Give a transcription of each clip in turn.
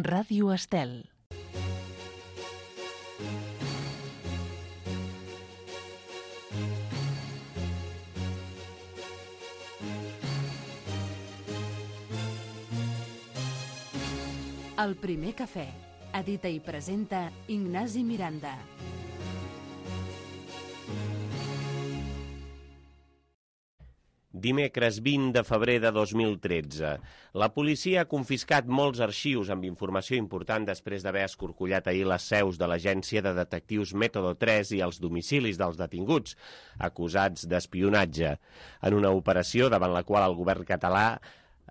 Ràdio Estel. El primer cafè. Edita i presenta Ignasi Miranda. Dimecres 20 de febrer de 2013. La policia ha confiscat molts arxius amb informació important després d'haver escorcollat ahir les seus de l'agència de detectius Método 3 i els domicilis dels detinguts, acusats d'espionatge. En una operació davant la qual el govern català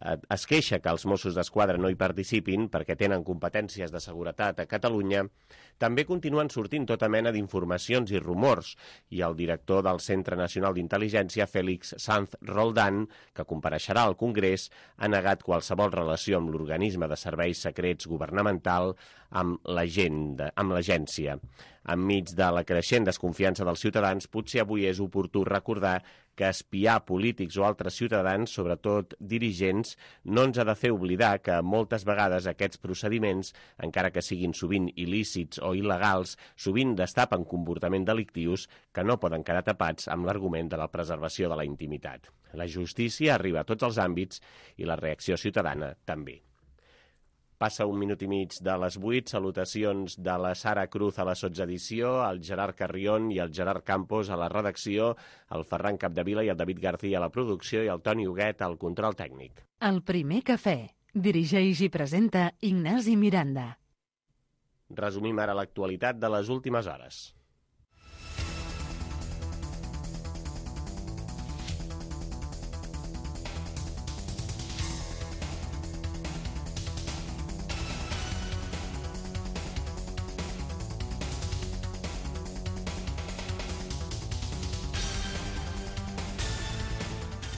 es queixa que els Mossos d'Esquadra no hi participin perquè tenen competències de seguretat a Catalunya, també continuen sortint tota mena d'informacions i rumors, i el director del Centre Nacional d'Intel·ligència, Félix Sanz Roldán, que compareixerà al Congrés, ha negat qualsevol relació amb l'organisme de serveis secrets governamental amb l'agència. Enmig de la creixent desconfiança dels ciutadans, potser avui és oportú recordar que espiar polítics o altres ciutadans, sobretot dirigents, no ens ha de fer oblidar que moltes vegades aquests procediments, encara que siguin sovint il·lícits o il·legals, sovint destapen comportaments delictius que no poden quedar tapats amb l'argument de la preservació de la intimitat. La justícia arriba a tots els àmbits i la reacció ciutadana també. Passa un minut i mig de les 8, salutacions de la Sara Cruz a la sotsedició, el Gerard Carrión i el Gerard Campos a la redacció, el Ferran Capdevila i el David García a la producció i el Toni Huguet al control tècnic. El primer cafè. Dirigeix i presenta Ignasi Miranda. Resumim ara l'actualitat de les últimes hores.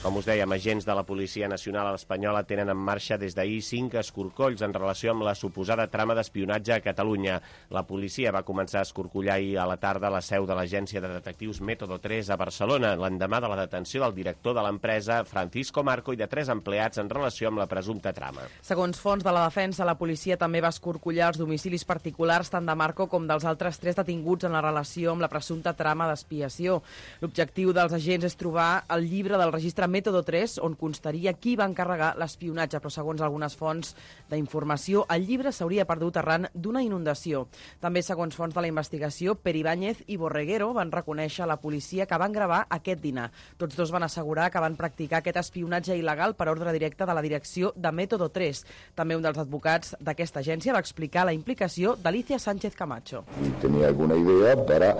Com us dèiem, agents de la Policia Nacional Espanyola tenen en marxa des d'ahir 5 escorcolls en relació amb la suposada trama d'espionatge a Catalunya. La policia va començar a escorcollar ahir a la tarda la seu de l'agència de detectius Método 3 a Barcelona, l'endemà de la detenció del director de l'empresa, Francisco Marco, i de 3 empleats en relació amb la presumpta trama. Segons fonts de la defensa, la policia també va escorcollar els domicilis particulars tant de Marco com dels altres 3 detinguts en la relació amb la presumpta trama d'expiació. L'objectiu dels agents és trobar el llibre del registre Método 3, on constaria qui va encarregar l'espionatge, però segons algunes fonts d'informació, el llibre s'hauria perdut arran d'una inundació. També, segons fonts de la investigació, Pere Ibáñez i Borreguero van reconèixer a la policia que van gravar aquest dinar. Tots dos van assegurar que van practicar aquest espionatge il·legal per ordre directe de la direcció de Método 3. També un dels advocats d'aquesta agència va explicar la implicació d'Alicia Sánchez Camacho. Tenía alguna idea para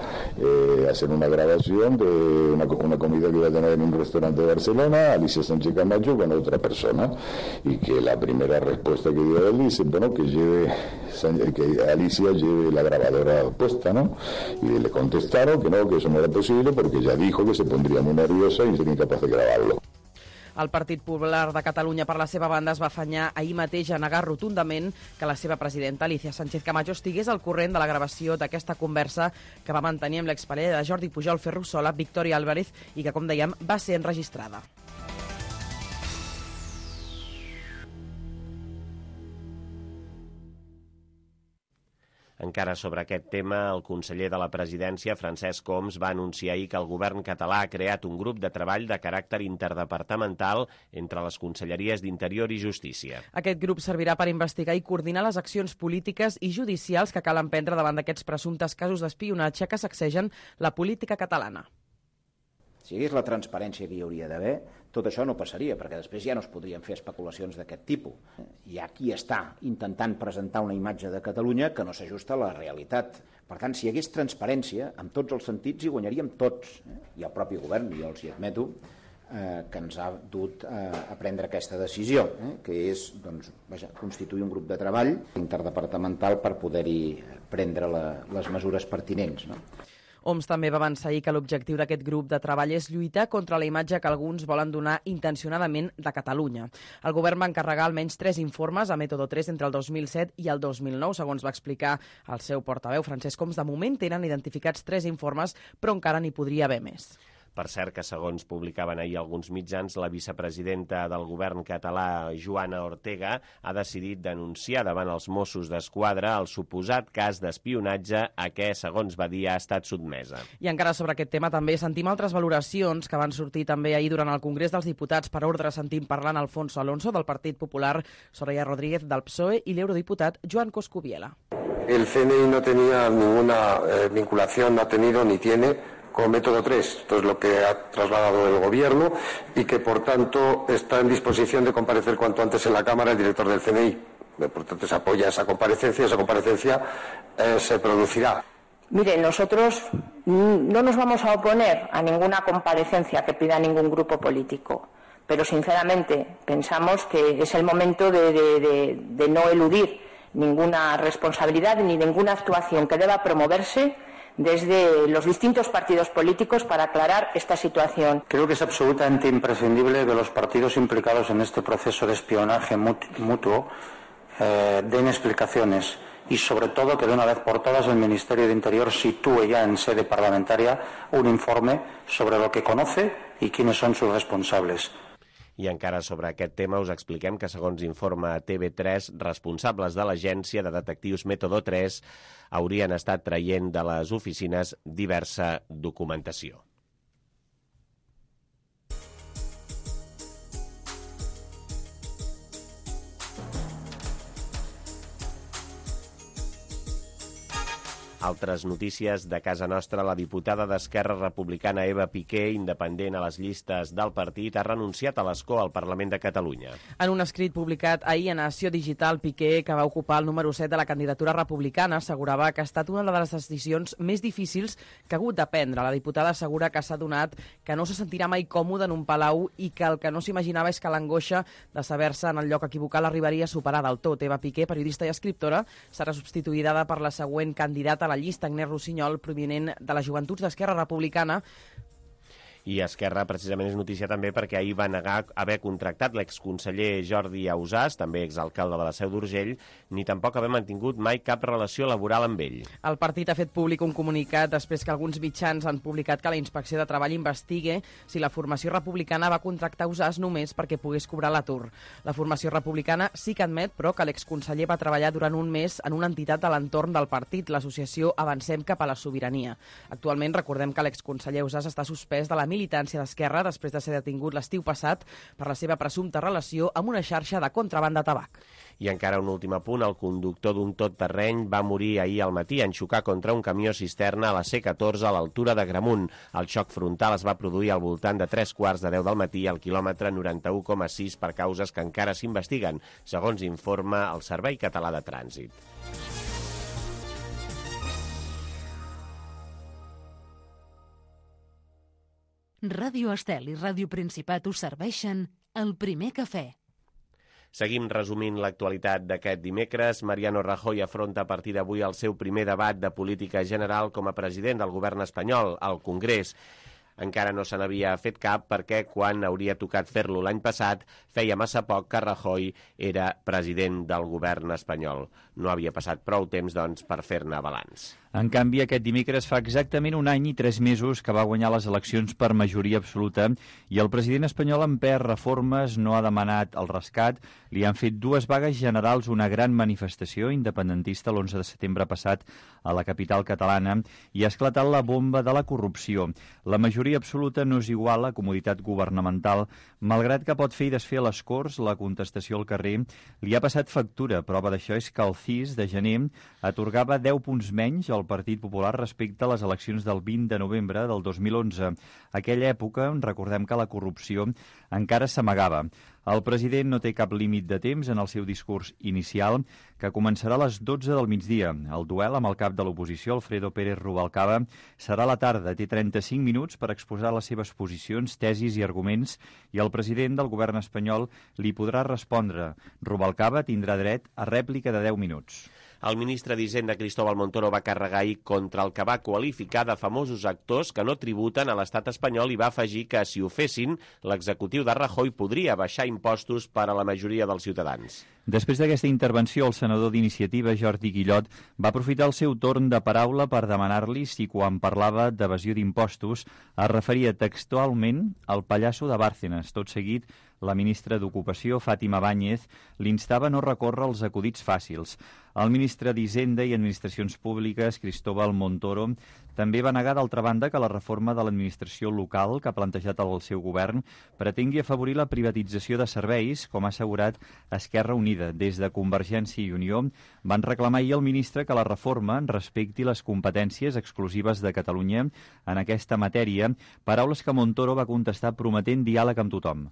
hacer una grabación de una comida que iba a tener en un restaurante de Barcelona, Alicia Sánchez Camacho con otra persona, y que la primera respuesta que dio él dice, bueno, que Alicia lleve la grabadora puesta, ¿no? Y le contestaron que no, que eso no era posible porque ella dijo que se pondría muy nerviosa y sería incapaz de grabarlo. El Partit Popular de Catalunya, per la seva banda, es va afanyar ahir mateix a negar rotundament que la seva presidenta, Alicia Sánchez Camacho, estigués al corrent de la gravació d'aquesta conversa que va mantenir amb l'exparella de Jordi Pujol Ferrusola, Victoria Álvarez, i que, com dèiem, va ser enregistrada. Encara sobre aquest tema, el conseller de la presidència, Francesc Homs, va anunciar ahir que el govern català ha creat un grup de treball de caràcter interdepartamental entre les conselleries d'Interior i Justícia. Aquest grup servirà per investigar i coordinar les accions polítiques i judicials que cal emprendre davant d'aquests presumptes casos d'espionatge que sacsegen la política catalana. Si hi hagués la transparència que hi hauria d'haver, tot això no passaria, perquè després ja no es podrien fer especulacions d'aquest tipus. Hi ha qui està intentant presentar una imatge de Catalunya que no s'ajusta a la realitat. Per tant, si hi hagués transparència, en tots els sentits hi guanyaríem tots. I el propi govern, jo els hi admeto, que ens ha dut a prendre aquesta decisió, que és constituir un grup de treball interdepartamental per poder-hi prendre les mesures pertinents, no? Homs també va avançar ahir que l'objectiu d'aquest grup de treball és lluitar contra la imatge que alguns volen donar intencionadament de Catalunya. El govern va encarregar almenys 3 informes a Método 3 entre el 2007 i el 2009, segons va explicar el seu portaveu, Francesc Homs. De moment tenen identificats 3 informes, però encara n'hi podria haver més. Per cert que, segons publicaven ahir alguns mitjans, la vicepresidenta del govern català, Joana Ortega, ha decidit denunciar davant els Mossos d'Esquadra el suposat cas d'espionatge a què, segons va dir, ha estat sotmesa. I encara sobre aquest tema també sentim altres valoracions que van sortir també ahir durant el Congrés dels Diputats. Per ordre sentim parlant Alfonso Alonso del Partit Popular, Soraya Rodríguez del PSOE i l'eurodiputat Joan Coscubiela. El CNI no tenía ninguna vinculación, no ha tenido ni tiene con método 3. Esto es lo que ha trasladado el Gobierno y que, por tanto, está en disposición de comparecer cuanto antes en la Cámara el director del CNI. Por tanto, se apoya esa comparecencia se producirá. Mire, nosotros no nos vamos a oponer a ninguna comparecencia que pida ningún grupo político, pero sinceramente pensamos que es el momento de no eludir ninguna responsabilidad ni ninguna actuación que deba promoverse desde los distintos partidos políticos para aclarar esta situación. Creo que es absolutamente imprescindible que los partidos implicados en este proceso de espionaje mutuo den explicaciones y, sobre todo, que de una vez por todas el Ministerio de Interior sitúe ya en sede parlamentaria un informe sobre lo que conoce y quiénes son sus responsables. I encara sobre aquest tema us expliquem que, segons informa TV3, responsables de l'agència de detectius Método 3 haurien estat traient de les oficines diversa documentació. Altres notícies de casa nostra. La diputada d'Esquerra Republicana Eva Piqué, independent a les llistes del partit, ha renunciat a l'escó al Parlament de Catalunya. En un escrit publicat ahir a Nació Digital, Piqué, que va ocupar el número 7 de la candidatura republicana, assegurava que ha estat una de les decisions més difícils que ha hagut de prendre. La diputada assegura que s'ha adonat que no se sentirà mai còmode en un palau i que el que no s'imaginava és que l'angoixa de saber-se en el lloc equivocat l'arribaria a superar del tot. Eva Piqué, periodista i escriptora, serà substituïda per la següent candidata a la llista, Agnès Rossinyol, provinent de les Joventuts d'Esquerra Republicana. I Esquerra precisament és notícia també perquè ahir va negar haver contractat l'exconseller Jordi Ausàs, també exalcalde de la Seu d'Urgell, ni tampoc haver mantingut mai cap relació laboral amb ell. El partit ha fet públic un comunicat després que alguns mitjans han publicat que la Inspecció de Treball investigue si la formació republicana va contractar Ausàs només perquè pogués cobrar l'atur. La formació republicana sí que admet, però, que l'exconseller va treballar durant un mes en una entitat de l'entorn del partit, l'associació Avancem cap a la Sobirania. Actualment, recordem que l'exconseller Ausàs està suspès de la militància d'Esquerra després de ser detingut l'estiu passat per la seva presumpta relació amb una xarxa de contraban de tabac. I encara un últim apunt, el conductor d'un tot-terreny va morir ahir al matí en xocar contra un camió cisterna a la C14 a l'altura de Gramunt. El xoc frontal es va produir al voltant de 3:15 del matí al quilòmetre 91,6 per causes que encara s'investiguen, segons informa el Servei Català de Trànsit. Ràdio Estel i Ràdio Principat us serveixen el primer cafè. Seguim resumint l'actualitat d'aquest dimecres. Mariano Rajoy afronta a partir d'avui el seu primer debat de política general com a president del govern espanyol al Congrés. Encara no se n'havia fet cap perquè quan hauria tocat fer-lo l'any passat feia massa poc que Rajoy era president del govern espanyol. No havia passat prou temps, doncs, per fer-ne balanç. En canvi, aquest dimecres fa exactament 1 any i 3 mesos que va guanyar les eleccions per majoria absoluta i el president espanyol ha empès reformes, no ha demanat el rescat, li han fet 2 vagues generals, una gran manifestació independentista l'11 de setembre passat a la capital catalana i ha esclatat la bomba de la corrupció. La majoria absoluta no és igual a comoditat governamental, malgrat que pot fer i desfer a les Corts, la contestació al carrer li ha passat factura. Prova d'això és que el CIS de gener atorgava 10 punts menys al Partit Popular respecte a les eleccions del 20 de novembre del 2011. Aquella època, recordem que la corrupció encara s'amagava. El president no té cap límit de temps en el seu discurs inicial, que començarà a les 12 del migdia. El duel amb el cap de l'oposició, Alfredo Pérez Rubalcaba, serà a la tarda. Té 35 minuts per exposar les seves posicions, tesis i arguments, i el president del govern espanyol li podrà respondre. Rubalcaba tindrà dret a rèplica de 10 minuts. El ministre d'Hisenda, Cristóbal Montoro, va carregar ahir contra el que va qualificar de famosos actors que no tributen a l'estat espanyol i va afegir que, si ho fessin, l'executiu de Rajoy podria baixar impostos per a la majoria dels ciutadans. Després d'aquesta intervenció, el senador d'Iniciativa, Jordi Guillot, va aprofitar el seu torn de paraula per demanar-li si, quan parlava d'evasió d'impostos, es referia textualment al pallasso de Bárcenas. Tot seguit, la ministra d'Ocupació, Fátima Báñez, l'instava a no recórrer als acudits fàcils. El ministre d'Hisenda i Administracions Públiques, Cristóbal Montoro, també va negar, d'altra banda, que la reforma de l'administració local que ha plantejat el seu govern pretengui afavorir la privatització de serveis, com ha assegurat Esquerra Unida. Des de Convergència i Unió van reclamar ahir al ministre que la reforma respecti les competències exclusives de Catalunya en aquesta matèria, paraules que Montoro va contestar prometent diàleg amb tothom.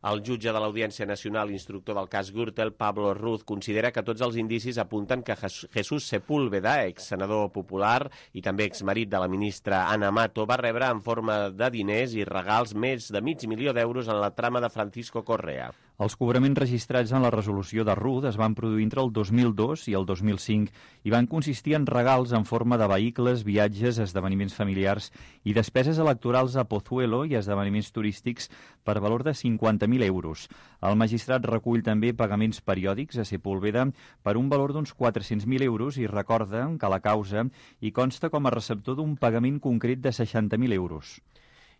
El jutge de l'Audiència Nacional, instructor del cas Gürtel, Pablo Ruz, considera que tots els indicis apunten que Jesús Sepúlveda, exsenador popular i també exmarit de la ministra Ana Mato, va rebre en forma de diners i regals més de $500.000 d'euros en la trama de Francisco Correa. Els cobraments registrats en la resolució de Ruz es van produir entre el 2002 i el 2005 i van consistir en regals en forma de vehicles, viatges, esdeveniments familiars i despeses electorals a Pozuelo i esdeveniments turístics per valor de 50.000 euros. El magistrat recull també pagaments periòdics a Sepúlveda per un valor d'uns 400.000 euros i recorda que la causa hi consta com a receptor d'un pagament concret de 60.000 euros.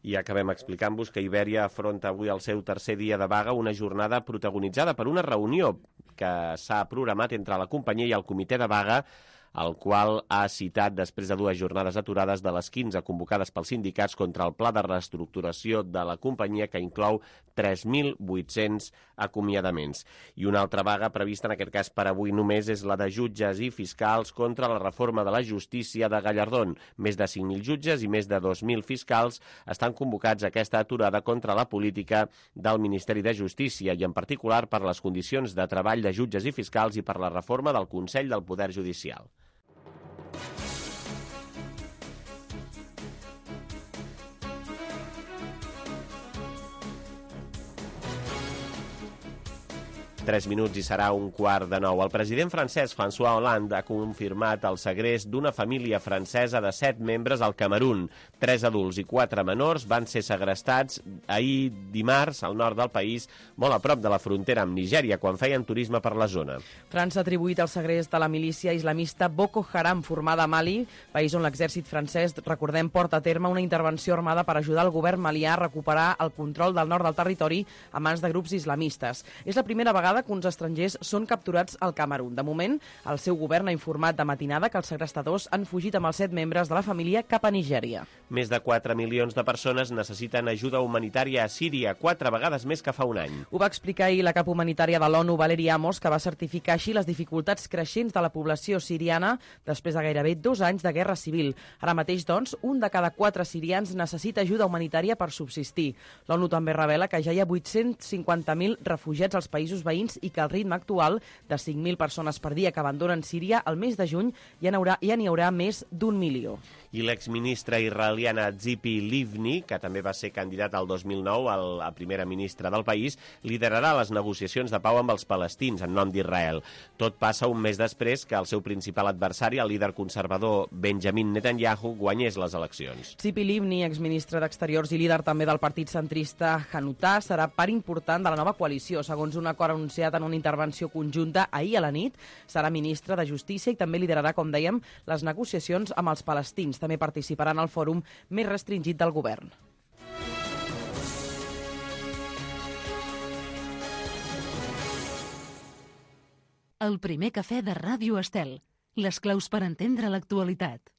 I acabem explicant-vos que Iberia afronta avui el seu tercer dia de vaga, una jornada protagonitzada per una reunió que s'ha programat entre la companyia i el comitè de vaga, el qual ha citat després de 2 jornades aturades de les 15 convocades pels sindicats contra el pla de reestructuració de la companyia, que inclou 3.800 acomiadaments. I una altra vaga prevista, en aquest cas per avui només, és la de jutges i fiscals contra la reforma de la justícia de Gallardón. Més de 5.000 jutges i més de 2.000 fiscals estan convocats a aquesta aturada contra la política del Ministeri de Justícia i, en particular, per les condicions de treball de jutges i fiscals i per la reforma del Consell del Poder Judicial. Tres minuts i serà 8:45. El president francès François Hollande ha confirmat el segrest d'una família francesa de 7 membres al Camerun. 3 adults i 4 menors van ser segrestats ahir dimarts al nord del país, molt a prop de la frontera amb Nigèria, quan feien turisme per la zona. França ha atribuït el segrest de la milícia islamista Boko Haram, formada a Mali, país on l'exèrcit francès, recordem, porta a terme una intervenció armada per ajudar el govern malià a recuperar el control del nord del territori a mans de grups islamistes. És la primera vegada que uns estrangers són capturats al Camerun. De moment, el seu govern ha informat de matinada que els segrestadors han fugit amb els 7 membres de la família cap a Nigèria. Més de 4 milions de persones necessiten ajuda humanitària a Síria, 4 vegades més que fa un any. Ho va explicar ahir la cap humanitària de l'ONU, Valerie Amos, que va certificar així les dificultats creixents de la població siriana després de gairebé 2 anys de guerra civil. Ara mateix, doncs, un de cada 4 sirians necessita ajuda humanitària per subsistir. L'ONU també revela que ja hi ha 850.000 refugiats als països veïns i que el ritme actual de 5.000 persones per dia que abandonen Síria al mes de juny ja n'hi haurà més d'1 milió. I l'exministra israeliana Tzipi Livni, que també va ser candidat al 2009 a primera ministra del país, liderarà les negociacions de pau amb els palestins en nom d'Israel. Tot passa un mes després que el seu principal adversari, el líder conservador Benjamin Netanyahu, guanyés les eleccions. Tzipi Livni, exministre d'Exteriors i líder també del partit centrista Hanutà, serà part important de la nova coalició. Segons un acord anunciat en una intervenció conjunta ahir a la nit, serà ministre de Justícia i també liderarà, com dèiem, les negociacions amb els palestins. També participarà en el fòrum més restringit del govern. El primer cafè de Ràdio Estel. Les claus per entendre l'actualitat.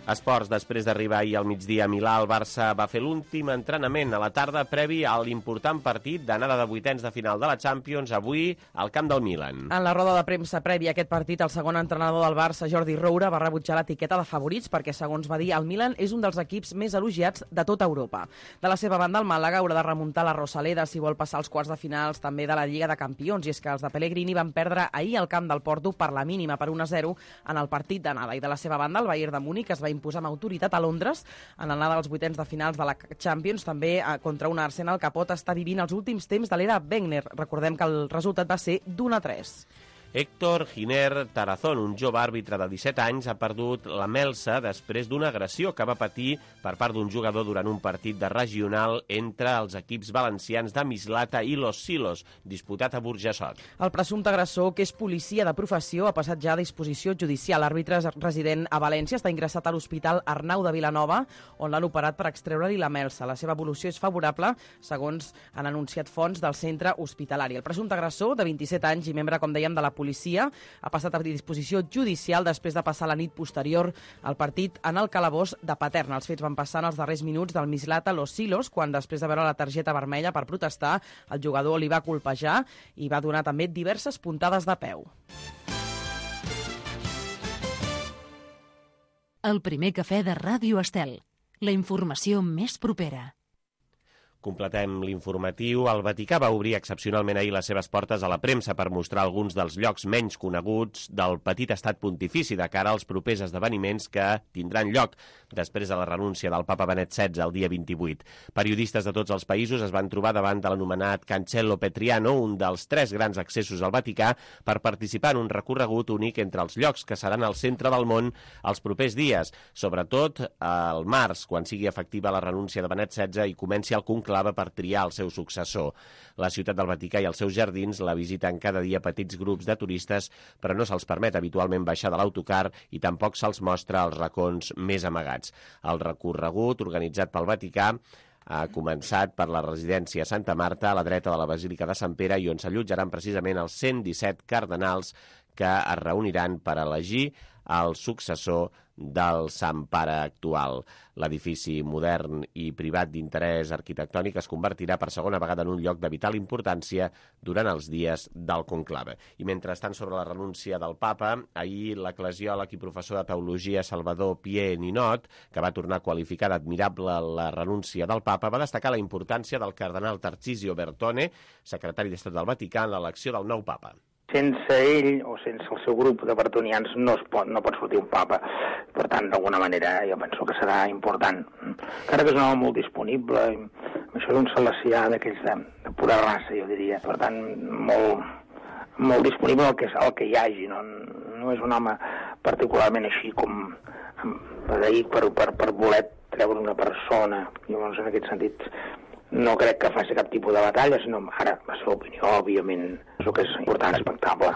Esports, després d'arribar ahir al migdia a Milà, el Barça va fer l'últim entrenament a la tarda previ a l'important partit d'anada de vuitens de final de la Champions, avui al camp del Milan. En la roda de premsa prèvia a aquest partit, el segon entrenador del Barça, Jordi Roura, va rebutjar l'etiqueta de favorits perquè, segons va dir, el Milan és un dels equips més elogiats de tota Europa. De la seva banda, el Màlaga haurà de remuntar la Rosaleda si vol passar als quarts de finals també de la Lliga de Campions, i és que els de Pellegrini van perdre ahir al camp del Porto per la mínima, per 1-0, en el partit d'anada. I de la seva banda, el Bayern de Múnich es va imposar amb autoritat a Londres en l'anada dels vuitens de finals de la Champions, també contra un Arsenal que pot estar vivint els últims temps de l'era Wenger. Recordem que el resultat va ser d'1-3. Héctor Giner Tarazón, un jove àrbitre de 17 anys, ha perdut la melsa després d'una agressió que va patir per part d'un jugador durant un partit de regional entre els equips valencians de Mislata i Los Silos, disputat a Burjassot. El presumpte agressor, que és policia de professió, ha passat ja a disposició judicial. L'àrbitre resident a València està ingressat a l'Hospital Arnau de Vilanova, on l'han operat per extreure-li la melsa. La seva evolució és favorable, segons han anunciat fonts del centre hospitalari. El presumpte agressor, de 27 anys i membre, com dèiem, de la policia, ha passat a disposició judicial després de passar la nit posterior al partit en el calabós de Paterna. Els fets van passar en els darrers minuts del Mislata Los Silos, quan després de veure la targeta vermella per protestar, el jugador li va colpejar i va donar també diverses puntades de peu. El primer cafè de Ràdio Estel. La informació més propera. Completem l'informatiu. El Vaticà va obrir excepcionalment ahir les seves portes a la premsa per mostrar alguns dels llocs menys coneguts del petit estat pontifici de cara als propers esdeveniments que tindran lloc després de la renúncia del papa Benet XVI el dia 28. Periodistes de tots els països es van trobar davant de l'anomenat Cancello Petriano, un dels 3 grans accessos al Vaticà, per participar en un recorregut únic entre els llocs que seran al centre del món els propers dies, sobretot al març, quan sigui efectiva la renúncia de Benet XVI i comenci el conclave per triar el seu successor. La ciutat del Vaticà i els seus jardins la visiten cada dia petits grups de turistes, però no se'ls permet habitualment baixar de l'autocar i tampoc se'ls mostra els racons més amagats. El recorregut, organitzat pel Vaticà, ha començat per la residència Santa Marta, a la dreta de la Basílica de Sant Pere, i on s'allotjaran precisament els 117 cardenals que es reuniran per elegir el successor del Sant Pare actual. L'edifici modern i privat d'interès arquitectònic es convertirà per segona vegada en un lloc de vital importància durant els dies del conclave. I mentrestant, sobre la renúncia del papa, ahir l'eclesiòleg i professor de teologia Salvador Pier Ninot, que va tornar a qualificar d'admirable la renúncia del papa, va destacar la importància del cardenal Tarcisio Bertone, secretari d'Estat del Vaticà, en l'elecció del nou papa. Sense ell o sense el seu grup de bertonians no pot sortir un papa. Per tant, d'alguna manera, jo penso que serà important. Encara que és un home molt disponible, això és un salesià d'aquells de pura raça, jo diria. Per tant, molt disponible el que hi hagi. No és un home particularment així com per voler treure una persona. Llavors, en aquest sentit, no crec que faci cap tipus de batalla, sinó ara la seva opinió, òbviament, és el que és important, respectable.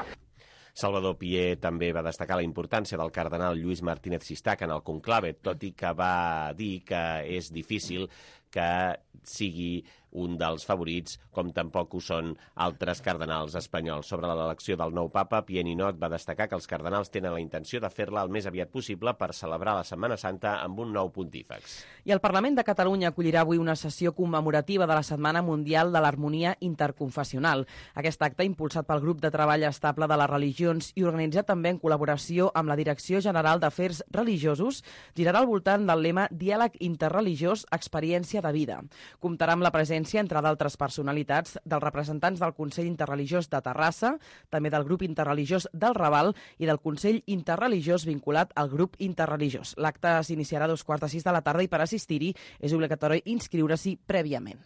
Salvador Pier també va destacar la importància del cardenal Lluís Martínez Sistac en el conclave, tot i que va dir que és difícil que sigui un dels favorits, com tampoc ho són altres cardenals espanyols. Sobre l'elecció del nou papa, Pier Ninot va destacar que els cardenals tenen la intenció de fer-la el més aviat possible per celebrar la Setmana Santa amb un nou pontífex. I el Parlament de Catalunya acollirà avui una sessió commemorativa de la Setmana Mundial de l'Harmonia Interconfessional. Aquest acte, impulsat pel Grup de Treball Estable de les Religions i organitzat també en col·laboració amb la Direcció General d'Afers Religiosos, girarà al voltant del lema Diàleg interreligiós, experiència de vida. Comptarà amb la presència, entre d'altres personalitats, dels representants del Consell Interreligiós de Terrassa, també del Grup Interreligiós del Raval i del Consell Interreligiós vinculat al Grup Interreligiós. L'acte s'iniciarà a 5:45 de la tarda i per assistir-hi és obligatori inscriure-s'hi prèviament.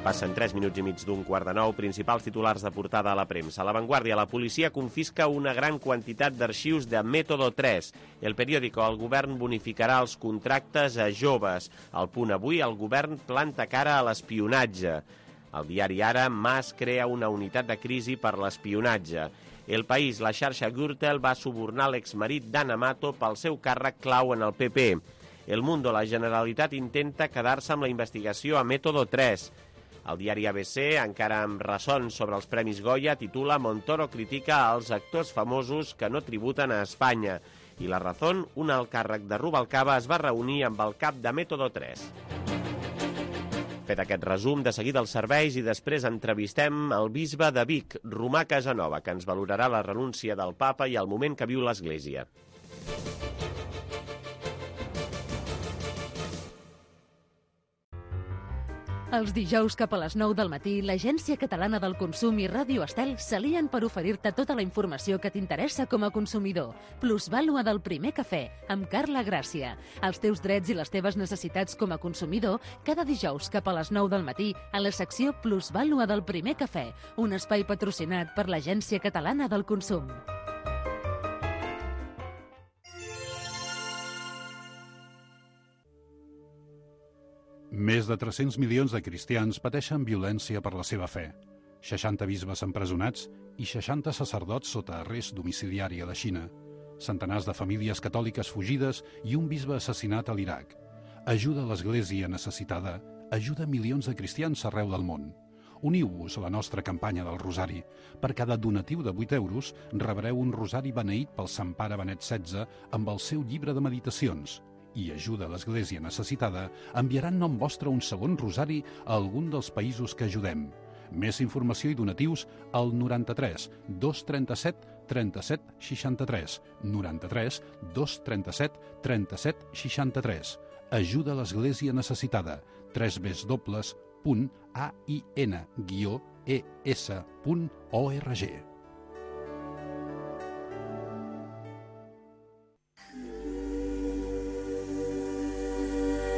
Passen 3 minuts i mig d'8:45, principals titulars de portada a la premsa. A La Vanguardia, la policia confisca una gran quantitat d'arxius de Método 3. El Periódico, el govern bonificarà els contractes a joves. Al Punt Avui, el govern planta cara a l'espionatge. El diari Ara, Mas crea una unitat de crisi per l'espionatge. El País, la xarxa Gürtel va subornar l'exmarit d'Ana Mato pel seu càrrec clau en el PP. El Mundo, la Generalitat intenta quedar-se amb la investigació a Método 3. El diari ABC, encara amb ressons sobre els Premis Goya, titula «Montoro critica als actors famosos que no tributen a Espanya». I La Razón, un alt càrrec de Rubalcaba, es va reunir amb el cap de Método 3. Fet aquest resum, de seguida els serveis i després entrevistem el bisbe de Vic, Romà Casanova, que ens valorarà la renúncia del papa i el moment que viu l'Església. Els dijous cap a les 9 del matí, l'Agència Catalana del Consum i Ràdio Estel s'alien per oferir-te tota la informació que t'interessa com a consumidor. Plusvàlua del primer cafè, amb Carla Gràcia. Els teus drets i les teves necessitats com a consumidor, cada dijous cap a les 9 del matí, a la secció Plusvàlua del primer cafè, un espai patrocinat per l'Agència Catalana del Consum. Més de 300 milions de cristians pateixen violència per la seva fe. 60 bisbes empresonats i 60 sacerdots sota arrest domiciliari a la Xina. Centenars de famílies catòliques fugides i un bisbe assassinat a l'Iraq. Ajuda l'Església necessitada, ajuda milions de cristians arreu del món. Uniu-vos a la nostra campanya del Rosari. Per cada donatiu de 8 euros rebreu un rosari beneït pel Sant Pare Benet XVI amb el seu llibre de meditacions. I ajuda l'Església necessitada, enviaran nom vostre un segon rosari a algun dels països que ajudem. Més informació i donatius al 93 237 37 63. 93 237 37 63. Ajuda l'Església necessitada. www.ain-es.org.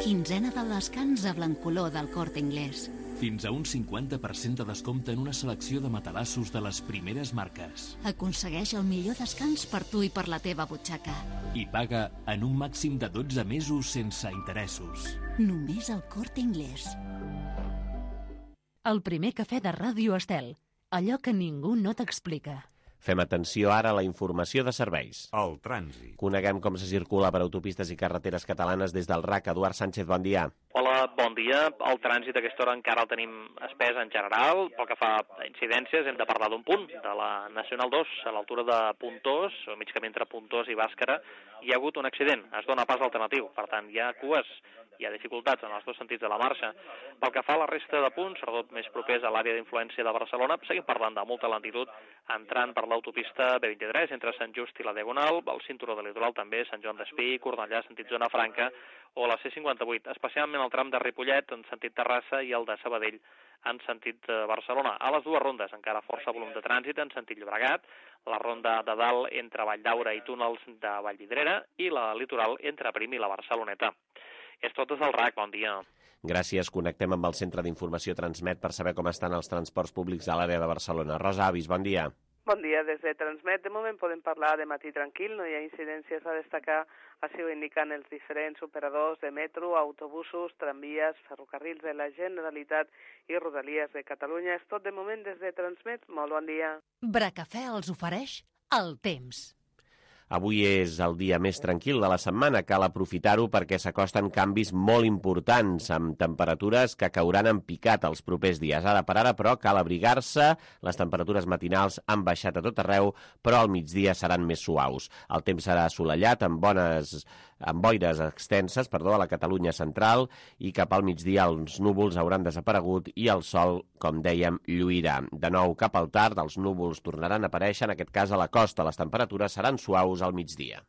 Quinzena del descans a Blancoló del Corte Inglés. Fins a un 50% de descompte en una selecció de matalassos de les primeres marques. Aconsegueix el millor descans per tu i per la teva butxaca. I paga en un màxim de 12 mesos sense interessos. Només al Corte Inglés. El primer cafè de Ràdio Estel. Allò que ningú no t'explica. Fem atenció ara a la informació de serveis. El trànsit. Coneguem com se circula per autopistes i carreteres catalanes des del RAC. Eduard Sánchez, bon dia. Hola, bon dia. El trànsit a aquesta hora encara el tenim espès en general. Pel que fa a incidències, hem de parlar d'un punt, de la Nacional 2, a l'altura de Puntós, o mig camí entre Puntós i Bàscara, hi ha hagut un accident. Es dona pas alternatiu. Per tant, hi ha cues, hi ha dificultats en els dos sentits de la marxa. Pel que fa a la resta de punts, sobretot més propers a l'àrea d'influència de Barcelona, seguim parlant de molta lentitud entrant per l'autopista B23 entre Sant Just i la Diagonal, el cinturó de litoral també, Sant Joan d'Espí, Cornellà, sentit zona franca, o la C58, especialment el tram de Ripollet en sentit Terrassa i el de Sabadell en sentit Barcelona. A les dues rondes encara força volum de trànsit en sentit Llobregat, la ronda de dalt entre Valldaura i túnels de Vallvidrera i la litoral entre Prim i la Barceloneta. És tot des del RAC, bon dia. Gràcies. Connectem amb el Centre d'Informació Transmet per saber com estan els transports públics a l'àrea de Barcelona. Rosa Avis, bon dia. Bon dia, des de Transmet. De moment podem parlar de matí tranquil, no hi ha incidències a destacar, així ho indiquen els diferents operadors de metro, autobusos, tramvies, ferrocarrils de la Generalitat i Rodalies de Catalunya. És tot de moment des de Transmet. Molt bon dia. Bracafè els ofereix el temps. Avui és el dia més tranquil de la setmana. Cal aprofitar-ho perquè s'acosten canvis molt importants, amb temperatures que cauran en picat els propers dies. Ara per ara, però, cal abrigar-se. Les temperatures matinals han baixat a tot arreu, però al migdia seran més suaus. El temps serà assolellat, amb boires extenses, a la Catalunya central, i cap al migdia els núvols hauran desaparegut i el sol, com dèiem, lluirà. De nou, cap al tard, els núvols tornaran a aparèixer, en aquest cas a la costa. Les temperatures seran suaus al migdia.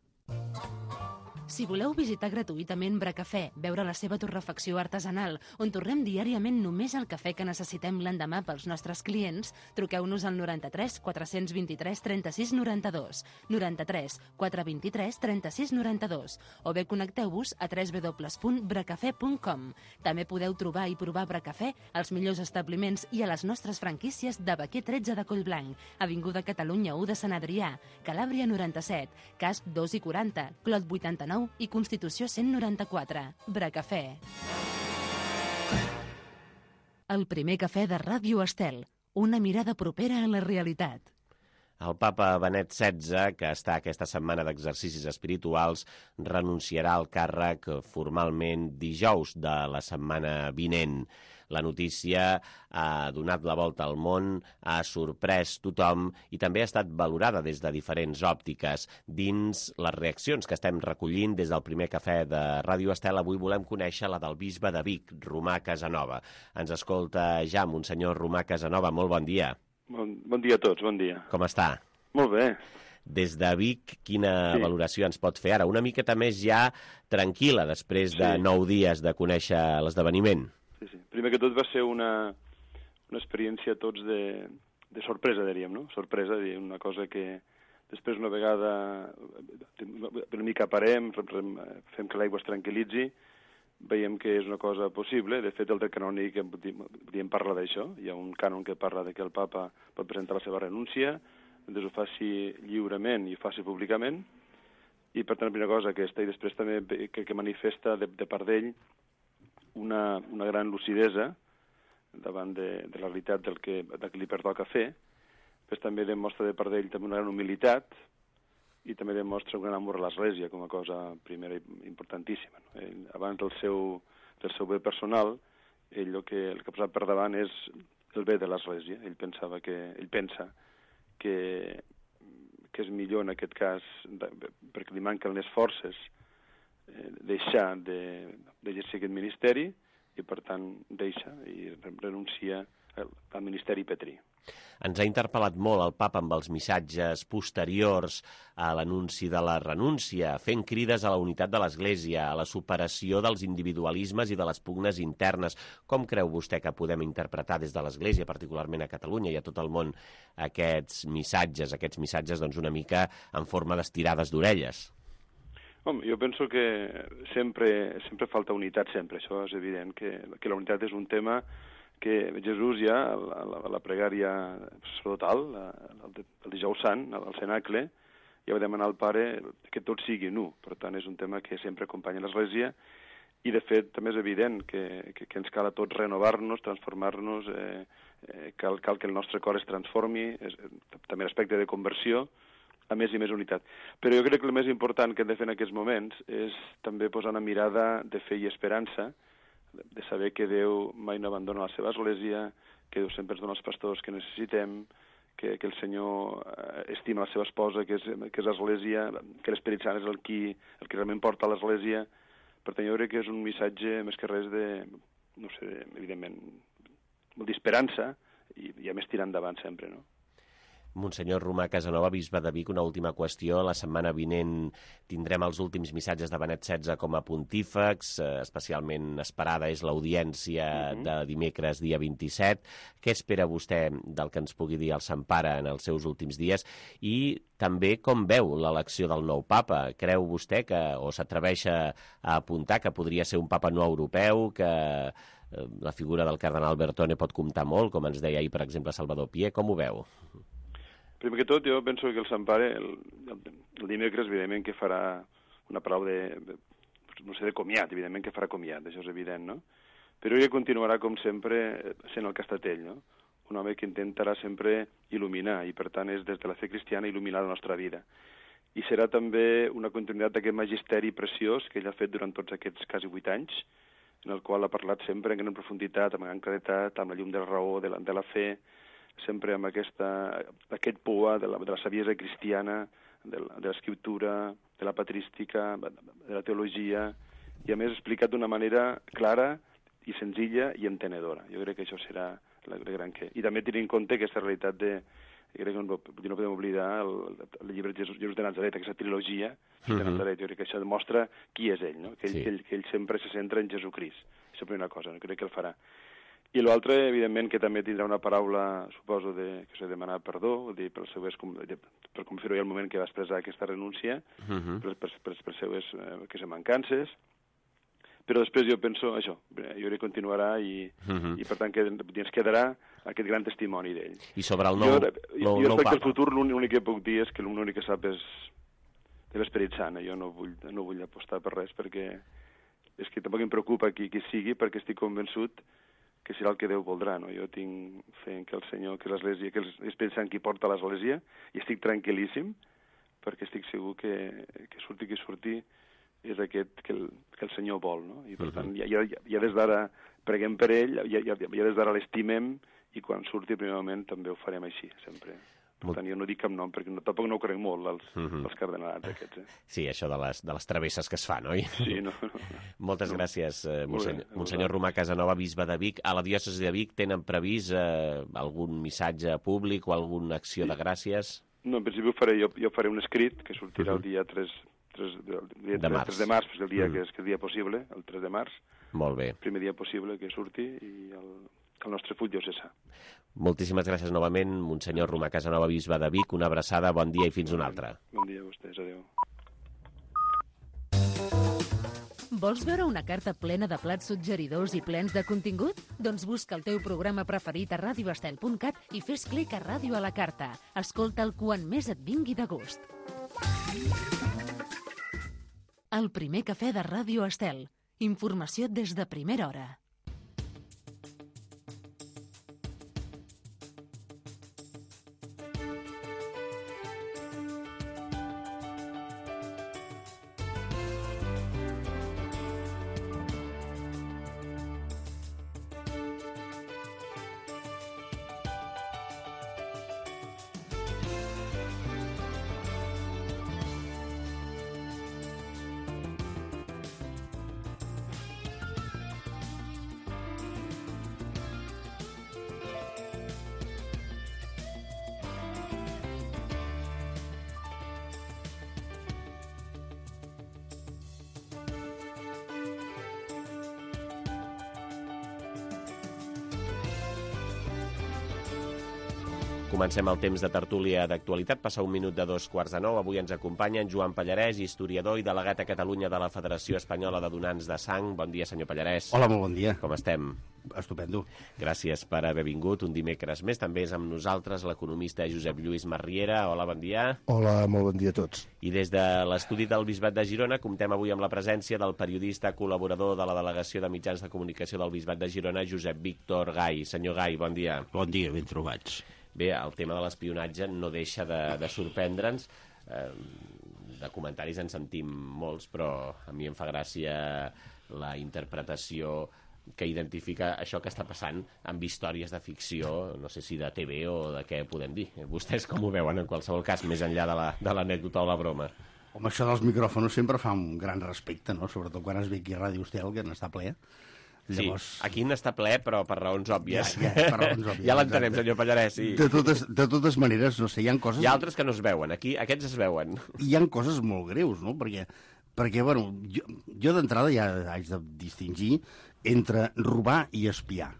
Si voleu visitar gratuïtament Bracafè, veure la seva torrefacció artesanal, on tornem diàriament només el cafè que necessitem l'endemà pels nostres clients, truqueu-nos al 93 423 36 92, 93 423 36 92, o bé connecteu-vos a www.bracafè.com. També podeu trobar i provar Bracafè als millors establiments i a les nostres franquícies de Baquer 13 de Collblanc, Avinguda Catalunya 1 de Sant Adrià, Calàbria 97, Casp 2 i 40, Clot 89 i Constitució 194. Bracafè. El primer cafè de Ràdio Estel. Una mirada propera a la realitat. El papa Benet XVI, que està aquesta setmana d'exercicis espirituals, renunciarà al càrrec formalment dijous de la setmana vinent. La notícia ha donat la volta al món, ha sorprès tothom i també ha estat valorada des de diferents òptiques. Dins les reaccions que estem recollint des del primer cafè de Ràdio Estel, avui volem conèixer la del bisbe de Vic, Romà Casanova. Ens escolta ja Monsenyor Romà Casanova. Molt bon dia. Bon dia a tots, bon dia. Com està? Molt bé. Des de Vic, quina valoració ens pot fer ara? Una miqueta més ja tranquil·la després de 9 dies de conèixer l'esdeveniment. Sí. Primer que tot va ser una experiència tots de sorpresa, diríem, no? Sorpresa, una cosa que després una vegada una mica parem, fem que l'aigua es tranquil·litzi, veiem que és una cosa possible. De fet, el dret canònic podríem parlar d'això. Hi ha un cànon que parla de que el papa pot presentar la seva renúncia, doncs ho faci lliurement i ho faci públicament, i per tant la primera cosa aquesta, i després també que manifesta de part d'ell una gran lucidesa davant de la realitat del que li pertoca fer, però també demostra de part d'ell també una gran humilitat i també demostra un gran amor a l'Església com a cosa primera i importantíssima. No? Abans del seu bé personal, ell el que ha posat per davant és el bé de l'Església. Ell pensa que és millor en aquest cas, perquè li manquen les forces, deixar d'exercir aquest ministeri i, per tant, deixa i renuncia al ministeri petrí. Ens ha interpel·lat molt el papa amb els missatges posteriors a l'anunci de la renúncia, fent crides a la unitat de l'Església, a la superació dels individualismes i de les pugnes internes. Com creu vostè que podem interpretar des de l'Església, particularment a Catalunya i a tot el món, aquests missatges doncs una mica en forma d'estirades d'orelles? Home, jo penso que sempre falta unitat, sempre. Això és evident, que la unitat és un tema que Jesús ja, a la pregària sacerdotal, el dijous sant, al cenacle, ja va demanar al Pare que tot sigui nu. Per tant, és un tema que sempre acompanya l'Església i, de fet, també és evident que ens cal a tots renovar-nos, transformar-nos, cal que el nostre cor es transformi, també l'aspecte de conversió, a més i més unitat. Però jo crec que el més important que hem de fer en aquests moments és també posar una mirada de fe i esperança, de saber que Déu mai no abandona la seva Església, que Déu sempre ens dona els pastors que necessitem, que el Senyor estima la seva esposa, que és l'Església, que l'Esperit Sant és el que realment porta a l'Església. Per tant, jo crec que és un missatge més que res evidentment, d'esperança i a més tirar endavant sempre, no? Monsenyor Romà Casanova, bisbe de Vic, una última qüestió. La setmana vinent tindrem els últims missatges de Benet XVI com a pontífex. Especialment esperada és l'audiència de dimecres, dia 27. Què espera vostè del que ens pugui dir el Sant Pare en els seus últims dies? I també com veu l'elecció del nou papa? Creu vostè o s'atreveix a apuntar que podria ser un papa no europeu, que la figura del cardenal Bertone pot comptar molt, com ens deia ahir, per exemple, Salvador Pié? Com ho veu? Primer que tot, jo penso que el Sant Pare, el dimecres, evidentment que farà una paraula de comiat, evidentment que farà comiat, això és evident, no? Però ell continuarà, com sempre, sent el que ha estat ell, no? Un home que intentarà sempre il·luminar, i per tant és des de la fe cristiana il·luminar la nostra vida. I serà també una continuïtat d'aquest magisteri preciós que ell ha fet durant tots aquests quasi 8 anys, en el qual ha parlat sempre en gran profunditat, amb gran claretat, amb la llum de la raó, de la fe, sempre amb aquest poa de la saviesa cristiana, de l'escriptura, de la patrística, de la teologia, i a més explicat d'una manera clara i senzilla i entenedora. Jo crec que això serà la gran que... I també tenir en compte aquesta realitat jo crec que no podem oblidar el llibre Jesús de Nazaret, aquesta trilogia de Nazaret. Jo crec que això demostra qui és ell, no? Que ell sempre se centra en Jesucrist. Això és la primera cosa, no? Crec que el farà. I l'altre, evidentment, que també tindrà una paraula, suposo, que s'ha de demanar perdó, per com fer-ho el moment que va expressar aquesta renúncia, per les seues mancances. Però després jo penso això, jo crec que continuarà i per tant, que ens quedarà aquest gran testimoni d'ell. I sobre el nou papa? Jo respecte al futur, l'únic que puc dir és que l'únic que sap és de l'Esperit Sant. Jo no vull apostar per res, perquè és que tampoc em preocupa qui sigui, perquè estic convençut que serà el que Déu voldrà, no? Jo tinc fe en que el Senyor, que l'Església, que l'Esperit Sant qui porta l'Església, i estic tranquil·líssim, perquè estic segur que surti qui surti és aquest que el Senyor vol, no? I per tant, ja des d'ara preguem per ell, ja des d'ara l'estimem, i quan surti el primer moment també ho farem així, sempre. Per tant, jo no dic cap nom, perquè tampoc no ho crec molt, els cardenalats aquests. Sí, això de les travesses que es fan, oi? Sí, no. Moltes gràcies, Monsenyor Romà Casanova, bisbe de Vic. A la diòcesi de Vic tenen previst algun missatge públic o alguna acció de gràcies? No, en principi jo faré un escrit que sortirà el dia 3 de març, el dia que és el dia possible, el 3 de març. Molt bé. El primer dia possible que surti i el nostre full diocesà. Moltíssimes gràcies novament, Monsenyor Romà Casanova, bisbe de Vic. Una abraçada, bon dia i fins una altra. Bon dia a vostès, adéu. Vols veure una carta plena de plats suggeridors i plens de contingut? Doncs busca el teu programa preferit a radioestel.cat i fes clic a Ràdio a la Carta. Escolta'l quan més et vingui de gust. El primer cafè de Ràdio Estel. Informació des de primera hora. Comencem el temps de tertúlia d'actualitat. Passa un minut de 2:15. Avui ens acompanya en Joan Pallarès, historiador i delegat a Catalunya de la Federació Espanyola de Donants de Sang. Bon dia, senyor Pallarès. Hola, molt bon dia. Com estem? Estupendo. Gràcies per haver vingut un dimecres més. També és amb nosaltres l'economista Josep Lluís Marriera. Hola, bon dia. Hola, molt bon dia a tots. I des de l'estudi del Bisbat de Girona comptem avui amb la presència del periodista col·laborador de la Delegació de Mitjans de Comunicació del Bisbat de Girona, Josep Víctor Gai. Senyor Gai, bon dia. Bon dia, ben trobats. Bé, el tema de l'espionatge no deixa de sorprendre'ns. De comentaris en sentim molts, però a mi em fa gràcia la interpretació que identifica això que està passant amb històries de ficció, no sé si de TV o de què podem dir. Vostès com ho veuen, en qualsevol cas, més enllà de l'anècdota o la broma? Home, això dels micròfons sempre fa un gran respecte, no? Sobretot quan es ve aquí a Ràdio Estel, que n'està ple. Llavors... Sí, aquí n'està ple, però per raons òbvies. Per raons òbvies. Ja l'entenem, senyor Pallarès. Sí. De totes maneres, no sé, hi ha coses... Hi ha altres que no es veuen, aquí aquests es veuen. Hi ha coses molt greus, no? Perquè bueno, jo d'entrada ja haig de distingir entre robar i espiar.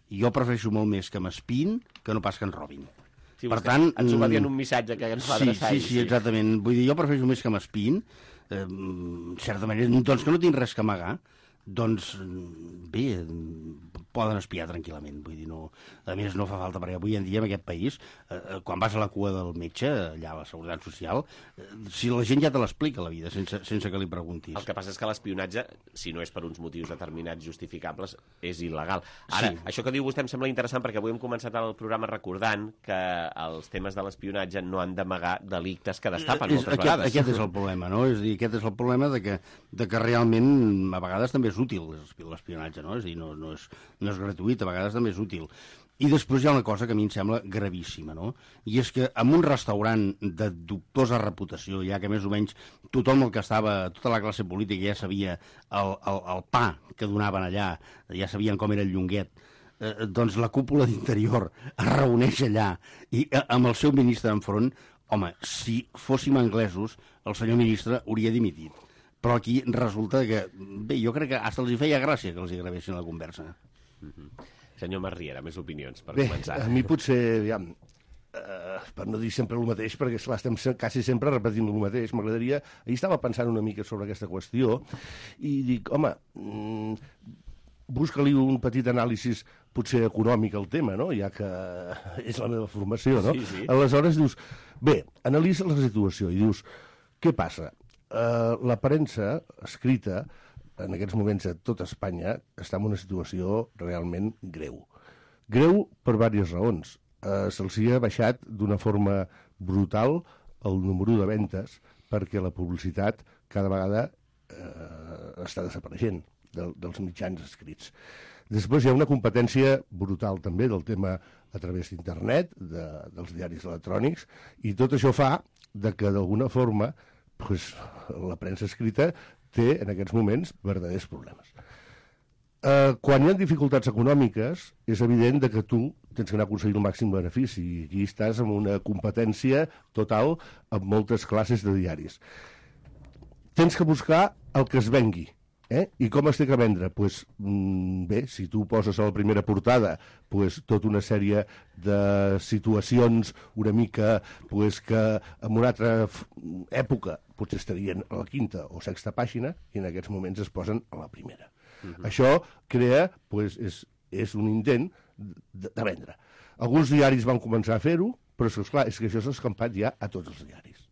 Jo prefereixo molt més que m'espiïn que no pas que ens robin. Sí, per tant, ens ho va dir en un missatge que ens va adreçar. Sí, exactament. Vull dir, jo prefereixo més que m'espiïn, en certa manera, doncs que no tinc res que amagar, doncs bé, poden espiar tranquil·lament, vull dir, no, a més no fa falta, perquè avui en dia en aquest país, quan vas a la cua del metge, allà a la Seguretat Social, si la gent ja te l'explica la vida, sense que li preguntis. El que passa és que l'espionatge, si no és per uns motius determinats justificables, és il·legal. Ara, sí. Això que diu vostè em sembla interessant, perquè avui hem començat el programa recordant que els temes de l'espionatge no han d'amagar delictes que destapen moltes vegades. Aquest és el problema, no? És a dir, aquest és el problema de que realment a vegades també és útil l'espionatge, no? És a dir, no és gratuït, a vegades també és útil. I després hi ha una cosa que a mi em sembla gravíssima, no? I és que en un restaurant de dubtosa reputació, ja que més o menys tothom el que estava, tota la classe política ja sabia el pa que donaven allà, ja sabien com era el llonguet, doncs la cúpula d'Interior es reuneix allà i amb el seu ministre enfront, home, si fóssim anglesos, el senyor ministre hauria dimitit. Però aquí resulta que, bé, jo crec que fins els hi feia gràcia que els hi gravessin la conversa. Senyor Marriera, més opinions per començar. A mi potser, aviam, per no dir sempre el mateix, perquè esclar, estem quasi sempre repetint el mateix, m'agradaria... Ahir estava pensant una mica sobre aquesta qüestió i dic, home, busca-li un petit anàlisi potser econòmic al tema, no? Ja que és la meva formació, no? Sí. Aleshores dius, bé, analitza la situació i dius, què passa? La premsa escrita en aquests moments a tota Espanya està en una situació realment greu. Greu per diverses raons. Se'ls ha baixat d'una forma brutal el número de ventes perquè la publicitat cada vegada està desapareixent. dels mitjans escrits. Després hi ha una competència brutal també del tema a través d'internet, dels diaris electrònics, i tot això fa que d'alguna forma la premsa escrita té en aquests moments verdaders problemes. Quan hi ha dificultats econòmiques, és evident que tu tens que anar a aconseguir el màxim benefici, i aquí estàs amb una competència total amb moltes classes de diaris. Tens que buscar el que es vengui. I com es té que vendre? Bé, si tu poses a la primera portada tota una sèrie de situacions una mica que en una altra època potser estarien a la quinta o sexta pàgina i en aquests moments es posen a la primera. Això crea, és un intent de vendre. Alguns diaris van començar a fer-ho, però és que això s'ha escampat ja a tots els diaris.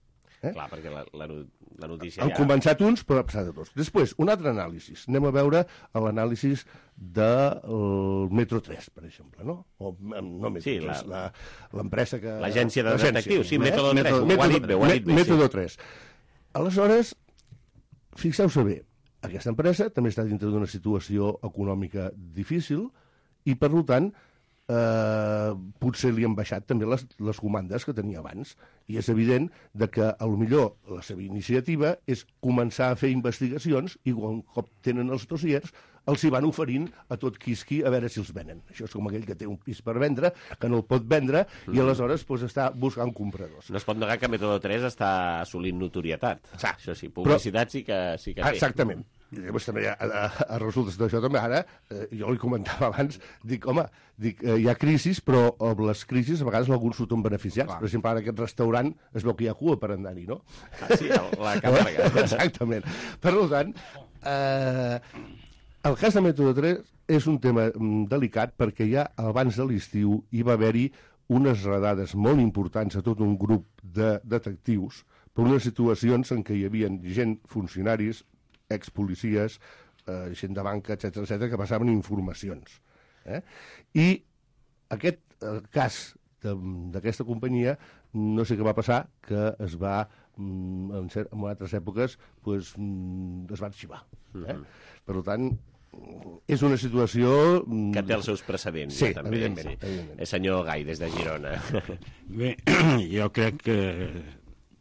Clar, perquè la notícia Han començat uns, però ha passat a tots. Després, un altre anàlisi. Anem a veure l'anàlisi del Metro 3, per exemple, no? O no Metro 3, l'empresa que... L'agència de detectius, sí, Método 3. Ho ha dit bé. Método 3. Aleshores, fixeu-se bé, aquesta empresa també està dintre d'una situació econòmica difícil i, per tant, potser li han baixat també les comandes que tenia abans. I és evident que potser la seva iniciativa és començar a fer investigacions i un cop tenen els dossiers els hi van oferint a tot quisqui a veure si els venen. Això és com aquell que té un pis per vendre, que no el pot vendre i aleshores està buscant compradors. No es pot negar que Método 3 està assolint notorietat. Això sí, publicitat sí que té. Exactament. I llavors també a resultes d'això també ara, jo li comentava abans, dic, hi ha crisis, però les crisis a vegades alguns surten beneficiats. Per exemple, ara aquest restaurant es veu que hi ha cua per anar-hi, no? Sí, la càrrega. Exactament. Per tant, el cas de Método 3 és un tema delicat perquè ja abans de l'estiu hi va haver-hi unes redades molt importants a tot un grup de detectius per unes situacions en què hi havia gent, funcionaris, expolicies, gent de banca, etc que passaven informacions. I aquest cas d'aquesta companyia, no sé què va passar, que es va, en altres èpoques, es va arxivar. Per tant, és una situació... Que té els seus precedents. Sí, també. Evidentment. Senyor Gai, des de Girona. Bé, jo crec que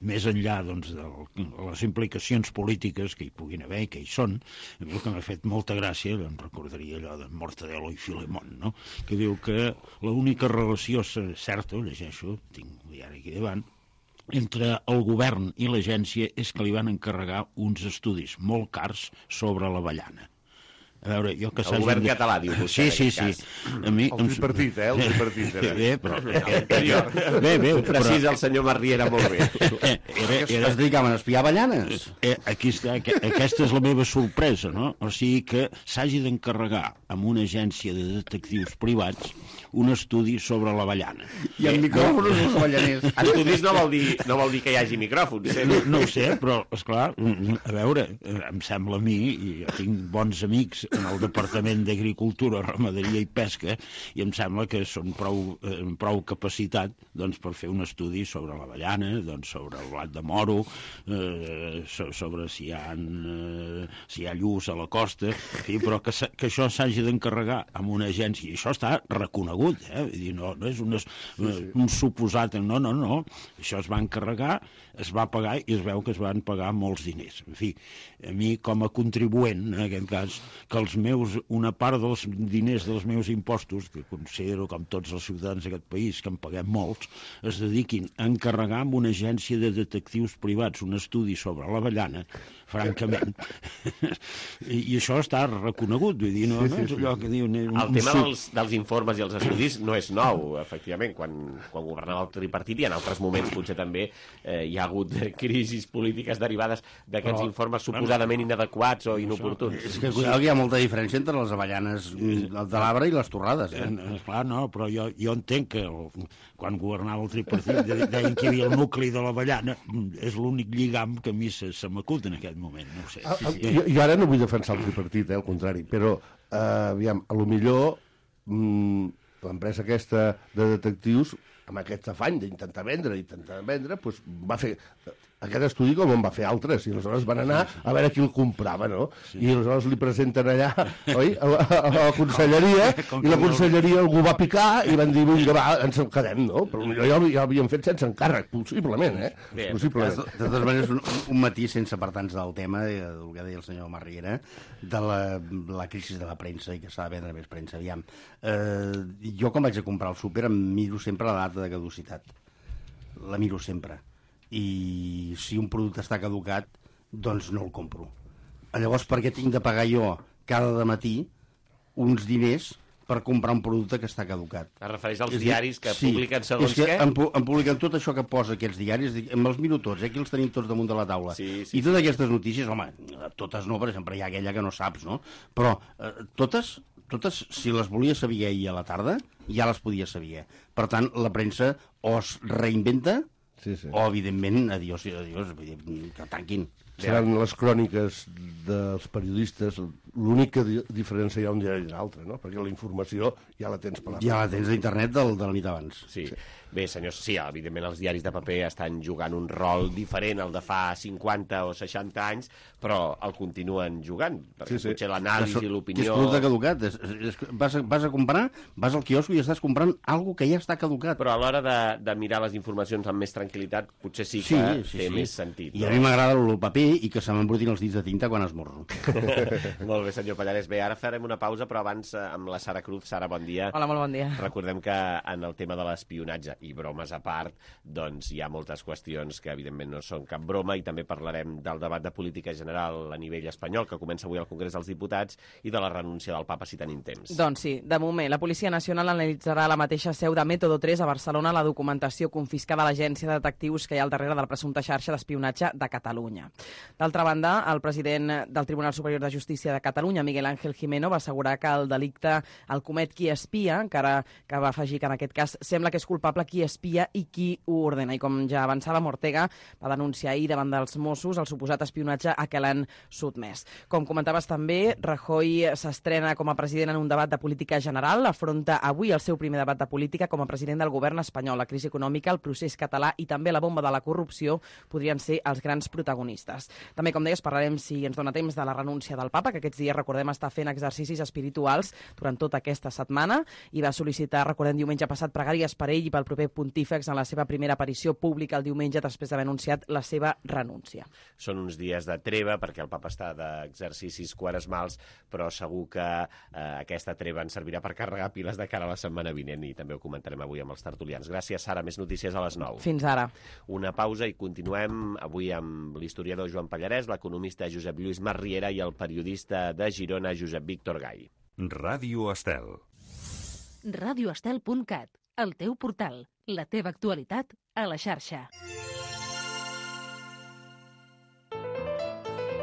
més enllà de les implicacions polítiques que hi puguin haver i que hi són, a mi el que m'ha fet molta gràcia, em recordaria allò de Mortadelo i Filemón, no? Que diu que l'única relació certa, ho llegeixo, tinc un diari aquí davant, entre el govern i l'agència és que li van encarregar uns estudis molt cars sobre l'avellana. A veure, jo que el govern català, diu vostè. Sí. A mi, el tripartit, el tripartit. Bé, però... Bé, precisa el senyor Marriera molt bé. Es dedicaven a espiar avellanes. Aquí està, aquesta és la meva sorpresa, no? O sigui que s'hagi d'encarregar amb una agència de detectius privats un estudi sobre l'avellana. I amb micròfons els avellaners. Estudis no vol dir que hi hagi micròfons. No ho sé, però, esclar, a veure, em sembla a mi, i jo tinc bons amics en el Departament d'Agricultura, Ramaderia i Pesca, i em sembla que són prou capacitat per fer un estudi sobre l'avellana, sobre el blat de moro, sobre si hi ha lluç a la costa, però que això s'hagi d'encarregar amb una agència, i això està reconegut, no és un suposat, no, això es va encarregar, es va pagar i es veu que es van pagar molts diners. En fi, a mi com a contribuent, en aquest cas, que una part dels diners dels meus impostos, que considero com tots els ciutadans d'aquest país, que en paguem molts, es dediquin a encarregar amb una agència de detectius privats un estudi sobre l'avellana, francament. I això està reconegut, vull dir, no és allò que diu... El tema dels informes i els estudis no és nou, efectivament. Quan governava el tripartit i en altres moments potser també hi ha hagut crisis polítiques derivades d'aquests informes suposadament inadequats o inoportuns. És que hi ha molta diferència entre les avellanes de l'arbre i les torrades. Clar, no, però jo entenc que quan governava el tripartit deien que hi havia el nucli de l'avellana, és l'únic lligam que a mi se m'acut en aquest moment, no ho sé. Jo ara no vull defensar el tripartit, al contrari, però aviam, a lo millor l'empresa aquesta de detectius amb aquest afany d'intentar vendre, va fer aquest estudi com en va fer altres, i aleshores van anar a veure qui el comprava, no? I aleshores li presenten allà, oi, a la conselleria, i la conselleria algú va picar i van dir, vinga, va, ens el quedem, no? Però potser ja l'havien fet sense encàrrec, possiblement, possiblement. De totes maneres, un matí sense apartar-nos del tema, del que deia el senyor Marriera, de la crisi de la premsa i que s'ha de vendre més premsa. Aviam, jo quan vaig a comprar al súper em miro sempre la data de caducitat. La miro sempre. I si un producte està caducat, doncs no el compro. Llavors, per què tinc de pagar jo cada matí uns diners per comprar un producte que està caducat? Es refereix als diaris que publiquen segons què? Em publiquen tot això que posa aquests diaris, em els miro tots, aquí els tenim tots damunt de la taula. I totes aquestes notícies, home, totes no, perquè sempre hi ha aquella que no saps, no? Però totes, si les volia saber ahir a la tarda, ja les podia saber. Per tant, la premsa o es reinventa o, evidentment, adiós, que tanquin. Seran les cròniques dels periodistes, l'únic que diferenciarà un diari d'un altre, no? Perquè la informació ja la tens per la... Ja la tens a internet de la nit abans. Sí. Bé, senyors, sí, evidentment els diaris de paper estan jugant un rol diferent al de fa 50 o 60 anys, però el continuen jugant, perquè potser l'anàlisi i l'opinió... Que és producte caducat. Vas a comprar, vas al quiosco i estàs comprant alguna que ja està caducat. Però a l'hora de mirar les informacions amb més tranquil·litat, potser sí que té més sentit. I a mi m'agrada el paper i que se m'embrutin els dits de tinta quan esmorzo. Molt bé, senyor Pallarès. Bé, ara farem una pausa, però abans amb la Sara Cruz. Sara, bon dia. Hola, molt bon dia. Recordem que en el tema de l'espionatge, i bromes a part, doncs hi ha moltes qüestions que evidentment no són cap broma, i també parlarem del debat de política general a nivell espanyol, que comença avui al Congrés dels Diputats, i de la renúncia del papa, si tenim temps. Doncs sí, de moment, la Policia Nacional analitzarà a la mateixa seu de Método 3 a Barcelona la documentació confiscada a l'agència de detectius que hi ha al darrere de la presumpta xarxa d'espionatge de Catalunya. D'altra banda, el president del Tribunal Superior de Justícia de Catalunya, Miguel Ángel Gimeno, va assegurar que el delicte el comet qui espia, encara que va afegir que en aquest cas sembla que és culpable qui espia i qui ho ordena. I com ja avançava, Ortega va denunciar ahir davant dels Mossos el suposat espionatge a què l'han sotmès. Com comentaves també, Rajoy s'estrena com a president en un debat de política general, afronta avui el seu primer debat de política com a president del govern espanyol. La crisi econòmica, el procés català i també la bomba de la corrupció podrien ser els grans protagonistes. També, com deies, parlarem, si ens dona temps, de la renúncia del papa, que aquests dies, recordem, està fent exercicis espirituals durant tota aquesta setmana i va sol·licitar, recordem, diumenge passat, pregàries per ell i pel proper pontífex en la seva primera aparició pública el diumenge després d'haver anunciat la seva renúncia. Són uns dies de treva perquè el papa està d'exercicis quaresmals, però segur que aquesta treva ens servirà per carregar piles de cara a la setmana vinent, i també ho comentarem avui amb els tertulians. Gràcies, Sara. Més notícies a les 9. Fins ara. Una pausa i continuem avui amb l'historiador Joan Pallarès, l'economista Josep Lluís Marriera i el periodista de Girona, Josep Víctor Gai. Ràdio Estel. radioestel.cat, el teu portal, la teva actualitat a la xarxa.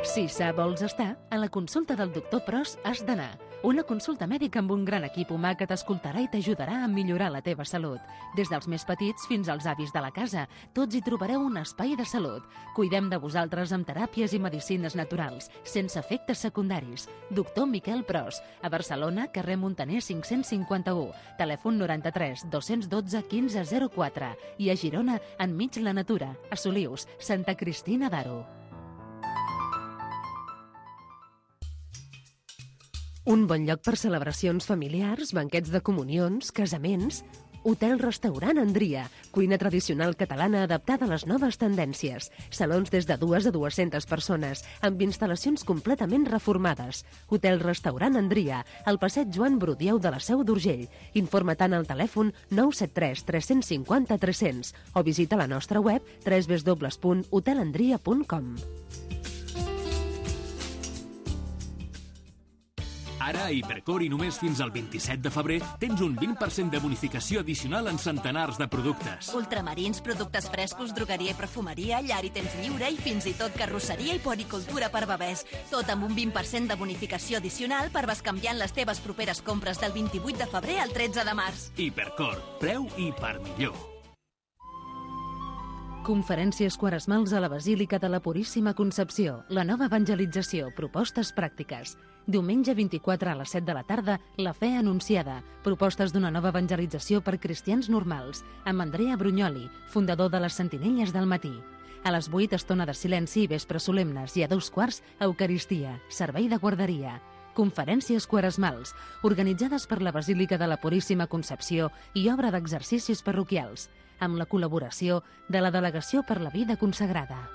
Si sa vols estar, a la consulta del doctor Pros has d'anar. Una consulta mèdica amb un gran equip humà que t'escoltarà i t'ajudarà a millorar la teva salut. Des dels més petits fins als avis de la casa, tots hi trobareu un espai de salut. Cuidem de vosaltres amb teràpies i medicines naturals, sense efectes secundaris. Doctor Miquel Pros, a Barcelona, carrer Montaner 551, telèfon 93 212 1504, i a Girona, enmig la natura, a Solius, Santa Cristina d'Aro. Un bon lloc per celebracions familiars, banquets de comunions, casaments... Hotel-restaurant Andria, cuina tradicional catalana adaptada a les noves tendències. Salons des de 2 a 200 persones, amb instal·lacions completament reformades. Hotel-restaurant Andria, al passeig Joan Brudieu de la Seu d'Urgell. Informa-te'n al telèfon 973 350 300 o visita la nostra web www.hotelandria.com. Ara, a Hipercor i només fins al 27 de febrer, tens un 20% de bonificació addicional en centenars de productes. Ultramarins, productes frescos, drogueria i perfumeria, llar i temps lliure i fins i tot carrosseria i puericultura per bebès. Tot amb un 20% de bonificació addicional per bescanviar en les teves properes compres del 28 de febrer al 13 de març. Hipercor, preu i per millor. Conferències quaresmals a la Basílica de la Puríssima Concepció, la nova evangelització, propostes pràctiques. Diumenge 24 a les 7 de la tarda, la fe anunciada, propostes d'una nova evangelització per cristians normals, amb Andrea Brugnoli, fundador de les Sentinelles del Matí. A les 8, estona de silenci i vespres solemnes, i a 2:15, Eucaristia, servei de guarderia. Conferències quaresmals, organitzades per la Basílica de la Puríssima Concepció i obra d'exercicis parroquials, amb la col·laboració de la Delegació per la Vida Consagrada.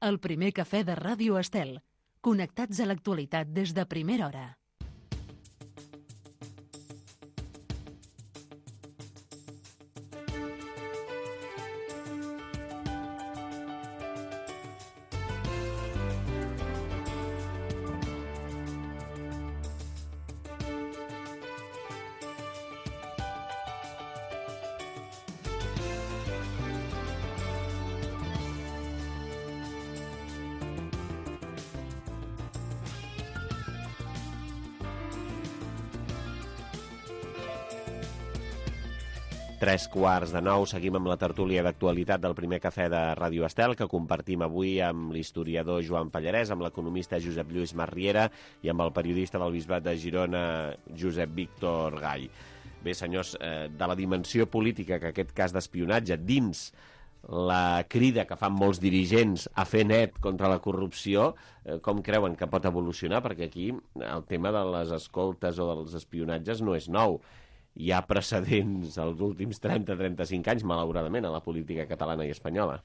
El primer cafè de Ràdio Estel. Connectats a l'actualitat des de primera hora. Tres quarts de 9, seguim amb la tertúlia d'actualitat del primer cafè de Ràdio Estel, que compartim avui amb l'historiador Joan Pallarès, amb l'economista Josep Lluís Masriera i amb el periodista del Bisbat de Girona, Josep Víctor Gall. Bé, senyors, de la dimensió política que aquest cas d'espionatge dins la crida que fan molts dirigents a fer net contra la corrupció, com creuen que pot evolucionar? Perquè aquí el tema de les escoltes o dels espionatges no és nou. Hi ha precedents als últims 30-35 anys, malauradament, a la política catalana i espanyola.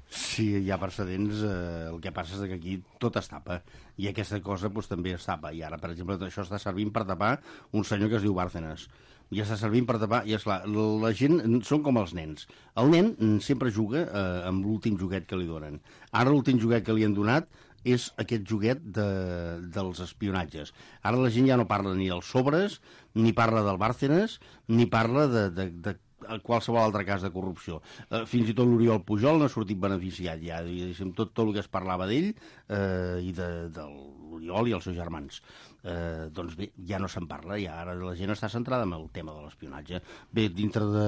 Sí, hi ha precedents. El que passa és que aquí tot es tapa. I aquesta cosa també es tapa. I ara, per exemple, això està servint per tapar un senyor que es diu Bárcenas. I està servint per tapar... I esclar, la gent són com els nens. El nen sempre juga amb l'últim joguet que li donen. Ara l'últim joguet que li han donat és aquest joguet dels espionatges. Ara la gent ja no parla ni dels sobres, ni parla del Bárcenas, ni parla de qualsevol altre cas de corrupció. Fins i tot l'Oriol Pujol n'ha sortit beneficiat ja, tot el que es parlava d'ell i de l'Oriol i els seus germans. Doncs bé, ja no se'n parla, ja ara la gent està centrada en el tema de l'espionatge. Bé, dintre de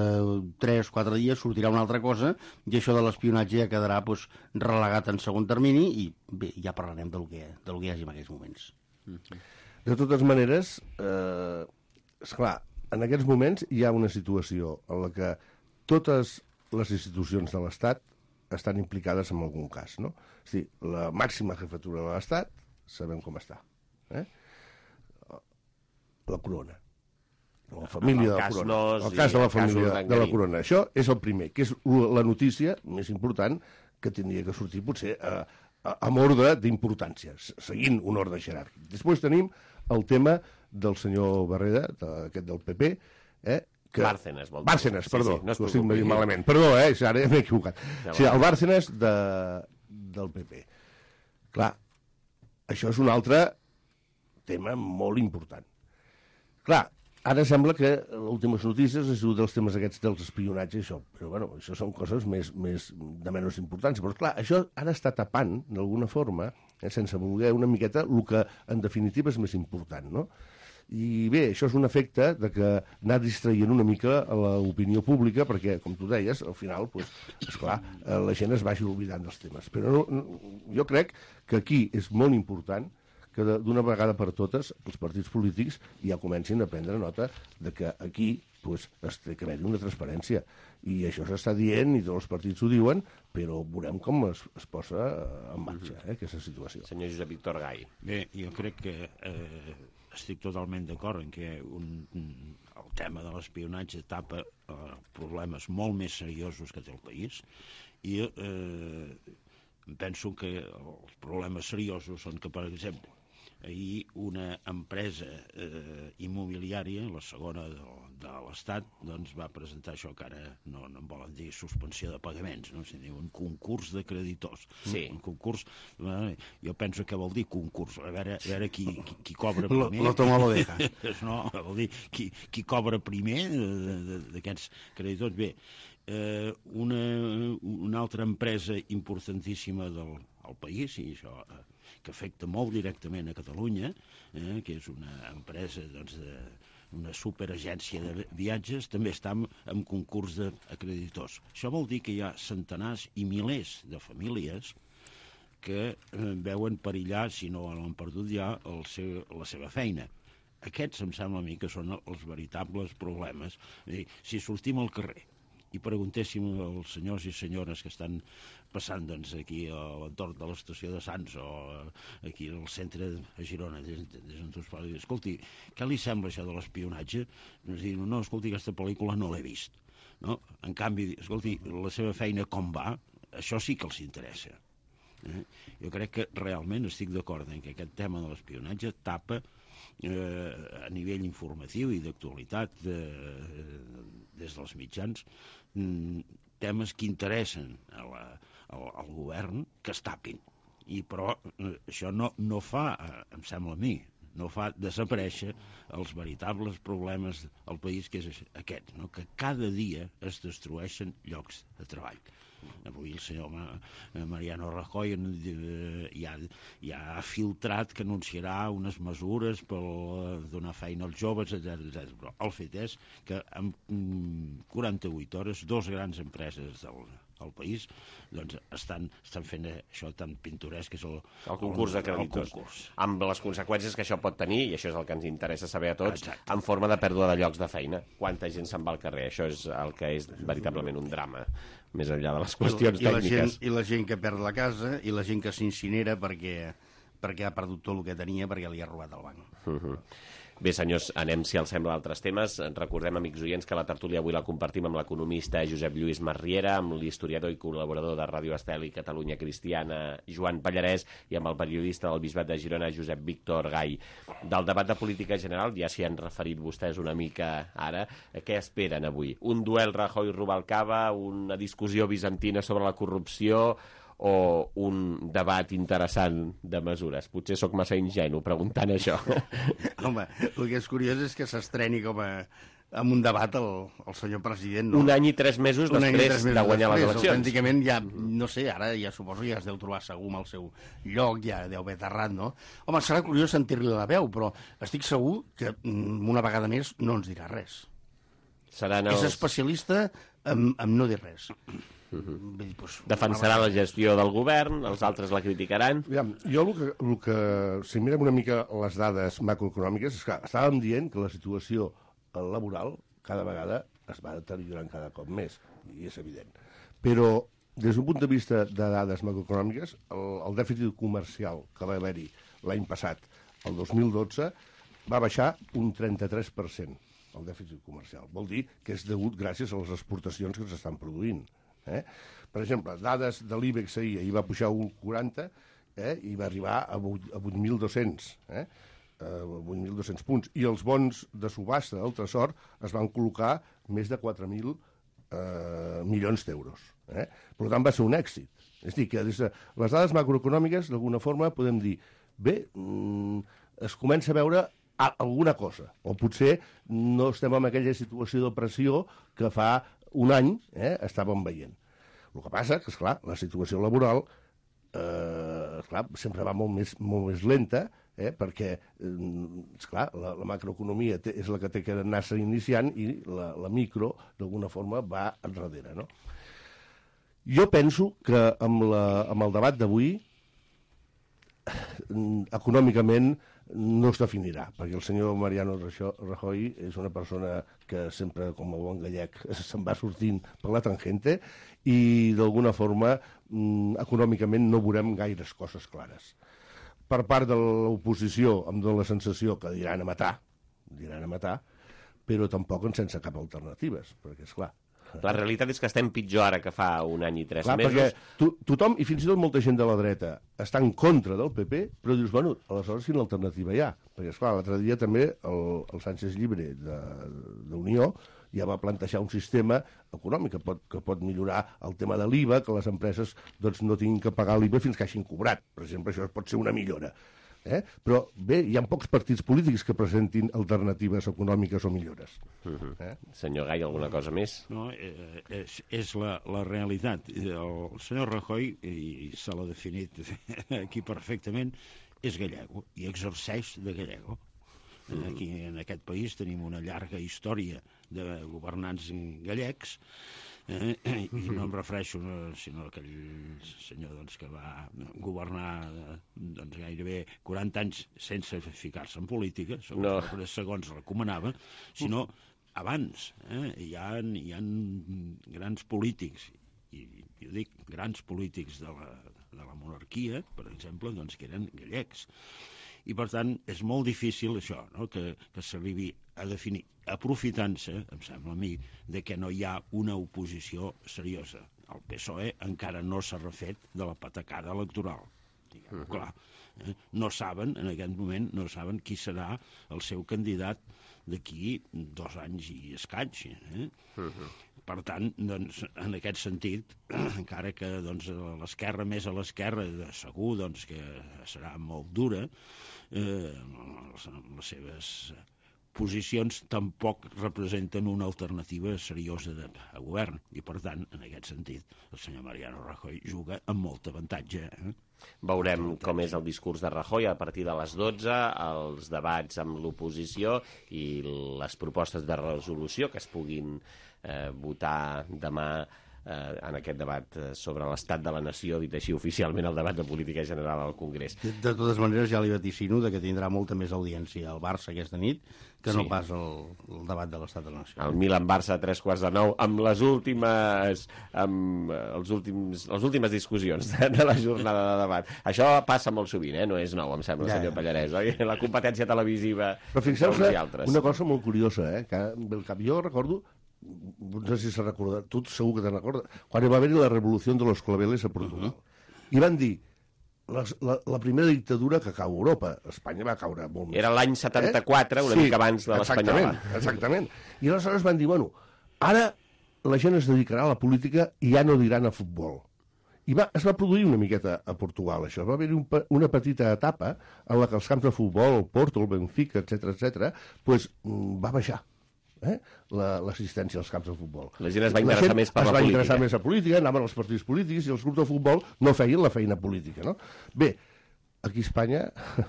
3 o 4 dies sortirà una altra cosa i això de l'espionatge ja quedarà relegat en segon termini i bé, ja parlarem del que hi hagi en aquests moments. De totes maneres, esclar, en aquests moments hi ha una situació en la que totes les institucions de l'Estat estan implicades en algun cas, no? És a dir, la màxima jefatura de l'Estat sabem com està. La corona. La família de la corona. El cas de la família de la corona. Això és el primer, que és la notícia més important que tindria que sortir potser amb ordre d'importància, seguint un ordre jeràrquic. Després tenim el tema del senyor Barreda, aquest del PP, Bárcenas, vol dir. Bárcenas, perdó, no ho estic dient malament. Perdó, ara m'he equivocat. Sí, el Bárcenas del PP. Clar, això és un altre tema molt important. Clar, ara sembla que les últimes notícies han sigut dels temes aquests dels espionatges i això, però bueno, això són coses més de menys importància. Però clar, això ara està tapant, d'alguna forma, sense voler una miqueta, el que en definitiva és més important, no? I bé, això és un efecte de que anar distraient una mica a l'opinió pública, perquè, com tu deies, al final, esclar, la gent es vagi oblidant dels temes. Però jo crec que aquí és molt important que d'una vegada per totes els partits polítics ja comencin a prendre nota de que aquí es té que haver-hi una transparència. I això s'està dient, i tots els partits ho diuen, però veurem com es posa en marxa aquesta situació. Senyor Josep Víctor Gall. Bé, jo crec que estic totalment d'acord en que el tema de l'espionatge tapa problemes molt més seriosos que té el país i penso que els problemes seriosos són que, per exemple, ahir una empresa immobiliària, la segona de l'Estat, doncs va presentar això que ara no en volen dir suspensió de pagaments, no? Si diu un concurs de creditors. Sí. Un concurs, jo penso que vol dir concurs, a veure qui cobra primer. Lo toma lo deja. No, vol dir qui cobra primer d'aquests creditors. Bé, una altra empresa importantíssima del país, i això que afecta molt directament a Catalunya, que és una empresa una superagència de viatges, també està en concurs d'acreditors. Això vol dir que hi ha centenars i milers de famílies que veuen perillar, si no l'han perdut ja, la seva feina. Aquests em sembla a mi que són els veritables problemes. Si sortim al carrer i preguntéssim als senyors i senyores que estan passant aquí a l'entorn de l'estació de Sants o aquí al centre a Girona, escolti, què li sembla això de l'espionatge? No, escolti, aquesta pel·lícula no l'he vist. No? En canvi, escolti, la seva feina com va, això sí que els interessa. Jo crec que realment estic d'acord en que aquest tema de l'espionatge tapa a nivell informatiu i d'actualitat des dels mitjans temes que interessen al govern que es tapin. Però això no fa, em sembla a mi, no fa desaparèixer els veritables problemes al país, que és aquest, no? Que cada dia es destrueixen llocs de treball. Avui el senyor Mariano Rajoy ja ha filtrat que anunciarà unes mesures per donar feina als joves, etc. Però el fet és que en 48 hores 2 grans empreses del país estan fent això tan pintoresc que és el concurs de creditors, amb les conseqüències que això pot tenir, i això és el que ens interessa saber a tots. Exacte. En forma de pèrdua de llocs de feina. Quanta gent se'n va al carrer? Això és el que és veritablement un drama, més enllà de les qüestions tècniques. I la gent que perd la casa, i la gent que s'incinera perquè ha perdut tot el que tenia perquè li ha robat el banc. Bé, senyors, anem, si els sembla, a altres temes. Recordem, amics oients, que la tertúlia avui la compartim amb l'economista Josep Lluís Masriera, amb l'historiador i col·laborador de Ràdio Estel i Catalunya Cristiana, Joan Pallarès, i amb el periodista del Bisbat de Girona, Josep Víctor Gai. Del debat de política general, ja s'hi han referit vostès una mica ara, què esperen avui? Un duel Rajoy-Rubalcaba, una discussió bizantina sobre la corrupció, o un debat interessant de mesures? Potser sóc massa ingenu preguntant això. Home, el que és curiós és que s'estreni com amb un debat el senyor president. No? Un any i 3 mesos després de guanyar les eleccions. Autènticament ja, no sé, ara ja suposo que ja es deu trobar segur amb el seu lloc, ja deu haver aterrat, no? Home, serà curiós sentir-li la veu, però estic segur que una vegada més no ens dirà res. És especialista en no dir res. Defensarà la gestió del govern, els altres la criticaran. Jo el que si mirem una mica les dades macroeconòmiques, és que estàvem dient que la situació laboral cada vegada es va deteriorant cada cop més, i és evident. Però des d'un punt de vista de dades macroeconòmiques, el dèficit comercial que va haver-hi l'any passat, el 2012, va baixar un 33%, el dèficit comercial. Vol dir que és degut gràcies a les exportacions que s'estan produint. Per exemple, dades de l'IBEX ahir va pujar un 40 i va arribar a 8.200, 8.200 punts. I els bons de subhasta del Tresor es van col·locar més de 4.000 milions d'euros. Per tant, va ser un èxit. És a dir, que des de les dades macroeconòmiques, d'alguna forma, podem dir, bé, es comença a veure alguna cosa, o potser no estem en aquella situació de pressió que fa un any estàvem veient. El que passa que, esclar, la situació laboral sempre va molt més lenta, perquè, esclar, la macroeconomia és la que té que anar-se iniciant i la micro, d'alguna forma, va enrere, no? Jo penso que amb el debat d'avui, econòmicament, no es definirà, perquè el senyor Mariano Rajoy és una persona que sempre, com a bon gallec, se'n va sortint per la tangente i, d'alguna forma, econòmicament no veurem gaires coses clares. Per part de l'oposició em dóna la sensació que diran a matar, però tampoc sense cap alternatives, perquè, esclar, la realitat és que estem pitjor ara que fa un any i 3 mesos. Perquè tothom, i fins i tot molta gent de la dreta, està en contra del PP, però dius, bueno, aleshores quina alternativa hi ha? Perquè, esclar, l'altre dia també el Sánchez Llibre d'Unió ja va plantejar un sistema econòmic que pot millorar el tema de l'IVA, que les empreses no tinguin que pagar l'IVA fins que hagin cobrat. Per exemple, això pot ser una millora. Però bé, hi ha pocs partits polítics que presentin alternatives econòmiques o millores. Senyor Gai, alguna cosa més? No, és la realitat. El senyor Rajoy, i se l'ha definit aquí perfectament, és gallego i exerceix de gallego. Aquí en aquest país tenim una llarga història de governants gallecs, i no em refereixo sinó a aquell senyor que va governar gairebé 40 anys sense ficar-se en política, segons recomanava, sinó abans. Hi ha grans polítics, i jo dic grans polítics de la monarquia, per exemple, doncs, que eren gallecs. I, per tant, és molt difícil això, no? que s'arribi a definir, aprofitant-se, em sembla a mi, de que no hi ha una oposició seriosa. El PSOE encara no s'ha refet de la patacada electoral. Diguem-ho clar. No saben, en aquest moment, no saben qui serà el seu candidat d'aquí 2 anys i escaig. Per tant, doncs, en aquest sentit, encara que doncs, l'esquerra més a l'esquerra, segur doncs, que serà molt dura, les seves posicions tampoc representen una alternativa seriosa a govern. I, per tant, en aquest sentit, el senyor Mariano Rajoy juga amb molt avantatge. Veurem com és el discurs de Rajoy a partir de les 12, els debats amb l'oposició i les propostes de resolució que es puguin votar demà en aquest debat sobre l'estat de la nació, dit així oficialment el debat de política general al Congrés. De totes maneres, ja li vaticino que tindrà molta més audiència al Barça aquesta nit que no pas el debat de l'estat de la nació. El Milan-Barça a 8:45, amb les últimes discussions de la jornada de debat. Això passa molt sovint, no és nou, em sembla, senyor Pallarès, oi? La competència televisiva. Però fixeu-se una cosa molt curiosa, que el cap jo recordo, no sé si se recorda, tu segur que te'n recordes, quan va haver-hi la revolució de los claveles a Portugal. I van dir, la primera dictadura que cau a Europa. Espanya va caure molt més. Era l'any 74, una mica abans de l'espanyola. Exactament. I aleshores van dir, bueno, ara la gent es dedicarà a la política i ja no diran a futbol. I es va produir una miqueta a Portugal, això. Va haver-hi una petita etapa en la que els camps de futbol, el Porto, el Benfica, etc., va baixar l'assistència als camps de futbol. La gent es va interessar més per la política. Es va interessar més a política, anaven als partits polítics i els grups de futbol no feien la feina política, no? Bé, aquí a Espanya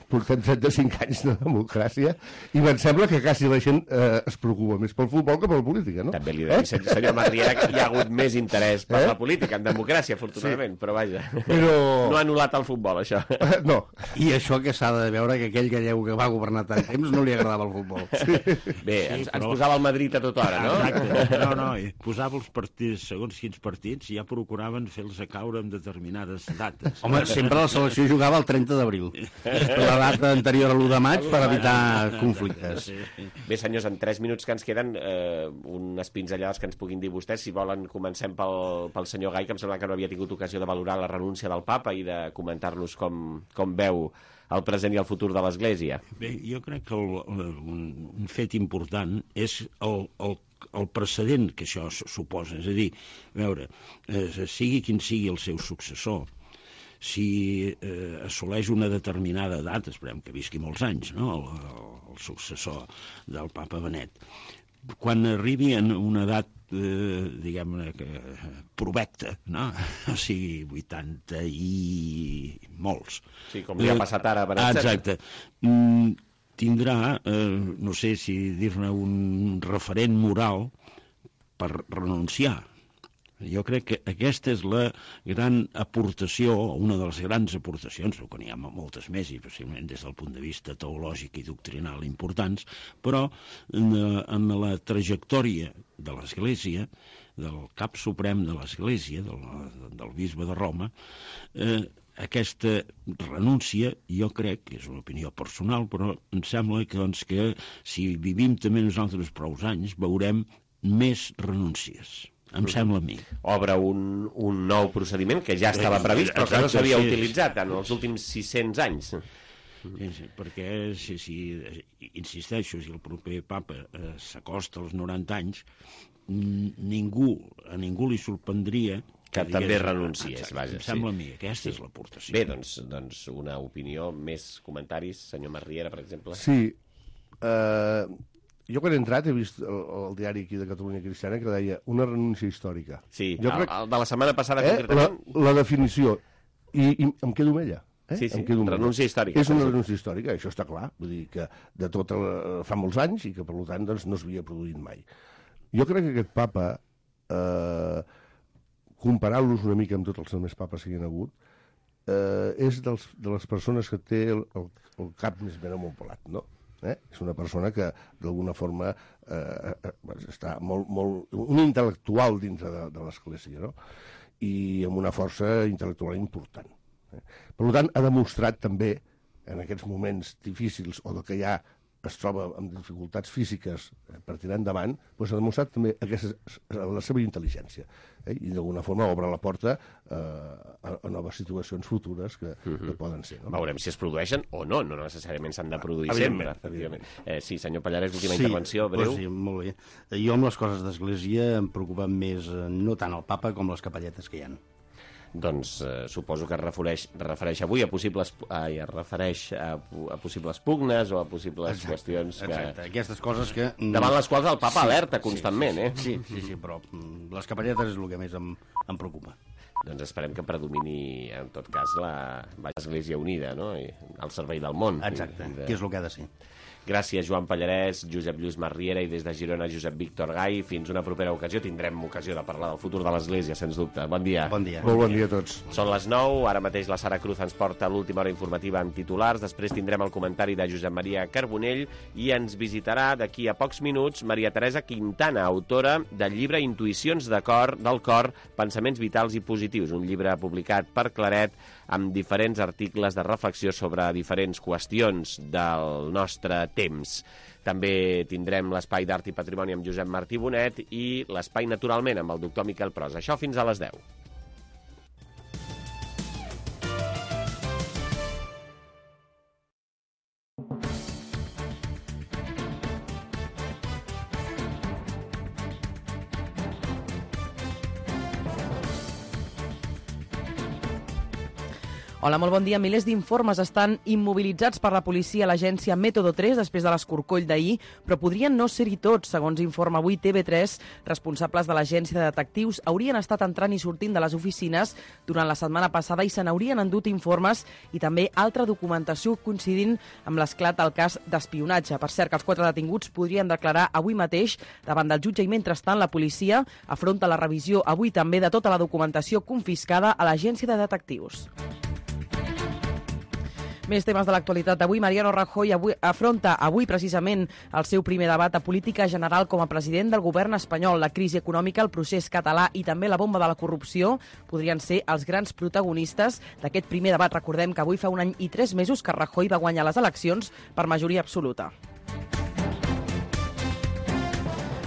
portem 35 anys de democràcia i em sembla que quasi la gent es preocupa més pel futbol que per la política, no? També li dic, senyor Marriera, que hi ha hagut més interès per la política, en democràcia, afortunadament, però vaja, no ha anul·lat el futbol, això. No. I això que s'ha de veure que aquell gallego que va governar tant temps no li agradava el futbol. Bé, ens posava el Madrid a tota hora, no? Exacte, no, posava els partits, segons quins partits, ja procuraven fer-los caure en determinades dates. Home, sempre la selecció jugava el 30 d'abril, la data anterior a l'1 de maig, per evitar conflictes. Bé, senyors, en 3 minuts que ens queden, unes pinzellades que ens puguin dir vostès. Si volen, comencem pel senyor Gai, que em sembla que no havia tingut ocasió de valorar la renúncia del papa i de comentar-nos com veu el present i el futur de l'Església. Bé, jo crec que un fet important és el precedent que això suposa. És a dir, a veure, sigui quin sigui el seu successor, si assoleix una determinada edat, esperem que visqui molts anys, no? El successor del papa Benet, quan arribi en una edat, diguem-ne, provecta, no? O sigui, 80 i molts. Sí, com li ha passat ara a Benet. Exacte. Tindrà, no sé si dir-ne un referent moral per renunciar. Jo crec que aquesta és la gran aportació, una de les grans aportacions, que n'hi ha moltes més, i possiblement des del punt de vista teològic i doctrinal importants, però en la trajectòria de l'Església, del cap suprem de l'Església, del bisbe de Roma, aquesta renúncia, jo crec, que és una opinió personal, però em sembla que, doncs, que si vivim també nosaltres prou anys, veurem més renúncies. Em sembla a mi. Obre un nou procediment que ja estava previst, però que no s'havia utilitzat en els últims 600 anys. Sí, perquè, si insisteixo, si el proper papa s'acosta als 90 anys, a ningú li sorprendria que també renunciés, vaja. Em sembla a mi, aquesta és l'aportació. Bé, doncs una opinió, més comentaris, senyor Marriera, per exemple. Sí, jo quan he entrat he vist el diari aquí de Catalunya Cristiana que deia una renúncia històrica. Sí, el de la setmana passada concretament. La definició, i em quedo amb ella. Sí, renúncia històrica. És una renúncia històrica, això està clar. Vull dir que de tot fa molts anys i que per tant doncs, no s'havia produït mai. Jo crec que aquest papa, comparant-los una mica amb tots els altres papes que hi ha hagut, és de les persones que té el cap més ben amopelat, no? És una persona que, d'alguna forma, està un intel·lectual dintre de l'Església, no? I amb una força intel·lectual important. Per tant, ha demostrat també, en aquests moments difícils o que ja es troba amb dificultats físiques per tirar endavant, doncs ha demostrat també la seva intel·ligència. I d'alguna forma obre la porta a noves situacions futures que poden ser. No? Veurem si es produeixen o no necessàriament s'han de produir sempre. Sí, senyor Pallarès, última intervenció, breu. Sí, molt bé. Jo amb les coses d'Església em preocupen més no tant el papa com les capelletes que hi ha. Doncs suposo que es refereix avui a possibles pugnes o a possibles qüestions que... Exacte, aquestes coses que... Davant les quals el papa alerta constantment, Sí, però les capelletes és el que més em preocupa. Doncs esperem que predomini, en tot cas, l'Església Unida, no? Al servei del món. Exacte, que és el que ha de ser. Gràcies, Joan Pallarès, Josep Lluís Masriera i des de Girona, Josep Víctor Gai. Fins una propera ocasió. Tindrem ocasió de parlar del futur de l'Església, sens dubte. Bon dia. Bon dia. Molt bon dia a tots. Són les 9, ara mateix la Sara Cruz ens porta l'última hora informativa amb titulars. Després tindrem el comentari de Josep Maria Carbonell i ens visitarà d'aquí a pocs minuts Maria Teresa Quintana, autora del llibre Intuïcions del cor, pensaments vitals i positius, un llibre publicat per Claret amb diferents articles de reflexió sobre diferents qüestions del nostre temps. També tindrem l'espai d'Art i Patrimoni amb Josep Martí Bonet i l'espai Naturalment amb el doctor Miquel Pros. Això fins a les 10. Hola, molt bon dia. Milers d'informes estan immobilitzats per la policia a l'agència Método 3 després de l'escorcoll d'ahir, però podrien no ser-hi tots. Segons informa avui TV3, responsables de l'agència de detectius haurien estat entrant i sortint de les oficines durant la setmana passada i se n'haurien endut informes i també altra documentació coincidint amb l'esclat del cas d'espionatge. Per cert, que els 4 detinguts podrien declarar avui mateix davant del jutge i, mentrestant, la policia afronta la revisió avui també de tota la documentació confiscada a l'agència de detectius. Més temes de l'actualitat d'avui. Mariano Rajoy afronta avui precisament el seu primer debat a política general com a president del govern espanyol. La crisi econòmica, el procés català i també la bomba de la corrupció podrien ser els grans protagonistes d'aquest primer debat. Recordem que avui fa 1 any i 3 mesos que Rajoy va guanyar les eleccions per majoria absoluta.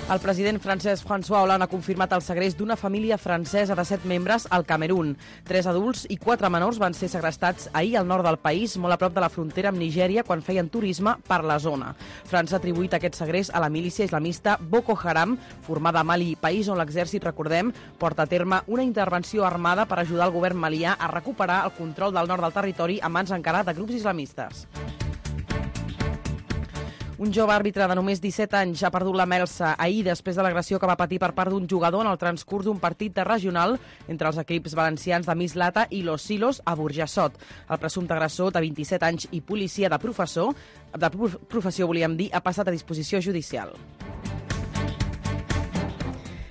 El president francès François Hollande ha confirmat el segrest d'una família francesa de 7 membres al Camerún. 3 adults i 4 menors van ser segrestats ahir al nord del país, molt a prop de la frontera amb Nigèria, quan feien turisme per la zona. França ha atribuït aquest segrest a la milícia islamista Boko Haram, formada a Mali, país on l'exèrcit, recordem, porta a terme una intervenció armada per ajudar el govern malià a recuperar el control del nord del territori a mans encara de grups islamistes. Un jove àrbitre de només 17 anys ha perdut la melsa ahir després de l'agressió que va patir per part d'un jugador en el transcurs d'un partit de regional entre els equips valencians de Mislata i Los Silos a Burjassot. El presumpte agressor, de 27 anys i policia de professió, ha passat a disposició judicial.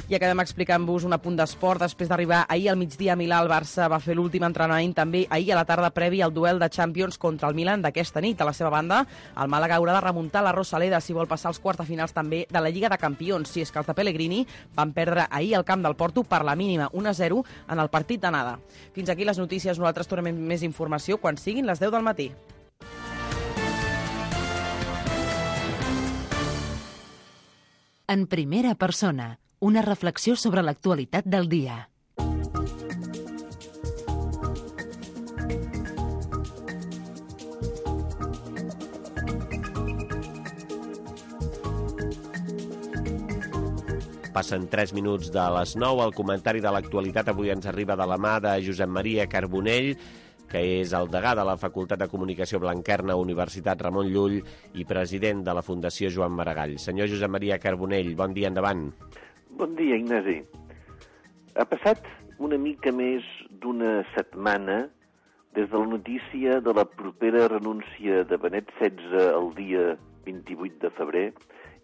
I acabem explicant-vos un apunt d'esport. Després d'arribar ahir al migdia a Milà, el Barça va fer l'últim entrenament també ahir a la tarda previ al duel de Champions contra el Milan d'aquesta nit. A la seva banda, el Màlaga haurà de remuntar la Rosaleda si vol passar als quarts de finals també de la Lliga de Campions, si és que els de Pellegrini van perdre ahir al camp del Porto per la mínima 1-0 en el partit d'anada. Fins aquí les notícies. Nosaltres tornem més informació quan siguin les 10 del matí. En primera persona, una reflexió sobre l'actualitat del dia. Passen 3 minuts de les 9. El comentari de l'actualitat avui ens arriba de la mà de Josep Maria Carbonell, que és el degà de la Facultat de Comunicació Blanquerna, Universitat Ramon Llull, i president de la Fundació Joan Maragall. Senyor Josep Maria Carbonell, bon dia, endavant. Bon dia, Ignasi. Ha passat una mica més d'una setmana des de la notícia de la propera renúncia de Benet XVI el dia 28 de febrer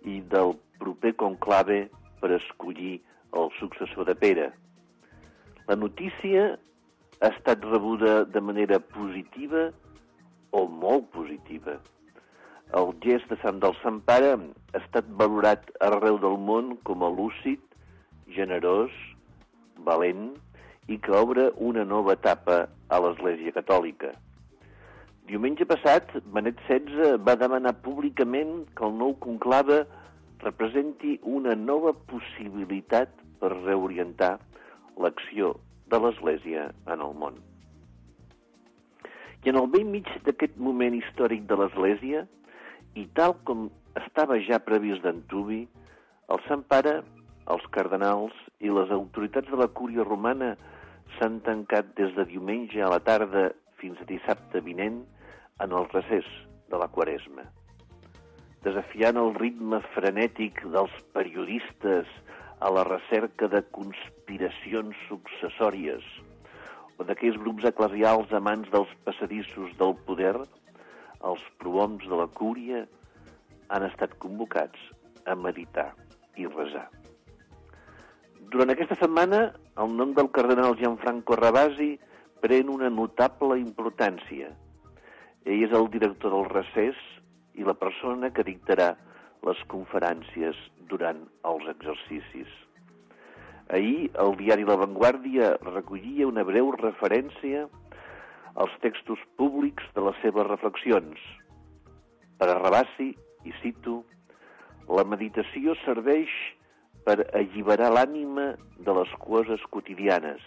i del proper conclave per escollir el successor de Pere. La notícia ha estat rebuda de manera positiva o molt positiva. el gest de Sant del Sant Pare ha estat valorat arreu del món com a lúcid, generós, valent i que obre una nova etapa a l'Església Catòlica. Diumenge passat, Benet XVI va demanar públicament que el nou conclave representi una nova possibilitat per reorientar l'acció de l'Església en el món. I en el vell mig d'aquest moment històric de l'Església, i tal com estava ja previst d'antuvi, el Sant Pare, els cardenals i les autoritats de la Cúria Romana s'han tancat des de diumenge a la tarda fins a dissabte vinent en el recés de la Quaresma. Desafiant el ritme frenètic dels periodistes a la recerca de conspiracions successòries o d'aquells grups eclesials amants dels passadissos del poder, els prohoms de la Cúria han estat convocats a meditar i resar. Durant aquesta setmana, el nom del cardenal Gianfranco Ravasi pren una notable importància. Ell és el director del recés i la persona que dictarà les conferències durant els exercicis. Ahir, el diari La Vanguardia recollia una breu referència als textos públics de les seves reflexions. Per a Ravasi, i cito, la meditació serveix per alliberar l'ànima de les coses quotidianes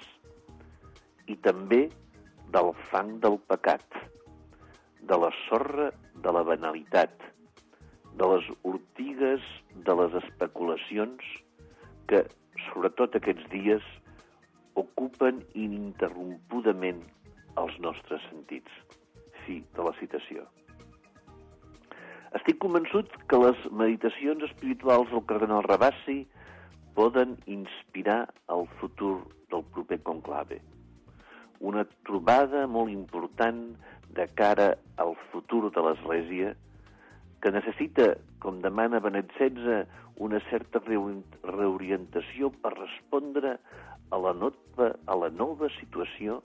i també del fang del pecat, de la sorra de la banalitat, de les ortigues de les especulacions que, sobretot aquests dies, ocupen ininterrompudament els nostres sentits. Fi de la citació. Estic convençut que les meditacions espirituals del cardenal Ravasi poden inspirar el futur del proper conclave. Una trobada molt important de cara al futur de l'Església que necessita, com demana Benet XVI, una certa reorientació per respondre a la nova situació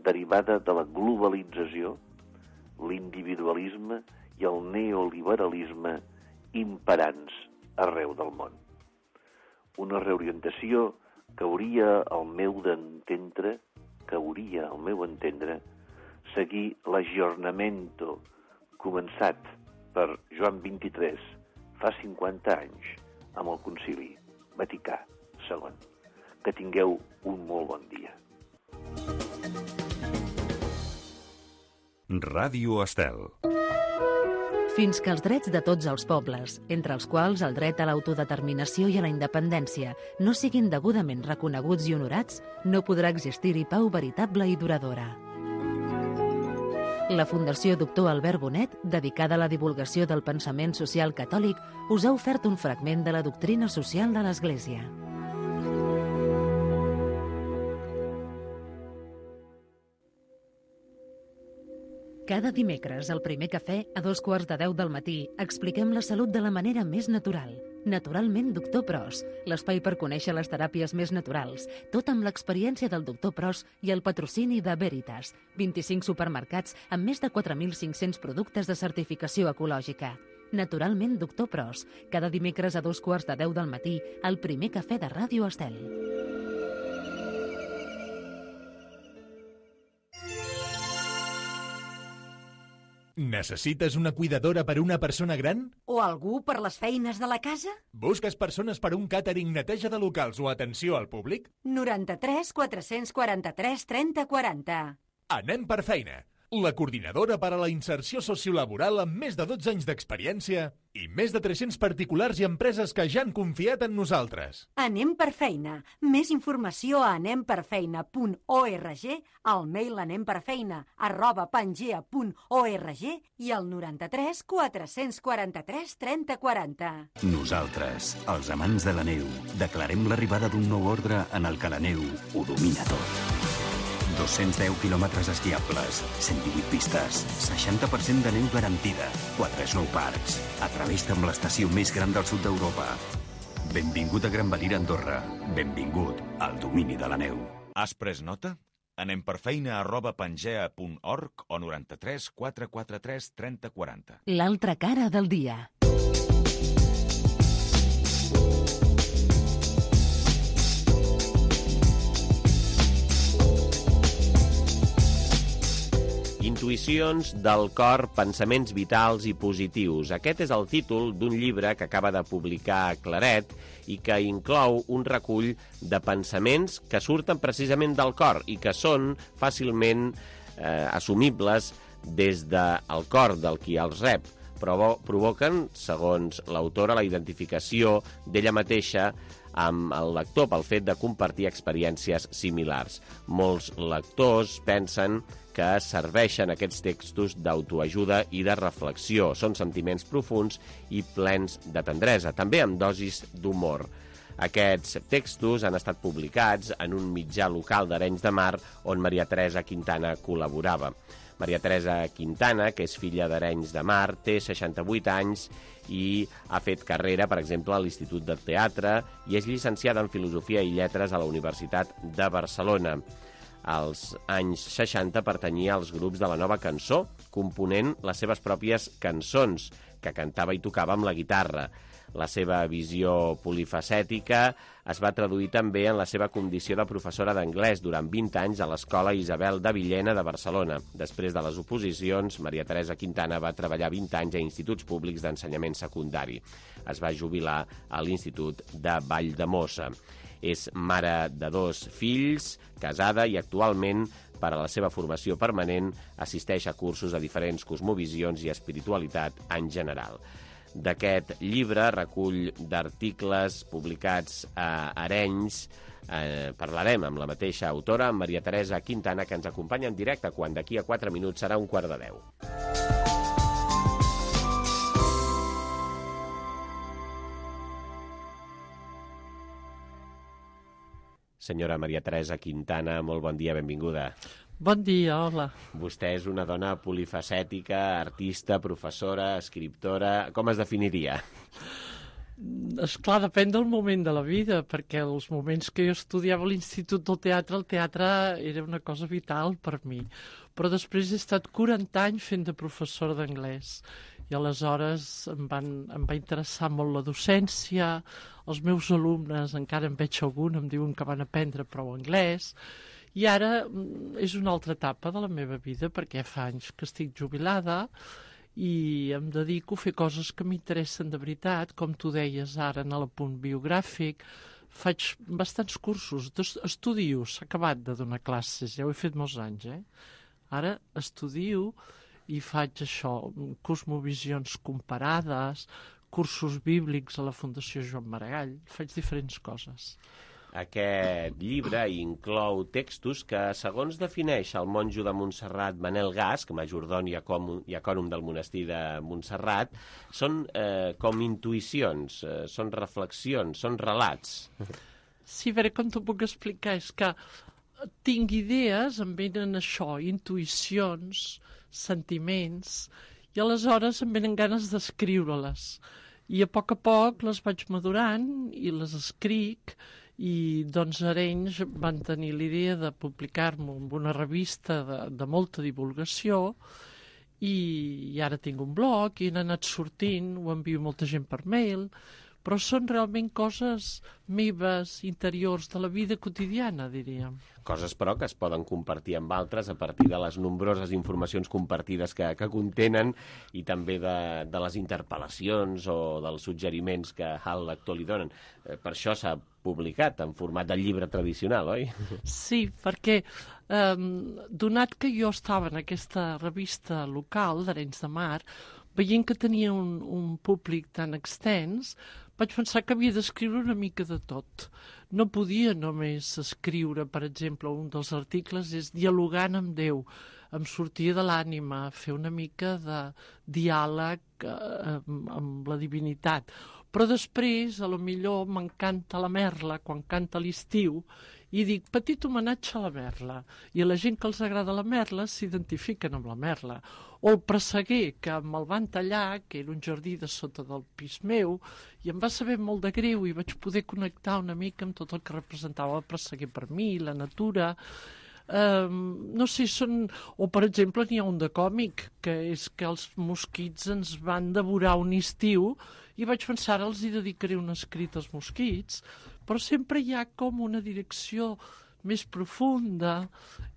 derivada de la globalització, l'individualisme i el neoliberalisme imperants arreu del món. Una reorientació que hauria, al meu entendre, seguir l'aggiornamento començat per Joan XXIII fa 50 anys amb el Concili Vaticà II. Que tingueu un molt bon dia. Ràdio Estel. Fins que els drets de tots els pobles, entre els quals el dret a l'autodeterminació i a la independència, no siguin degudament reconeguts i honorats, no podrà existir-hi pau veritable i duradora. La Fundació Doctor Albert Bonet, dedicada a la divulgació del pensament social catòlic, us ha ofert un fragment de la doctrina social de l'Església. Cada dimecres, al primer cafè, a 2:15 del matí, expliquem la salut de la manera més natural. Naturalment, Doctor Pros, l'espai per conèixer les teràpies més naturals, tot amb l'experiència del Doctor Pros i el patrocini de Veritas, 25 supermercats amb més de 4.500 productes de certificació ecològica. Naturalment, Doctor Pros, cada dimecres a 2:15 del matí, al primer cafè de Ràdio Estel. Necessites una cuidadora per a una persona gran? O algú per les feines de la casa? Busques persones per a un càtering, neteja de locals o atenció al públic? 93 443 30 40. Anem per feina. La coordinadora per a la inserció sociolaboral amb més de 12 anys d'experiència i més de 300 particulars i empreses que ja han confiat en nosaltres. Anem per feina. Més informació a anemperfeina.org, al mail anemperfeina@pangea.org i al 93 443 30 40. Nosaltres, els amants de la neu, declarem l'arribada d'un nou ordre en el que la neu ho domina tot. 210 quilòmetres esquiables, 118 pistes, 60% de neu garantida, 4 snowparks. Atreveix-te amb l'estació més gran del sud d'Europa. Benvingut a Gran Valira, Andorra. Benvingut al domini de la neu. Has pres nota? anemperfeina@pangea.org o 93 443 30 40. L'altra cara del dia. Intuïcions del cor, pensaments vitals i positius. Aquest és el títol d'un llibre que acaba de publicar Claret i que inclou un recull de pensaments que surten precisament del cor i que són fàcilment assumibles des del cor del qui els rep. Provoquen, segons l'autora, la identificació d'ella mateixa amb el lector pel fet de compartir experiències similars. Molts lectors pensen que serveixen aquests textos d'autoajuda i de reflexió. Són sentiments profuns i plens de tendresa, també amb dosis d'humor. Aquests textos han estat publicats en un mitjà local d'Arenys de Mar on Maria Teresa Quintana col·laborava. Maria Teresa Quintana, que és filla d'Arenys de Mar, té 68 anys i ha fet carrera, per exemple, a l'Institut de Teatre i és llicenciada en Filosofia i Lletres a la Universitat de Barcelona. Als anys 60 pertanyia als grups de la Nova Cançó, component les seves pròpies cançons, que cantava i tocava amb la guitarra. La seva visió polifacètica es va traduir també en la seva condició de professora d'anglès durant 20 anys a l'Escola Isabel de Villena de Barcelona. Després de les oposicions, Maria Teresa Quintana va treballar 20 anys a instituts públics d'ensenyament secundari. Es va jubilar a l'Institut de Valldemossa. És mare de 2 fills, casada i actualment, per a la seva formació permanent, assisteix a cursos a diferents cosmovisions i espiritualitat en general. D'aquest llibre, recull d'articles publicats a Arenys, parlarem amb la mateixa autora, Maria Teresa Quintana, que ens acompanya en directe quan d'aquí a 4 minuts serà 9:15. Senyora Maria Teresa Quintana, molt bon dia, benvinguda. Bon dia, hola. Vostè és una dona polifacètica, artista, professora, escriptora... Com es definiria? Esclar, depèn del moment de la vida, perquè els moments que jo estudiava a l'Institut del Teatre, el teatre era una cosa vital per mi. Però després he estat 40 anys fent de professora d'anglès. I aleshores em va interessar molt la docència, els meus alumnes, encara en veig algun, em diuen que van aprendre prou anglès, i ara és una altra etapa de la meva vida, perquè fa anys que estic jubilada i em dedico a fer coses que m'interessen de veritat, com tu deies ara en l'apunt biogràfic. Faig bastants cursos, estudio, s'ha acabat de donar classes, ja ho he fet molts anys, Ara estudio i faig això, cosmovisions comparades, cursos bíblics a la Fundació Joan Maragall, faig diferents coses. Aquest llibre inclou textos que, segons defineix el monjo de Montserrat Manel Gasc, majordom i acònom del monestir de Montserrat, són com intuïcions, són reflexions, són relats. Sí, a veure com t'ho puc explicar, és que tinc idees, em venen això, intuïcions, sentiments, i aleshores em venen ganes d'escriure-les. I a poc les vaig madurant i les escric, i doncs Arenys van tenir l'idea de publicar-m'ho en una revista de molta divulgació, i ara tinc un blog i han anat sortint, ho envio molta gent per mail, però són realment coses meves, interiors, de la vida quotidiana, diríem. Coses, però, que es poden compartir amb altres a partir de les nombroses informacions compartides que contenen i també de les interpel·lacions o dels suggeriments que al lector li donen. Per això s'ha publicat en format de llibre tradicional, oi? Sí, perquè donat que jo estava en aquesta revista local d'Arenys de Mar, veient que tenia un públic tan extens, vaig pensar que havia d'escriure una mica de tot. No podia només escriure, per exemple, un dels articles és dialogant amb Déu. Em sortia de l'ànima, fer una mica de diàleg amb la divinitat. Però després, a lo millor, m'encanta la merla, quan canta l'estiu, i dic, petit homenatge a la merla. I a la gent que els agrada la merla s'identifiquen amb la merla. O el presseguer, que me'l van tallar, que era un jardí de sota del pis meu, i em va saber molt de greu i vaig poder connectar una mica amb tot el que representava el presseguer per mi, la natura. no sé, són... O, per exemple, n'hi ha un de còmic, que és que els mosquits ens van devorar un estiu i vaig pensar, ara els hi dedicaré un escrit als mosquits, però sempre hi ha com una direcció més profunda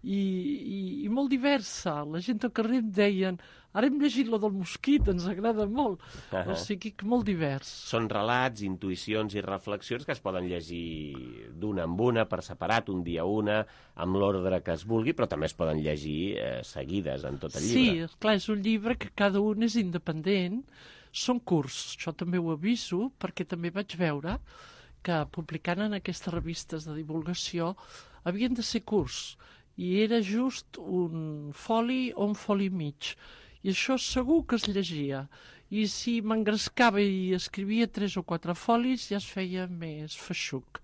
i molt diversa. La gent al carrer em deien, ara hem llegit lo del mosquit, ens agrada molt. O sigui que molt divers. Són relats, intuïcions i reflexions que es poden llegir d'una en una, per separat, un dia una, amb l'ordre que es vulgui, però també es poden llegir seguides en tot el llibre. Sí, clar, és un llibre que cada un és independent. Són curts, això també ho aviso, perquè també vaig veure que publicant en aquestes revistes de divulgació havien de ser curts, i era just un foli o un foli i mig. I això segur que es llegia. I si m'engrescava i escrivia 3 o 4 folis ja es feia més feixuc.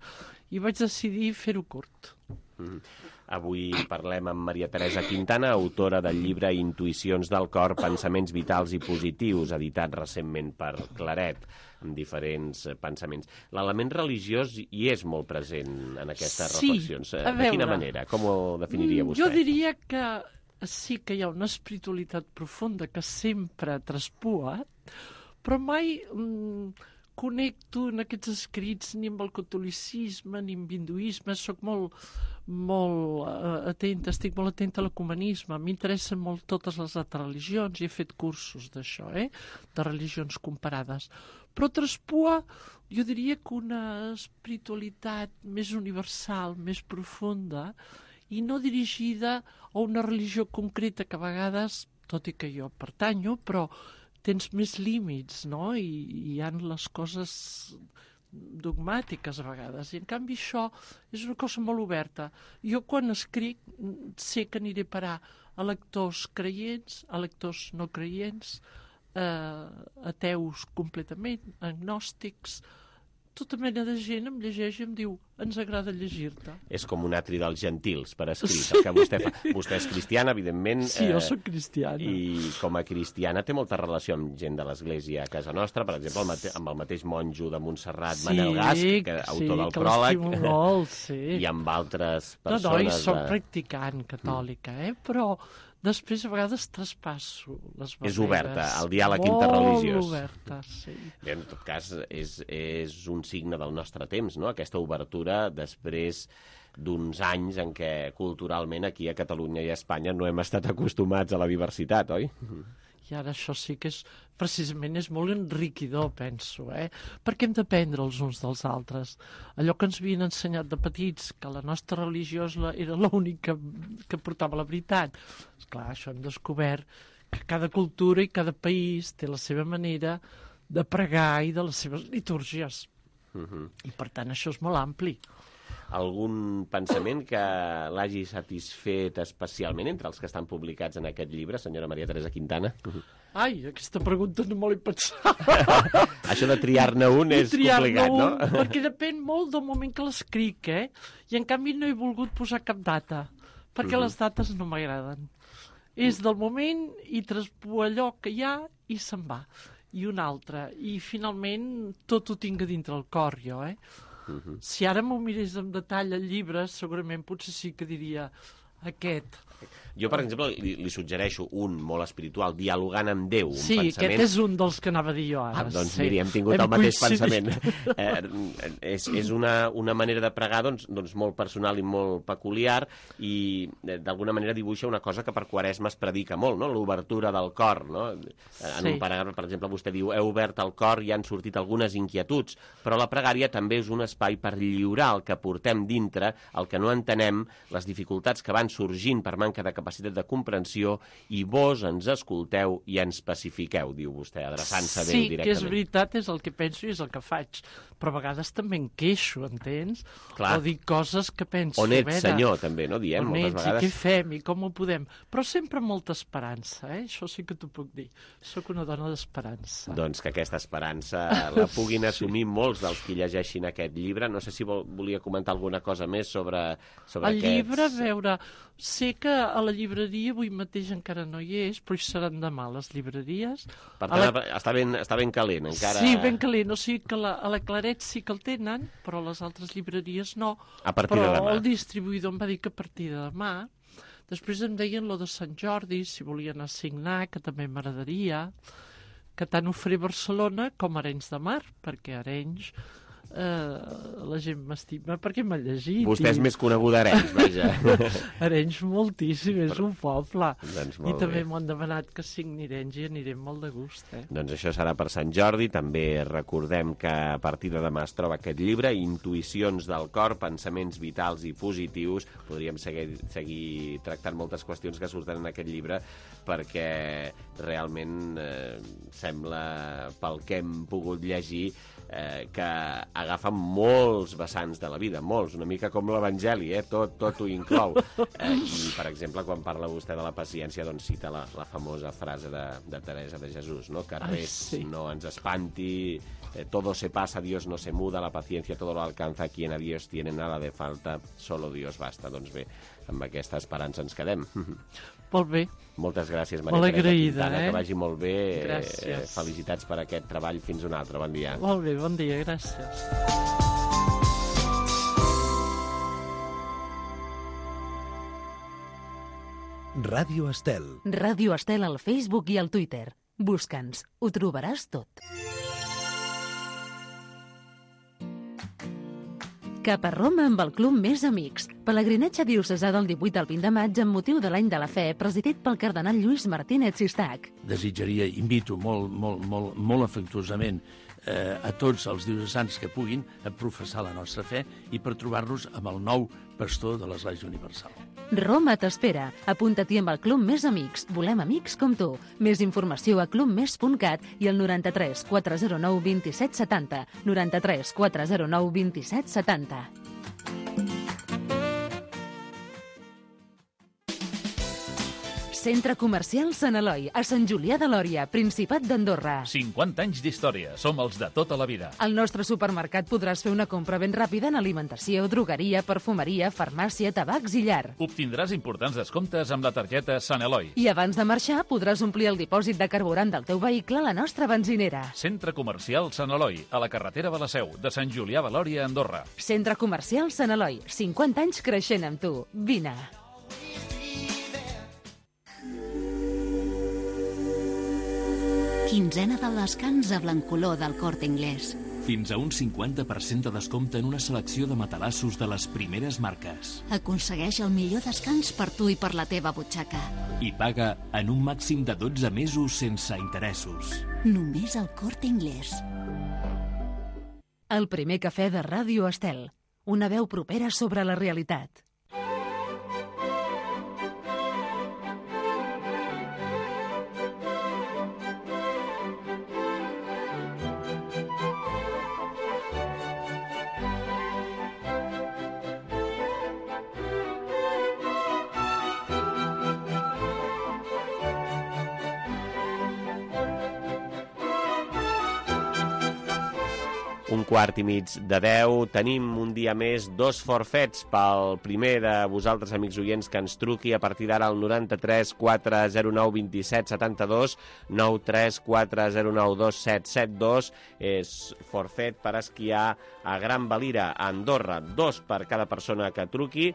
I vaig decidir fer-ho curt. Avui parlem amb Maria Teresa Quintana, autora del llibre Intuïcions del cor, pensaments vitals i positius, editat recentment per Claret, amb diferents pensaments. L'element religiós hi és molt present en aquestes reflexions. De quina manera? Com ho definiria vostè? Jo diria que sí que hi ha una espiritualitat profunda que sempre ha traspuat, però mai connecto en aquests escrits ni amb el catolicisme ni amb hinduisme. Soc molt atenta, estic molt atenta a l'ecumenisme. M'interessen molt totes les altres religions i he fet cursos d'això, de religions comparades. Però traspua, jo diria que una espiritualitat més universal, més profunda, i no dirigida a una religió concreta que a vegades, tot i que jo pertanyo, però tens més límits, no? I hi ha les coses dogmàtiques a vegades. I en canvi això és una cosa molt oberta. Jo quan escric sé que aniré a parar a lectors creients, a lectors no creients, ateus completament, agnòstics. Tota mena de gent em llegeix i em diu, ens agrada llegir-te. És com un atri dels gentils per escrit, el que vostè fa. Vostè és cristiana, evidentment. Sí, jo soc cristiana. I com a cristiana té molta relació amb gent de l'Església a casa nostra, per exemple, amb el mateix monjo de Montserrat, Manel Gasc, autor del pròleg, molt, sí. I amb altres persones... No, soc practicant catòlica, però... Després, a vegades, traspasso les barreres. És oberta, el diàleg interreligiós. Molt oberta, sí. Bé, en tot cas, és un signe del nostre temps, no? Aquesta obertura després d'uns anys en què culturalment aquí a Catalunya i a Espanya no hem estat acostumats a la diversitat, oi? I ara això sí que precisament és molt enriquidor, penso, perquè hem d'aprendre els uns dels altres. Allò que ens havien ensenyat de petits, que la nostra religió era l'única que portava la veritat. Esclar, això hem descobert que cada cultura i cada país té la seva manera de pregar i de les seves litúrgies. I per tant això és molt ampli. Algun pensament que l'hagi satisfet especialment entre els que estan publicats en aquest llibre, senyora Maria Teresa Quintana? Ai, aquesta pregunta no me l'he pensat. Això de triar-ne un és complicat, no? Perquè depèn molt del moment que l'escric, I en canvi no he volgut posar cap data, perquè les dates no m'agraden. És del moment i traspua allò que hi ha i se'n va. I un altre. I finalment tot ho tinc a dintre el cor, jo, Si ara m'ho mirés en detall al llibre, segurament potser sí que diria aquest. Jo, per exemple, li suggereixo un molt espiritual, dialogant amb Déu, un pensament... Sí, aquest és un dels que anava a dir jo ara. Doncs miri, hem tingut el mateix pensament. És una manera de pregar doncs molt personal i molt peculiar i d'alguna manera dibuixa una cosa que per Quaresma es predica molt, no? L'obertura del cor, no? En un paràgraf, per exemple, vostè diu heu obert el cor i han sortit algunes inquietuds, però la pregària també és un espai per lliurar el que portem dintre, el que no entenem, les dificultats que van sorgint per manca de capacitat de comprensió i vos ens escolteu i ens pacifiqueu, diu vostè, adreçant-se a Déu directament. Sí, que és veritat, és el que penso i és el que faig, però a vegades també em queixo, entens? Clar. O dic coses que penso... On ets, senyor, també, no? Diem moltes vegades. On ets i què fem i com ho podem? Però sempre amb molta esperança, Això sí que t'ho puc dir. Soc una dona d'esperança. Doncs que aquesta esperança la puguin assumir molts dels que llegeixin aquest llibre. No sé si volia comentar alguna cosa més sobre el llibre, a veure... Sé que a la llibreria avui mateix encara no hi és, però hi seran demà les llibreries. Per tant, està ben calent, encara... Sí, ben calent. O sigui que a la Claret sí que el tenen, però a les altres llibreries no. A partir de demà. Però el distribuïdor em va dir que a partir de demà... Després em deien lo de Sant Jordi, si volien assignar, que també m'agradaria, que tant ho faré a Barcelona com a Arenys de Mar, perquè a Arenys la gent m'estima perquè m'ha llegit. Vostè és més coneguda a Arenys, vaja. Arenys moltíssim, és un poble. Doncs I també m'ho han demanat que signi Arenys i anirem molt de gust. Doncs això serà per Sant Jordi. També recordem que a partir de demà es troba aquest llibre, Intuïcions del cor, pensaments vitals i positius. Podríem seguir tractant moltes qüestions que surten en aquest llibre, perquè realment sembla, pel que hem pogut llegir, que agafa molts vessants de la vida, molts, una mica com l'Evangeli, tot ho inclou. I, per exemple, quan parla vostè de la paciència, doncs cita la famosa frase de Teresa de Jesús, no? Que res no ens espanti, todo se pasa, Dios no se muda, la paciencia todo lo alcanza, quien a Dios tiene nada de falta, solo Dios basta. Doncs bé, amb aquesta esperança ens quedem. Molt bé. Moltes gràcies, Maria molt Teresa agraïda, Quintana, que vagi molt bé. Gràcies. Felicitats per aquest treball. Fins un altre. Bon dia. Molt bé, bon dia, gràcies. Ràdio Estel. Ràdio Estel al Facebook i al Twitter. Busca'ns. Ho trobaràs tot. Cap a Roma amb el Club Més Amics. Pelegrinatge diocesà del 18 al 20 de maig amb motiu de l'Any de la Fe, presidit pel cardenal Lluís Martínez Sistac. Desitjaria, invito molt afectuosament a tots els diocesans que puguin a professar la nostra fe i per trobar-nos amb el nou pastor de l'Església Universal. Roma t'espera. Apunta-t'hi amb el Club Més Amics. Volem amics com tu. Més informació a clubmes.cat i al 93 409 27 70. 93 409 27 70. Centre Comercial Sant Eloi, a Sant Julià de Lòria, Principat d'Andorra. 50 anys d'història, som els de tota la vida. Al nostre supermercat podràs fer una compra ben ràpida en alimentació, drogueria, perfumeria, farmàcia, tabacs i llar. Obtindràs importants descomptes amb la targeta Sant Eloi. I abans de marxar podràs omplir el dipòsit de carburant del teu vehicle a la nostra benzinera. Centre Comercial Sant Eloi, a la carretera de la Seu, de Sant Julià de Lòria, Andorra. Centre Comercial Sant Eloi, 50 anys creixent amb tu. Vine. Quinzena del descans a Blancolor del Corte Inglés. Fins a un 50% de descompte en una selecció de matalassos de les primeres marques. Aconsegueix el millor descans per tu i per la teva butxaca. I paga en un màxim de 12 mesos sense interessos. Només al Corte Inglés. El primer cafè de Ràdio Estel. Una veu propera sobre la realitat. Un quart i mig de 10. Tenim un dia més 2 forfets pel primer de vosaltres, amics oients, que ens truqui a partir d'ara al 93 409 27 72, 93 409 2772. És forfet per esquiar a Gran Valira, a Andorra. 2 per cada persona que truqui.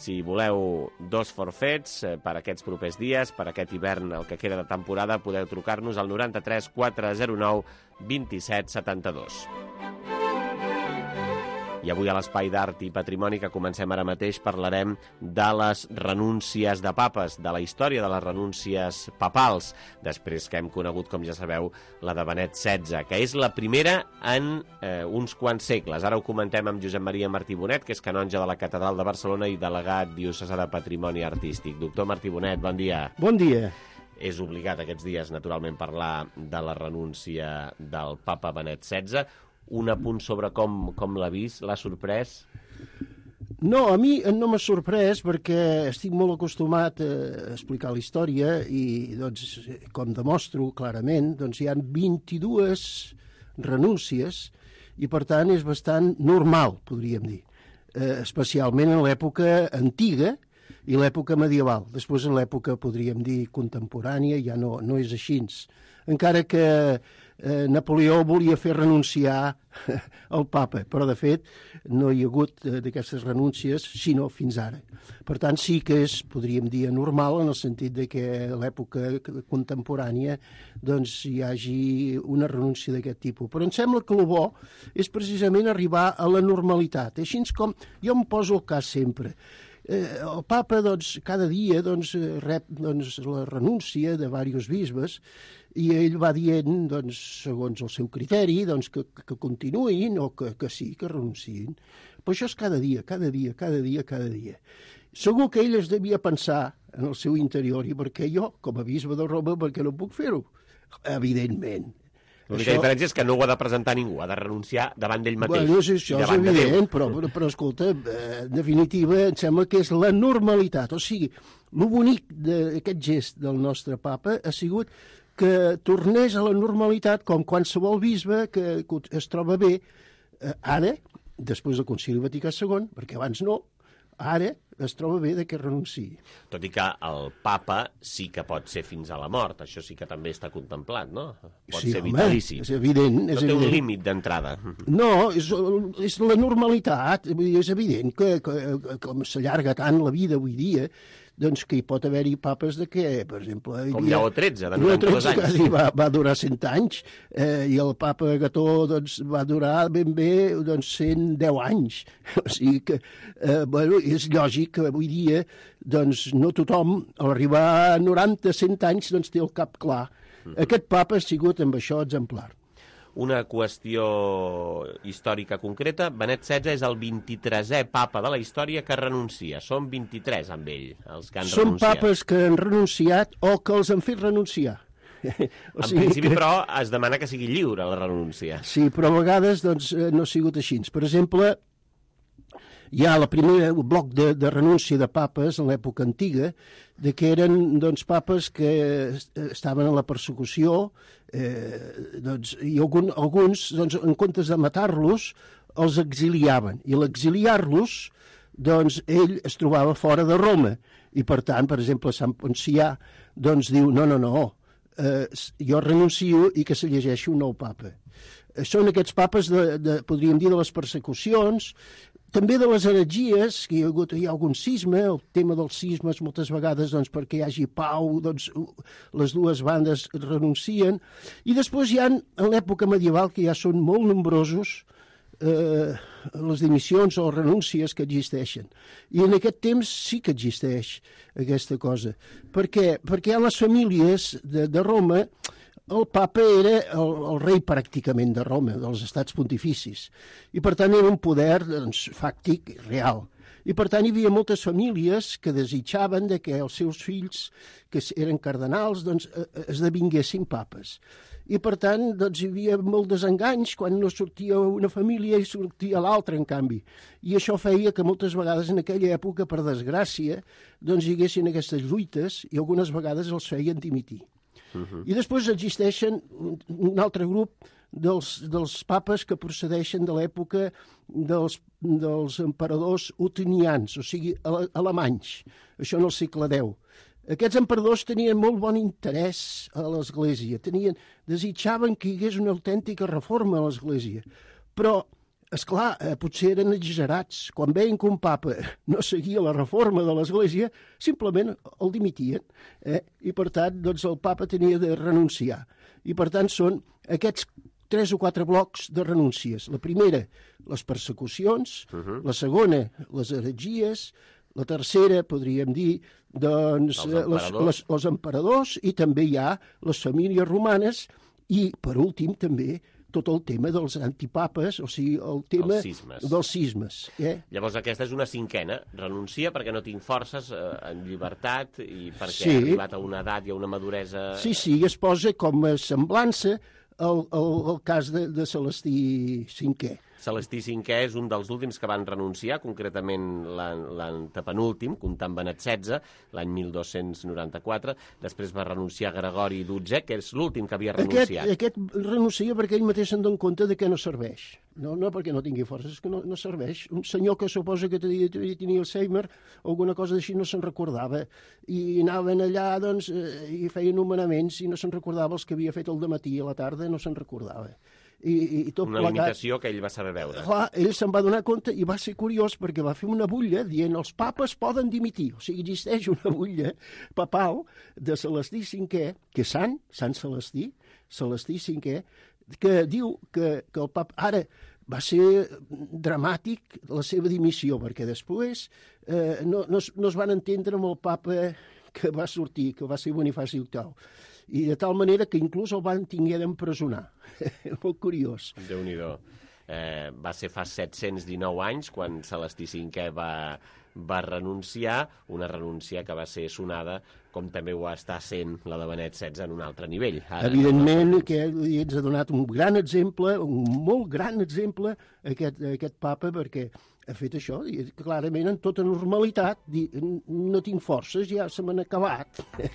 Si voleu 2 forfets per aquests propers dies, per aquest hivern, el que queda de temporada, podeu trucar-nos al 93 409 27 72. I avui a l'Espai d'Art i Patrimoni, que comencem ara mateix, parlarem de les renúncies de papes, de la història de les renúncies papals, després que hem conegut, com ja sabeu, la de Benet XVI, que és la primera en uns quants segles. Ara ho comentem amb Josep Maria Martí Bonet, que és canonge de la Catedral de Barcelona i delegat diocesà de Patrimoni Artístic. Doctor Martí Bonet, bon dia. Bon dia. És obligat aquests dies, naturalment, parlar de la renúncia del papa Benet XVI. Un apunt sobre com l'ha vist, l'ha sorprès? No, a mi no m'ha sorprès perquè estic molt acostumat a explicar la història i, doncs, com demostro clarament, doncs hi ha 22 renúncies i, per tant, és bastant normal, podríem dir, especialment en l'època antiga i l'època medieval. Després, en l'època, podríem dir, contemporània, ja no és així. Encara que Napoleó volia fer renunciar el papa, però de fet no hi ha hagut d'aquestes renúncies sinó fins ara. Per tant, sí que és, podríem dir, anormal en el sentit de que a l'època contemporània doncs, hi hagi una renúncia d'aquest tipus. Però em sembla que el bo és precisament arribar a la normalitat. Així com jo em poso el cas sempre. El papa doncs, cada dia doncs, rep doncs, la renúncia de diversos bisbes i ell va dient, doncs, segons el seu criteri, doncs, que continuïn o que sí, que renunciïn. Però això és cada dia, cada dia, cada dia, cada dia. Segur que ell es devia pensar en el seu interior i perquè jo, com a bisbe de Roma, perquè no puc fer-ho? Evidentment. L'única diferència és que no ho ha de presentar ningú, ha de renunciar davant d'ell mateix. Bueno, això és evident, però escolta, en definitiva, em sembla que és la normalitat. O sigui, el bonic d'aquest gest del nostre papa ha sigut que tornés a la normalitat com qualsevol bisbe que es troba bé ara, després del Concili Vaticà II, perquè abans no, ara es troba bé que renunciï. Tot i que el papa sí que pot ser fins a la mort, això sí que també està contemplat, no? Pot ser vitalici. És evident. No té un límit d'entrada. No, és la normalitat. És evident que com s'allarga tant la vida avui dia, doncs que hi pot haver-hi papes de què, per exemple... Com Lleó XIII, de 92 anys. Quasi va durar 100 anys, i el papa Gató doncs, va durar ben bé 110 anys. O sigui que, bueno, és lògic que avui dia doncs, no tothom, a arribar a 90-100 anys, doncs, té el cap clar. Aquest papa ha sigut amb això exemplar. Una qüestió històrica concreta, Benet XVI és el 23è papa de la història que renuncia. Són 23 amb ell, els que han renunciat. Són papes que han renunciat o que els han fet renunciar. En principi, però, es demana que sigui lliure la renúncia. Sí, però a vegades doncs, no ha sigut així. Per exemple, hi ha el primer bloc de renúncia de papes en l'època antiga, de que eren doncs, papes que estaven en la persecució, doncs, i alguns, doncs, en comptes de matar-los, els exiliaven. I l'exiliar-los, doncs, ell es trobava fora de Roma. I, per tant, per exemple, Sant Poncià doncs, diu, no, jo renuncio i que se llegeixi un nou papa. Són aquests papes, podríem dir, de les persecucions, també de les heretgies, que hi ha algun cisma, el tema dels cismes moltes vegades doncs, perquè hi hagi pau, doncs, les dues bandes renuncien, i després hi ha, en l'època medieval, que ja són molt nombrosos, les dimissions o renúncies que existeixen. I en aquest temps sí que existeix aquesta cosa. Per què? Perquè a les famílies de Roma el papa era el rei pràcticament de Roma, dels estats pontificis, i per tant era un poder doncs, fàctic, real. I per tant hi havia moltes famílies que desitjaven de que els seus fills, que eren cardenals, doncs, esdevinguessin papes. I per tant doncs, hi havia molt desenganys quan no sortia una família i sortia l'altra, en canvi. I això feia que moltes vegades en aquella època, per desgràcia, doncs, hi haguessin aquestes lluites i algunes vegades els feien dimitir. I després existeixen un altre grup dels papes que procedeixen de l'època dels emperadors otinians, o sigui, alemanys, això en el segle X. Aquests emperadors tenien molt bon interès a l'Església, desitjaven que hi hagués una autèntica reforma a l'Església, però esclar, potser eren exagerats. Quan veien que un papa no seguia la reforma de l'Església, simplement el dimitien. I, per tant, doncs, el papa tenia de renunciar. I, per tant, són aquests 3 o 4 blocs de renúncies. La primera, les persecucions. La segona, les heretgies. La tercera, podríem dir, doncs, els emperadors. I també hi ha les famílies romanes. I, per últim, també, tot el tema dels antipapes, o sigui, el tema dels cismes. Llavors aquesta és una cinquena. Renuncia perquè no tinc forces en llibertat i perquè ha arribat a una edat i a una maduresa... Sí, es posa com a semblança el cas de Celestí V. Celestí V és un dels últims que van renunciar, concretament l'antepenúltim, comptant Benet XVI, l'any 1294. Després va renunciar Gregori XII, que és l'últim que havia renunciat. Aquest renuncia perquè ell mateix se'n dona compte de que no serveix. No perquè no tingui forces, és que no serveix. Un senyor que suposa que tenia Alzheimer o alguna cosa d'així no se'n recordava. I anaven allà, doncs, i feien nomenaments i no se'n recordava els que havia fet el dematí i a la tarda no se'n recordava. I tot una limitació que ell va saber veure. Clar, ell se'n va donar compte i va ser curiós perquè va fer una butlla dient els papes poden dimitir. O sigui, existeix una butlla papal de Celestí V, que és Sant Celestí, Celestí V, que diu que el papa... Ara, va ser dramàtic la seva dimissió, perquè després no es van entendre amb el papa que va sortir, que va ser Bonifaci VIII. I de tal manera que inclús el van tinguer d'empresonar. Molt curiós. Déu-n'hi-do. Va ser fa 719 anys quan Celestí V va renunciar, una renúncia que va ser sonada com també ho està sent la de Benet XVI en un altre nivell. Evidentment que ens ha donat un gran exemple, un molt gran exemple, aquest papa, perquè ha fet això, i clarament en tota normalitat, no tinc forces, ja se m'han acabat,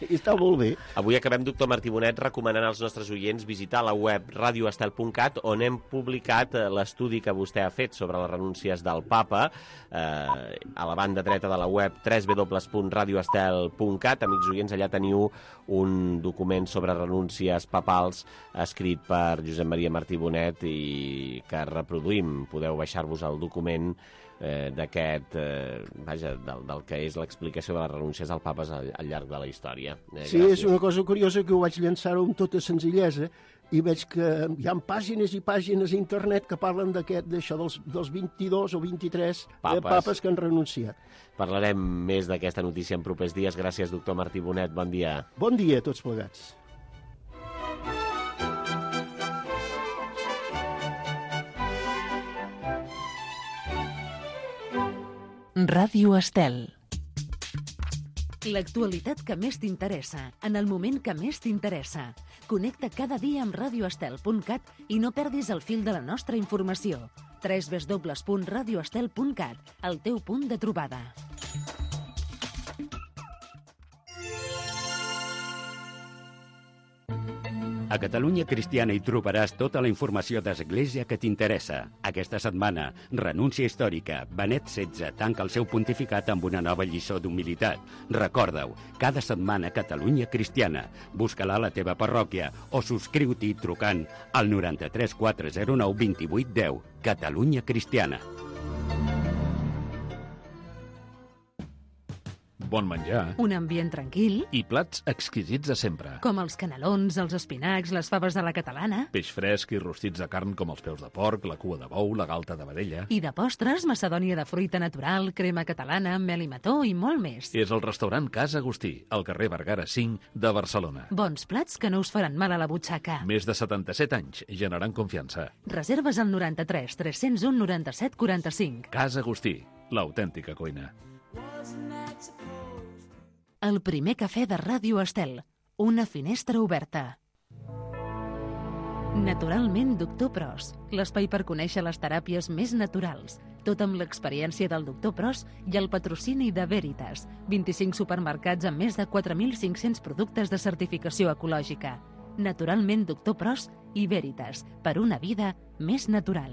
i està molt bé. Avui acabem, doctor Martí Bonet, recomanant als nostres oients visitar la web radioestel.cat, on hem publicat l'estudi que vostè ha fet sobre les renúncies del papa, a la banda dreta de la web www.radioestel.cat. Amics oients, allà teniu un document sobre renúncies papals escrit per Josep Maria Martí Bonet i que reproduïm. Podeu baixar-vos el document d'aquest, del que és l'explicació de les renúncies al papes al llarg de la història. Sí, és una cosa curiosa que ho vaig llançar amb tota senzillesa i veig que hi ha pàgines i pàgines a internet que parlen d'això dels 22 o 23 papes que han renunciat. Parlarem més d'aquesta notícia en propers dies. Gràcies, doctor Martí Bonet. Bon dia. Bon dia a tots plegats. Ràdio Estel. L'actualitat que més t'interessa, en el moment que més t'interessa. Connecta cada dia amb radioestel.cat i no perdis el fil de la nostra informació. www.radioestel.cat, el teu punt de trobada. A Catalunya Cristiana hi trobaràs tota la informació d'Església que t'interessa. Aquesta setmana, renúncia històrica. Benet XVI tanca el seu pontificat amb una nova lliçó d'humilitat. Recorda-ho, cada setmana Catalunya Cristiana. Busca-la a la teva parròquia o subscriu-t'hi trucant al 93 409 28 10. Catalunya Cristiana. Bon menjar. Un ambient tranquil. I plats exquisits de sempre. Com els canelons, els espinacs, les faves de la catalana. Peix fresc i rostits de carn com els peus de porc, la cua de bou, la galta de vedella. I de postres, macedònia de fruita natural, crema catalana, mel i mató i molt més. És el restaurant Casa Agustí, al carrer Vergara 5 de Barcelona. Bons plats que no us faran mal a la butxaca. Més de 77 anys, generant confiança. Reserves al 93 301 97 45. Casa Agustí, l'autèntica cuina. El primer cafè de Ràdio Estel. Una finestra oberta. Naturalment, Doctor Pros. L'espai per conèixer les teràpies més naturals. Tot amb l'experiència del Doctor Pros i el patrocini de Veritas. 25 supermercats amb més de 4.500 productes de certificació ecològica. Naturalment, Doctor Pros i Veritas. Per una vida més natural.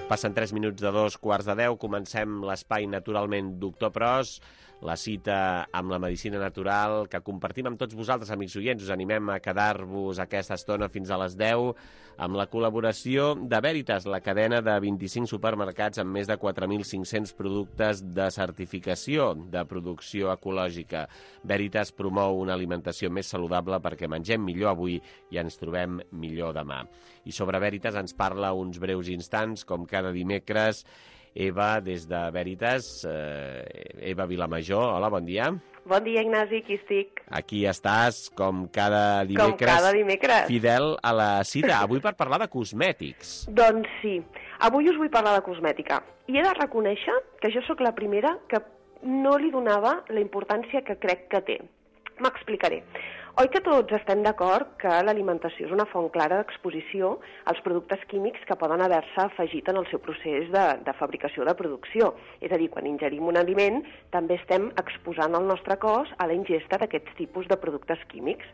Passen 3 minuts de 2:15. Comencem l'espai, naturalment, Doctor Pros, la cita amb la medicina natural que compartim amb tots vosaltres, amics oients. Us animem a quedar-vos aquesta estona fins a les 10 amb la col·laboració de Veritas, la cadena de 25 supermercats amb més de 4.500 productes de certificació de producció ecològica. Veritas promou una alimentació més saludable perquè mengem millor avui i ens trobem millor demà. I sobre Veritas ens parla uns breus instants, com cada dimecres, Eva, des de Veritas. Eva Vilamajor, hola, bon dia. Bon dia, Ignasi, aquí estic. Aquí estàs, com cada dimecres, fidel a la cita. Avui per parlar de cosmètics. Doncs sí, avui us vull parlar de cosmètica. I he de reconèixer que jo sóc la primera que no li donava la importància que crec que té. M'explicaré. Oi que tots estem d'acord que l'alimentació és una font clara d'exposició als productes químics que poden haver-se afegit en el seu procés de fabricació de producció? És a dir, quan ingerim un aliment, també estem exposant el nostre cos a la ingesta d'aquests tipus de productes químics.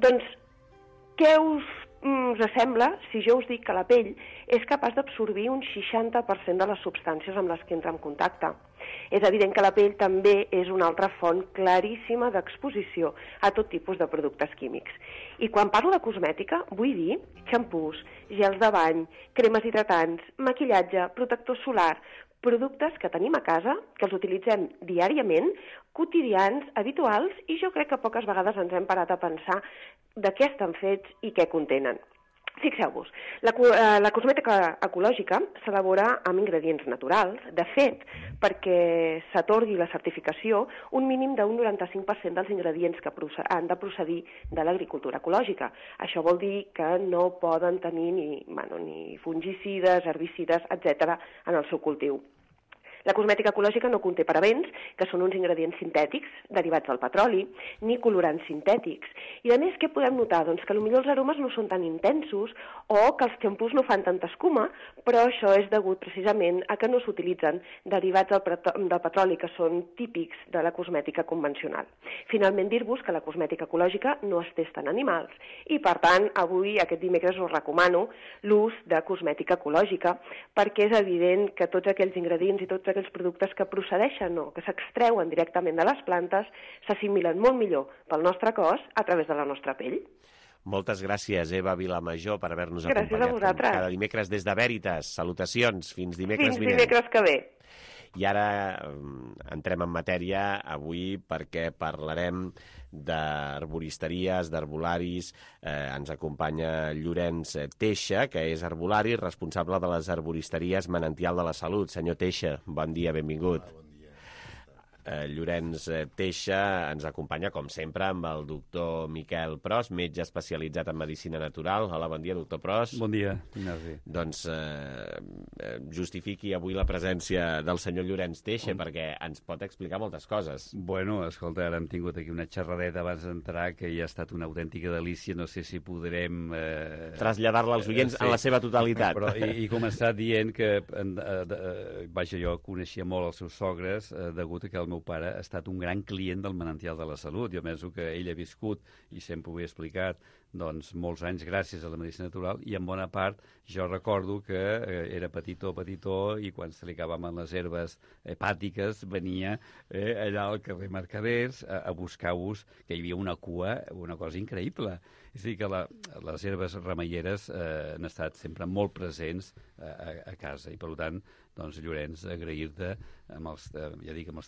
Doncs, què us sembla si jo us dic que la pell és capaç d'absorbir un 60% de les substàncies amb les que entra en contacte? És evident que la pell també és una altra font claríssima d'exposició a tot tipus de productes químics. I quan parlo de cosmètica, vull dir xampús, gels de bany, cremes hidratants, maquillatge, protector solar, productes que tenim a casa, que els utilitzem diàriament, quotidians, habituals, i jo crec que poques vegades ens hem parat a pensar de què estan fets i què contenen. Fixeu-vos, la cosmètica ecològica s'elabora amb ingredients naturals. De fet, perquè s'atorgui la certificació, un mínim d'un 95% dels ingredients que han de procedir de l'agricultura ecològica. Això vol dir que no poden tenir ni fungicides, herbicides, etc. en el seu cultiu. La cosmètica ecològica no conté parabens, que són uns ingredients sintètics derivats del petroli, ni colorants sintètics. I a més, què podem notar? Doncs que potser els aromes no són tan intensos o que els xampús no fan tanta escuma, però això és degut precisament a que no s'utilitzen derivats del petroli, que són típics de la cosmètica convencional. Finalment, dir-vos que la cosmètica ecològica no es testa en animals i, per tant, avui, aquest dimecres, us recomano l'ús de cosmètica ecològica, perquè és evident que tots aquells ingredients i tots aquells productes que procedeixen o que s'extreuen directament de les plantes s'assimilen molt millor pel nostre cos a través de la nostra pell. Moltes gràcies, Eva Vilamajor, per haver-nos acompanyat. Gràcies a vosaltres. Cada dimecres des de Veritas. Salutacions. Fins dimecres vinent. Fins dimecres que ve. I ara entrem en matèria avui perquè parlarem d'arboristeries, d'arbolaris. Ens acompanya Llorenç Teixa, que és arbolari, responsable de les arboristeries Manantial de la Salut. Senyor Teixa, bon dia, benvingut. Bon dia. Llorenç Teixa ens acompanya, com sempre, amb el doctor Miquel Pros, metge especialitzat en medicina natural. Hola, bon dia, doctor Pros. Bon dia, Ignasi. Doncs justifiqui avui la presència del senyor Llorenç Teixa, perquè ens pot explicar moltes coses. Bueno, escolta, ara hem tingut aquí una xerradeta abans d'entrar que ja ha estat una autèntica delícia. No sé si podrem... traslladar-la als oients en la seva totalitat. Però he començat dient que, vaja, jo coneixia molt els seus sogres, degut a que el meu pare ha estat un gran client del Manantial de la Salut. Jo penso que ell ha viscut, i sempre ho he explicat, doncs molts anys gràcies a la medicina natural, i en bona part jo recordo que era petitó i quan se li acabaven les herbes hepàtiques venia allà al carrer Mercaders a buscar-vos, que hi havia una cua, una cosa increïble. És a dir, que les herbes remeieres han estat sempre molt presents a casa, i per tant, doncs, Llorenç, agrair-te amb els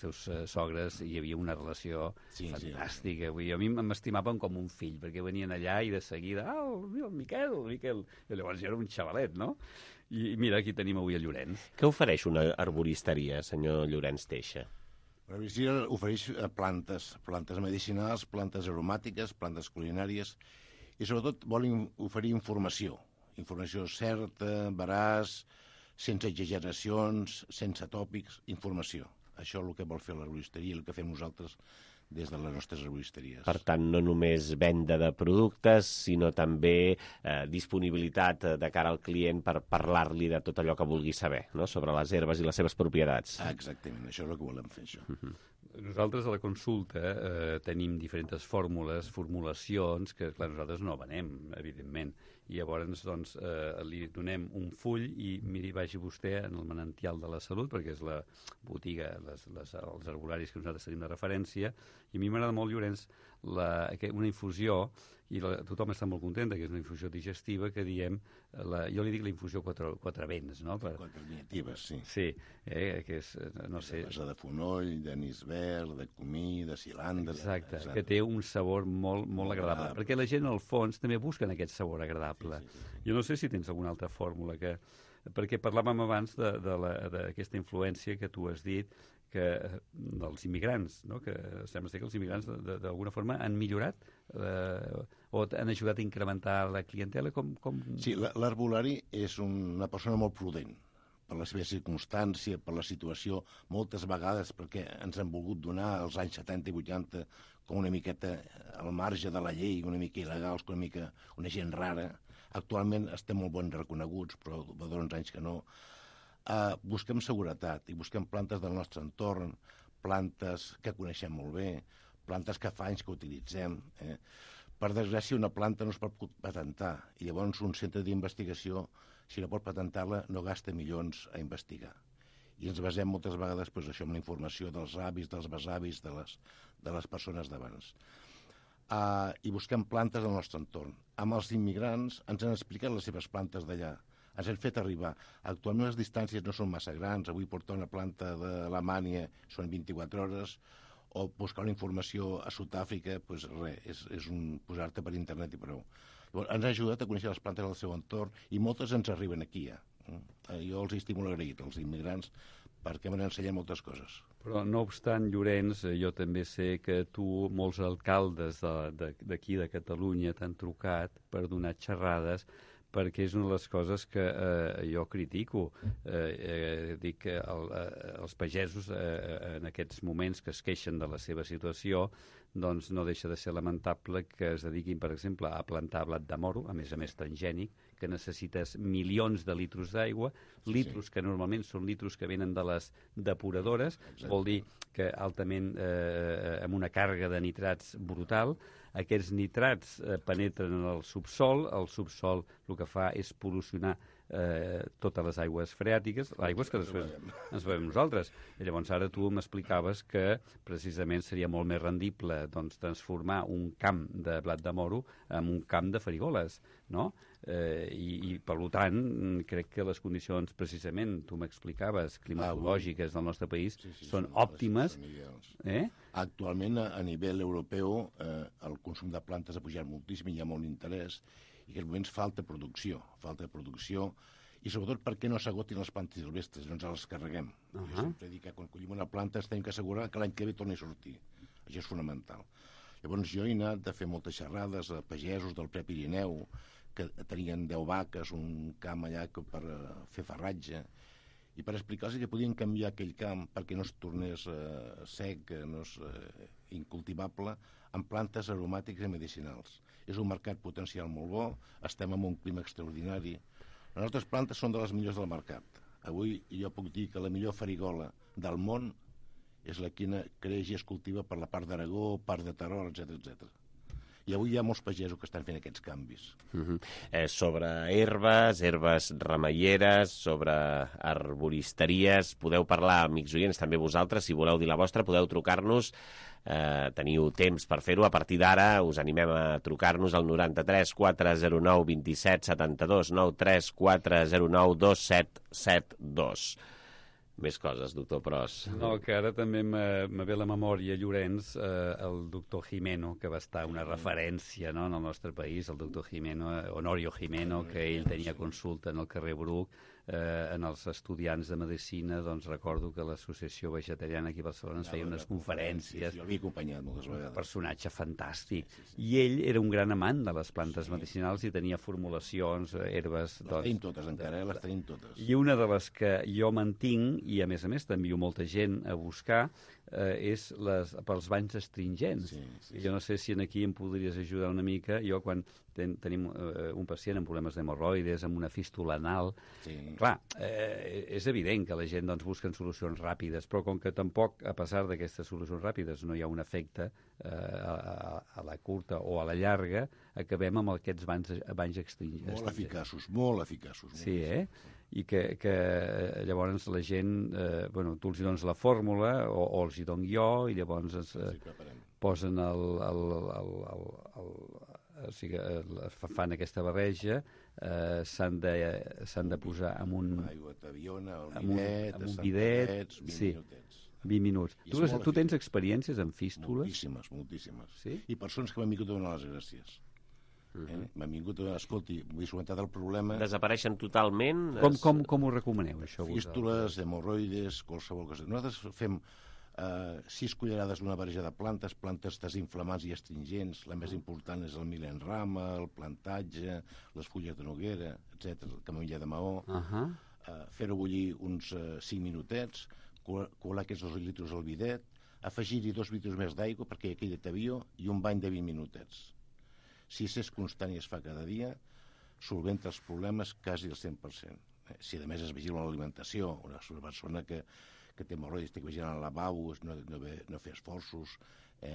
teus sogres. Hi havia una relació fantàstica. A mi m'estimaven com un fill, perquè venien allà i de seguida, el Miquel. I llavors jo era un xavalet, no? I mira, aquí tenim avui el Llorenç. Què ofereix una arboristeria, senyor Llorenç Teixa? L'arboristeria ofereix plantes medicinals, plantes aromàtiques, plantes culinàries, i sobretot volen oferir informació certa, veraç, sense exageracions, sense tòpics, informació. Això és el que vol fer l'arboristeria i el que fem nosaltres des de les nostres arboristeries. Per tant, no només venda de productes, sinó també disponibilitat de cara al client per parlar-li de tot allò que vulgui saber, no?, sobre les herbes i les seves propietats. Exactament, això és el que volem fer, això. Nosaltres a la consulta tenim diferents formulacions que, clar, nosaltres no venem, evidentment, I llavors doncs, li donem un full i miri, vagi vostè en el Manantial de la Salut, perquè és la botiga, els herbolaris que nosaltres tenim de referència, i a mi m'agrada molt, Llorenç, una infusió, i tothom està molt content que és una infusió digestiva que diem, jo li dic la infusió quatre vents, no? Quatre vinitives, sí. Sí, que és, no sé... De de fonoll, d'anís verd, de comí, de cilandre... Exacte, que té un sabor molt, molt agradable, perquè la gent, al fons, també busquen aquest sabor agradable. Jo no sé si tens alguna altra fórmula perquè parlàvem abans d'aquesta influència que tu has dit dels immigrants, no? Que sembla ser que els immigrants d'alguna forma han millorat o han ajudat a incrementar la clientela? Sí, l'herbolari és una persona molt prudent per la seva circumstància, per la situació, moltes vegades perquè ens han volgut donar als anys 70 i 80 com una miqueta al marge de la llei, una mica il·legals, una gent rara. Actualment estem molt ben reconeguts, però fa 2 anys que no. Busquem seguretat i busquem plantes del nostre entorn, plantes que coneixem molt bé, plantes que fa anys que utilitzem. Per desgràcia, una planta no es pot patentar i llavors un centre d'investigació, si no pot patentar-la, no gasta milions a investigar. I ens basem moltes vegades això en la informació dels avis, dels besavis, de les persones d'abans. I busquem plantes del nostre entorn. Amb els immigrants ens han explicat les seves plantes d'allà, ens han fet arribar. Actualment les distàncies no són massa grans, avui portar una planta d'Alemanya són 24 hores, o buscar una informació a Sud-àfrica, doncs res, és posar-te per internet i prou. Llavors, ens ha ajudat a conèixer les plantes del seu entorn i moltes ens arriben aquí ja. Jo els estic molt agraït, els immigrants, perquè m'han ensenyat moltes coses. Però, no obstant, Llorenç, jo també sé que molts alcaldes d'aquí de Catalunya t'han trucat per donar xerrades, perquè és una de les coses que jo critico. Dic que els pagesos en aquests moments que es queixen de la seva situació, doncs no deixa de ser lamentable que es dediquin, per exemple, a plantar blat de moro, a més transgènic, que necessites milions de litros d'aigua, litros que normalment són litros que venen de les depuradores, vol dir que altament amb una càrrega de nitrats brutal. Aquests nitrats penetren en el subsol el que fa és pol·lucionar totes les aigües freàtiques, aigües que després ens bevem nosaltres. I llavors ara tu m'explicaves que precisament seria molt més rendible transformar un camp de blat de moro en un camp de farigoles, no? I per tant crec que les condicions precisament, tu m'explicaves, climatològiques del nostre país són òptimes. Actualment a nivell europeu el consum de plantes ha pujat moltíssim, hi ha molt interès i en aquests moments falta producció i sobretot perquè no s'agotin les plantes silvestres, no ens les carreguem. Jo sempre dic que quan collim una planta ens hem d'assegurar que l'any que ve torni a sortir. Això és fonamental. Llavors jo he anat a fer moltes xerrades a pagesos del Prepirineu que tenien 10 vaques, un camp allà per fer farratge, i per explicar-los que podien canviar aquell camp perquè no es tornés sec, no és incultivable, amb plantes aromàtiques i medicinals. És un mercat potencial molt bo, estem en un clima extraordinari. Les nostres plantes són de les millors del mercat. Avui jo puc dir que la millor farigola del món és la que creix i es cultiva per la part d'Aragó, part de Terol, etc. I avui hi ha molts pagesos que estan fent aquests canvis. Sobre herbes remeieres, sobre arboristeries, podeu parlar, amics oients, també vosaltres, si voleu dir la vostra, podeu trucar-nos, teniu temps per fer-ho. A partir d'ara us animem a trucar-nos al 93 409 27 72, 93 409 2772. Més coses, doctor Pros. No, que ara també me ve a la memòria, Llorenç, el doctor Jimeno, que va estar una referència en el nostre país, el doctor Jimeno, Honorio Jimeno, que ell tenia consulta en el carrer Bruc, en els estudiants de Medicina, doncs recordo que l'associació vegetariana aquí a Barcelona ens feia unes conferències. Jo l'havia acompanyat moltes vegades. Un personatge fantàstic. I ell era un gran amant de les plantes medicinals i tenia formulacions, herbes... Les tenim totes encara, les tenim totes. I una de les que jo mantinc, i a més t'envio molta gent a buscar, és pels banys astringents. Jo no sé si aquí em podries ajudar una mica. Jo, quan tenim un pacient amb problemes d'hemorroides, amb una fístula anal, clar, és evident que la gent doncs, busquen solucions ràpides, però com que tampoc, a pesar d'aquestes solucions ràpides, no hi ha un efecte a la curta o a la llarga, acabem amb aquests banys astringents. Molt eficaços. Sí, i que llavors la gent, tu els dones la fórmula o els hi dono jo i llavors posen fan aquesta barreja, s'han de posar amb un aigua tabiona, amb un bidet, 20 minuts. Tu tens experiències en fístules? Moltíssimes. Sí? I persones que m'han vingut a donar les gràcies. M'han vingut a donar, escolti, m'he solucionat el problema... Desapareixen totalment? Com ho recomaneu, això? Fístules, hemorroides, qualsevol cosa. Nosaltres fem 6 cullerades d'una barreja de plantes desinflamants i astringents. La més important és el milenrama, el plantatge, les fulles de noguera, etc. el camomilla de maó. Fer-ho bullir uns 5 minutets, colar aquests 2 litres al bidet, afegir-hi 2 litres més d'aigua perquè quedi tabió i un bany de 20 minutets. Si és constant i es fa cada dia, solventa els problemes quasi al 100%. Si a més es vigila l'alimentació, una persona que té hemorroides té que vigilar el lavabo, no fer esforços,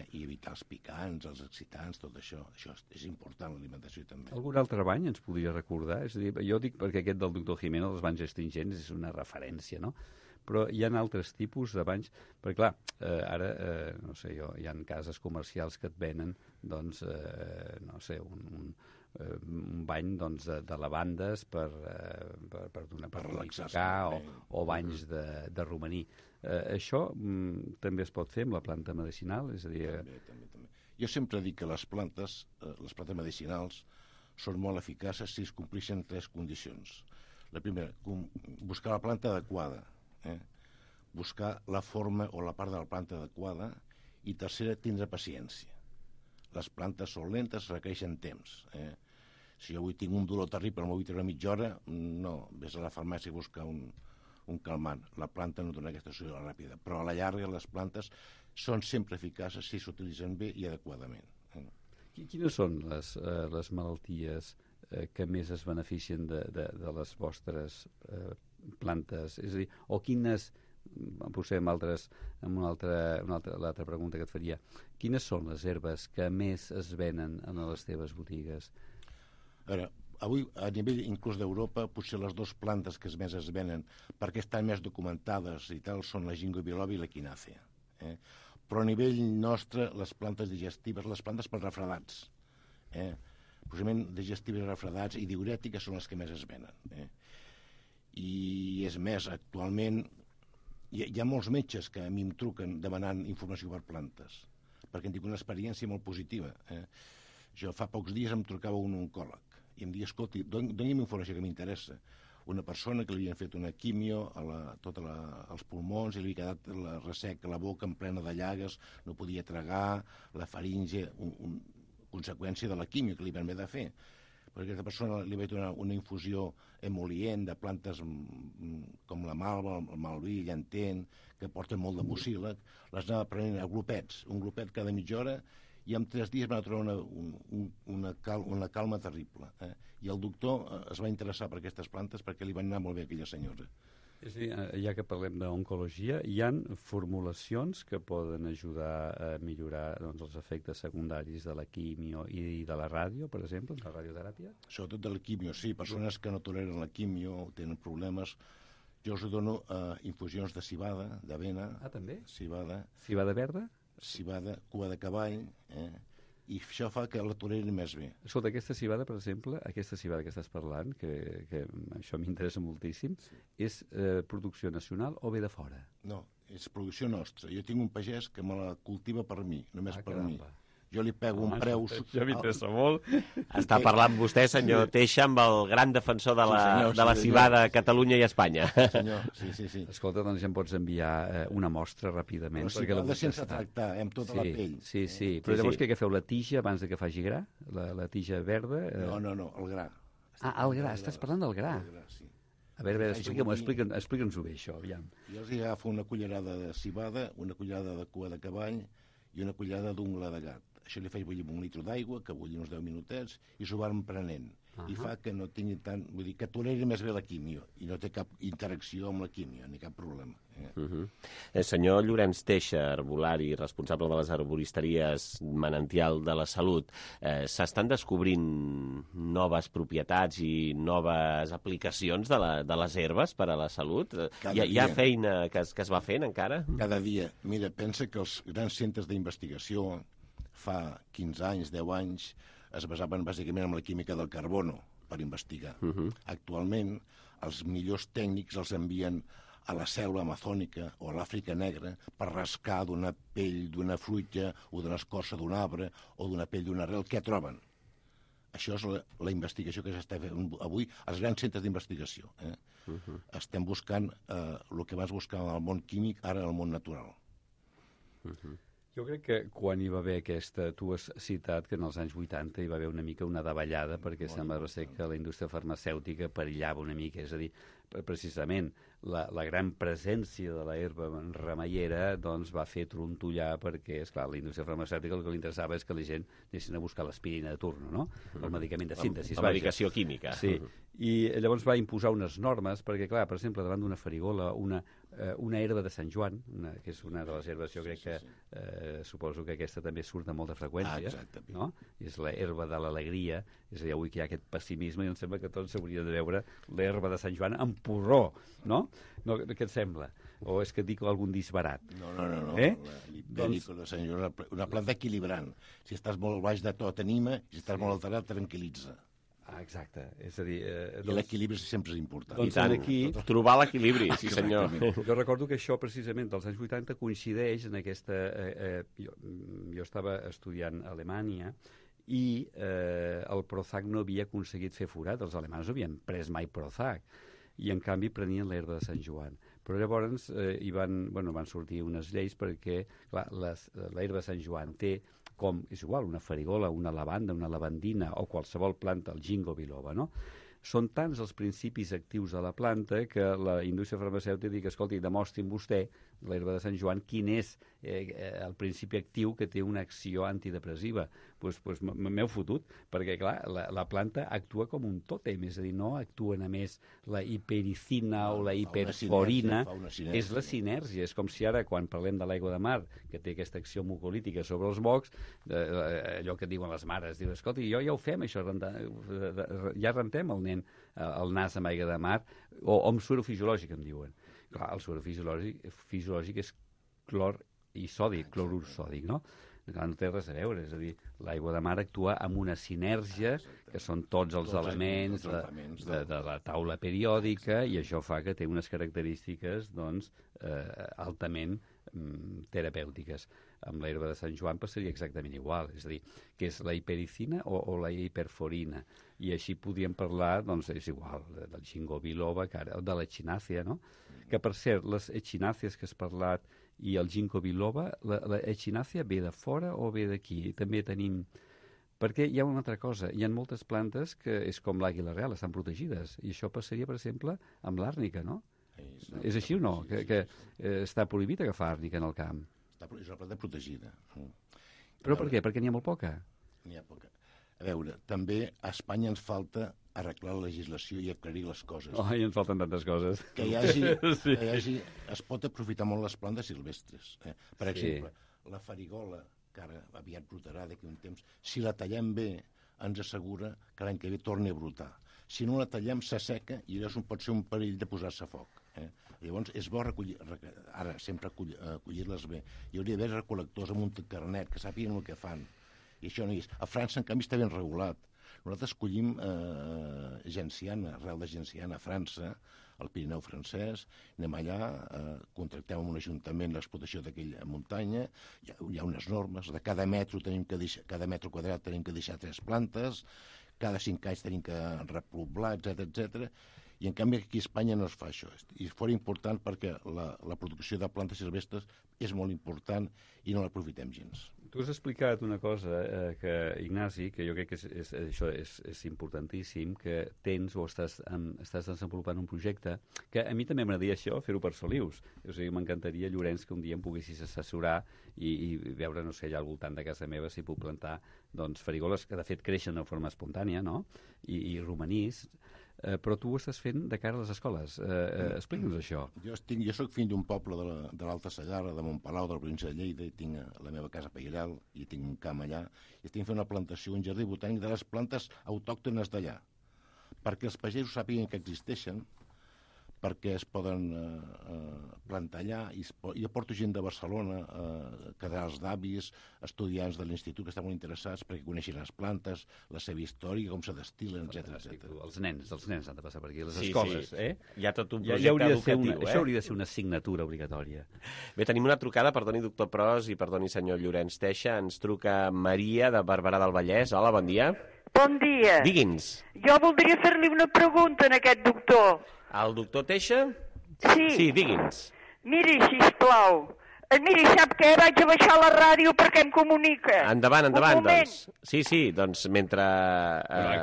i evitar els picants, els excitants, tot això. Això és important, l'alimentació també. Algun altre bany ens podria recordar? És a dir, jo dic perquè aquest del doctor Jimeno, dels banys astringents, és una referència, no? Però hi ha altres tipus de banys, perquè clar, ara, no sé jo, hi ha cases comercials que et venen, doncs, no sé, un bany doncs, de lavandes per relaxar o banys de romaní. Això també es pot fer amb la planta medicinal? És a dir... També. Jo sempre dic que les plantes medicinals són molt eficaces si es compleixen 3 condicions. La primera, buscar la planta adequada, buscar la forma o la part de la planta adequada, i tercera, tindre paciència. Les plantes són lentes, requereixen temps. Si jo avui tinc un dolor terrible, no m'ho vull treure mitja hora, no, vés a la farmàcia a buscar un calmant. La planta no dona aquesta solució ràpida, però a la llarga les plantes són sempre eficaces si s'utilitzen bé i adequadament. Quines són les malalties que més es beneficien de les vostres plantes? És a dir, o quines, potser l'altra pregunta que et faria, quines són les herbes que més es venen en les teves botigues? A veure, avui, a nivell inclús d'Europa, potser les 2 plantes que més es venen, perquè estan més documentades i tal, són la ginkgo biloba i l'equinàcea. Però a nivell nostre, les plantes digestives, les plantes per refredats, possiblement digestives i refredats i diurètiques són les que més es venen. I és més, actualment hi ha molts metges que a mi em truquen demanant informació per plantes, perquè em dic una experiència molt positiva. Jo fa pocs dies em trucava un oncòleg i em deia, escolti, doni'm informació que m'interessa. Una persona que li havien fet una quimio als pulmons i li havia quedat la resseca, la boca en plena de llagues, no podia tragar, la faringe, conseqüència de la quimio que li van haver de fer. Però aquesta persona li vaig donar una infusió emolient de plantes com la malva, el malví, el llantén, que porten molt de mucílag, les anava prenent a glopets, un glopet cada mitja hora, i en 3 dies va trobar una calma terrible. I el doctor es va interessar per aquestes plantes perquè li van anar molt bé a aquella senyora. És a dir, ja que parlem d'oncologia, hi ha formulacions que poden ajudar a millorar els efectes secundaris de la quimio i de la ràdio, per exemple, de la radioteràpia? Sobretot de la quimio, sí. Persones que no toleren la quimio, tenen problemes. Jo us dono infusions de civada, d'avena. Ah, també? Civada. Civada verda? Civada, cua de cavall, i això fa que la tolerin més bé. Escolta, aquesta civada, per exemple, aquesta civada que estàs parlant, que això m'interessa moltíssim, és producció nacional o ve de fora? No, és producció nostra. Jo tinc un pagès que me la cultiva per mi, només per mi. Jo li pego un preu... Això m'interessa molt. Està parlant vostè, senyor Teixa, amb el gran defensor de la civada a Catalunya i Espanya. Sí, senyor, sí. Escolta, doncs ja em pots enviar una mostra ràpidament. Però civada sense tractar, amb tota la pell. Sí. Però llavors què feu, la tija abans que faci gra? La tija verda? No, el gra. Ah, el gra, estàs parlant del gra. Sí. A veure, explica'ns-ho bé, això, aviam. Jo els agafo una cullerada de cibada, una cullerada de cua de cavall i una cullerada d'ungla de gat. Això li faig bullir amb 1 litre d'aigua, que bulli uns 10 minutets, i s'ho van prenent. I fa que no tingui tant... Vull dir, que toleri més bé la químio, i no té cap interacció amb la químio, ni cap problema. El senyor Llorenç Teixa, herbolari, responsable de les arboristeries Manantial de la Salut, s'estan descobrint noves propietats i noves aplicacions de les herbes per a la salut? Hi ha feina que es va fent encara? Cada dia. Mira, pensa que els grans centres d'investigació fa 15 anys, 10 anys, es basaven bàsicament en la química del carbono per investigar. Actualment, els millors tècnics els envien a la selva amazònica o a l'Àfrica negra per rascar d'una pell d'una fruita o d'una escorça d'un arbre o d'una pell d'una arrel. Què troben? Això és la investigació que s'està fent avui als grans centres d'investigació. Estem buscant el que abans buscàvem al món químic, ara al món natural. Jo crec que quan hi va haver aquesta... Tu has citat que en els anys 80 hi va haver una mica una davallada perquè sembla ser que la indústria farmacèutica perillava una mica. És a dir, precisament la gran presència de l'herba remeiera doncs, va fer trontollar perquè, esclar, la indústria farmacèutica el que li interessava és que la gent anessin a buscar l'aspirina de turno, no? El medicament de síntesi. La medicació química. Sí, i llavors va imposar unes normes perquè, clar, per exemple, davant d'una farigola, una herba de Sant Joan, que és una de les herbes, jo crec que suposo que aquesta també surt amb molta freqüència, no? És l'herba de l'alegria, és a dir, avui que hi ha aquest pessimisme i em sembla que tots s'hauria de veure l'herba de Sant Joan amb porró, no? Què et sembla? O és que dic algun disbarat? No. L'hipèrico de Sant Joan, una planta equilibrant. Si estàs molt baix de tot, anima, i si estàs molt alterat, tranquil·litza. Exacte, és a dir... I l'equilibri sempre és important. Doncs aquí, trobar l'equilibri, sí senyor. Jo recordo que això precisament dels anys 80 coincideix en aquesta... Jo estava estudiant a Alemanya i el Prozac no havia aconseguit fer forat, els alemans no havien pres mai Prozac, i en canvi prenien l'herba de Sant Joan. Però llavors van sortir unes lleis perquè l'herba de Sant Joan té com, és igual, una farigola, una lavanda, una lavandina o qualsevol planta, el ginkgo biloba, no? Són tants els principis actius de la planta que la indústria farmacèutica diu, escolti, demostrin vostè, l'herba de Sant Joan, quin és el principi actiu que té una acció antidepressiva. Doncs m'heu fotut, perquè, clar, la planta actua com un tòtem, és a dir, no actua només la hipericina o la hiperforina, és la sinergia. És com si ara, quan parlem de l'aigua de mar, que té aquesta acció mucolítica sobre els mocs, allò que diuen les mares, diu, escolti, ja ho fem, això, ja rentem el nen el nas amb aigua de mar, o amb suero fisiològic, em diuen. Clar, el suero fisiològic és clor i sòdic, clorur sòdic, no? Clar, no té res a veure, és a dir, l'aigua de mar actua amb una sinergia, que són tots els elements de la taula periòdica, i això fa que té unes característiques, doncs, altament terapèutiques. Amb l'herba de Sant Joan passaria exactament igual, és a dir, que és la hipericina o la hiperforina, i així podríem parlar, doncs és igual, del ginkgo biloba, de l'echinacea, no? Que per cert, les echinàcies que has parlat i el ginkgo biloba, l'echinacea ve de fora o ve d'aquí? També tenim... Perquè hi ha una altra cosa, hi ha moltes plantes que és com l'àguila real, estan protegides, i això passaria, per exemple, amb l'àrnica, no? És així o no? Que està prohibit agafar àrnica en el camp? És una planta protegida. Però per què? Perquè n'hi ha molt poca. N'hi ha poca. A veure, també a Espanya ens falta arreglar la legislació i aclarir les coses. I ens falten tantes coses. Que hi hagi... Es pot aprofitar molt les plantes silvestres. Per exemple, la farigola, que ara aviat brotarà d'aquí un temps, si la tallem bé, ens assegura que l'any que ve torni a brotar. Si no la tallem, s'asseca i llavors pot ser un perill de posar-se a foc. Llavors, és bo ara sempre acollir-les bé. Hi hauria d'haver recol·lectors amb un carnet que sàpiguen el que fan. I això no hi és. A França, en canvi, està ben regulat. Nosaltres collim genciana, arrel de genciana a França, al Pirineu francès, anem allà, contractem amb un ajuntament l'explotació d'aquella muntanya, hi ha unes normes, de cada metro quadrat tenim que deixar 3 plantes, cada 5 anys tenim que repoblar, etc. I en canvi aquí a Espanya no es fa això. I fora important perquè la producció de plantes silvestres és molt important i no l'aprofitem gens. Tu has explicat una cosa, Ignasi, que jo crec que això és importantíssim, que tens o estàs desenvolupant un projecte que a mi també m'agradaria això, fer-ho per Solius. O sigui, m'encantaria, Llorenç, que un dia em poguessis assessorar i veure, no sé, allà al voltant de casa meva si puc plantar farigoles que de fet creixen de forma espontània, no? I romanís. Però tu ho estàs fent de cara a les escoles. Explica'ns això. Jo soc fill d'un poble de l'Alta Segarra, de Montpalau, de la província de Lleida, i tinc la meva casa Pairal, i tinc un camp allà, i estic fent una plantació, un jardí botànic de les plantes autòctones d'allà, perquè els pagesos sàpiguen que existeixen, perquè es poden plantar allà, i jo porto gent de Barcelona, casals d'avis, estudiants de l'institut que estan molt interessats perquè coneixin les plantes, la seva història, com se destil·len, etc. Els nens han de passar per aquí, les escoles. Hi ha tot un projecte educatiu. Això hauria de ser una assignatura obligatòria. Bé, tenim una trucada, perdoni, doctor Pros, i perdoni, senyor Llorenç Teixa. Ens truca Maria, de Barberà del Vallès. Hola, bon dia. Bon dia. Digui'ns. Jo voldria fer-li una pregunta a aquest doctor. El doctor Teixa? Sí. Sí, digui'ns. Miri, sisplau. Miri, sap què? Vaig a baixar la ràdio perquè em comunica. Endavant, doncs. Sí, doncs mentre...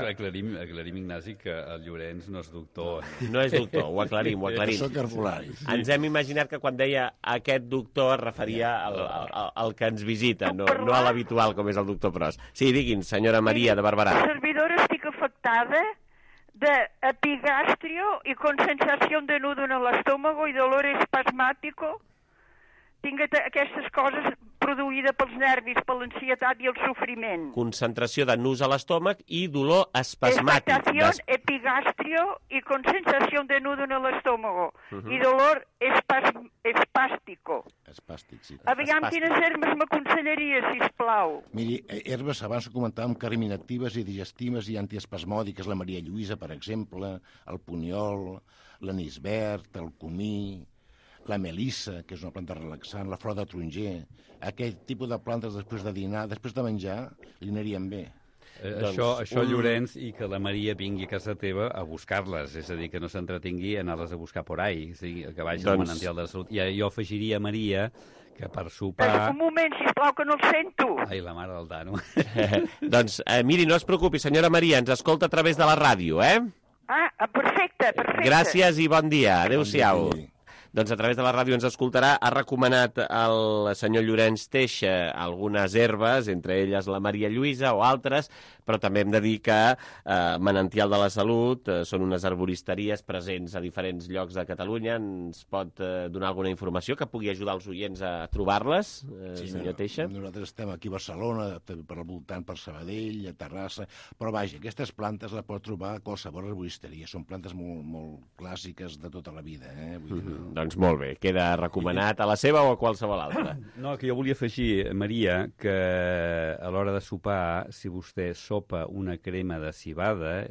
Aclarim, Ignasi, que el Llorenç no és doctor. No és doctor, ho aclarim. Soc herbolari. Ens hem imaginat que quan deia aquest doctor es referia al que ens visita, no a l'habitual, com és el doctor Pros. Sí, digui'ns, senyora Maria, de Barberà. La servidora estic afectada d'epigastrio y con sensación de nudo en el estómago y dolor espasmático. Tinc aquestes coses produïdes pels nervis, per l'ansietat i el sofriment. Concentració de nus a l'estómac i dolor espasmàtic. Expectación, epigastrio y con sensación de nudo en el estómago. I dolor espàstico. Espàstic, sí. Aviam quines herbes m'aconsellaria, sisplau. Miri, herbes, abans comentàvem, carminatives i digestives i antiespasmòdiques, la Maria Lluïsa, per exemple, el puniol, l'anís verd, el comí, la melissa, que és una planta relaxant, la flor de taronger, aquest tipus de plantes després de dinar, després de menjar, li anirien bé. Això, Llorenç, i que la Maria vingui a casa teva a buscar-les, és a dir, que no s'entretingui a anar-les a buscar por ahí, que vagi al Manantial de la Salut. I jo afegiria, Maria, que per sopar... Un moment, sisplau, que no el sento. Ai, la mare del Dano. Doncs, miri, no es preocupi, senyora Maria, ens escolta a través de la ràdio, Perfecte. Gràcies i bon dia. Adéu-siau. Doncs a través de la ràdio ens escoltarà. Ha recomanat el senyor Llorenç Teixa algunes herbes, entre elles la Maria Lluïsa o altres, però també hem de dir que Manantial de la Salut són unes arboristeries presents a diferents llocs de Catalunya. Ens pot donar alguna informació que pugui ajudar els oients a trobar-les, senyor Teixa? Nosaltres estem aquí a Barcelona, per al voltant per Sabadell, a Terrassa, però vaja, aquestes plantes les pot trobar a qualsevol arboristeria. Són plantes molt clàssiques de tota la vida. Doncs molt bé, queda recomanat a la seva o a qualsevol altra. No, que jo volia afegir, Maria, que a l'hora de sopar, si vostè sopa una crema de civada,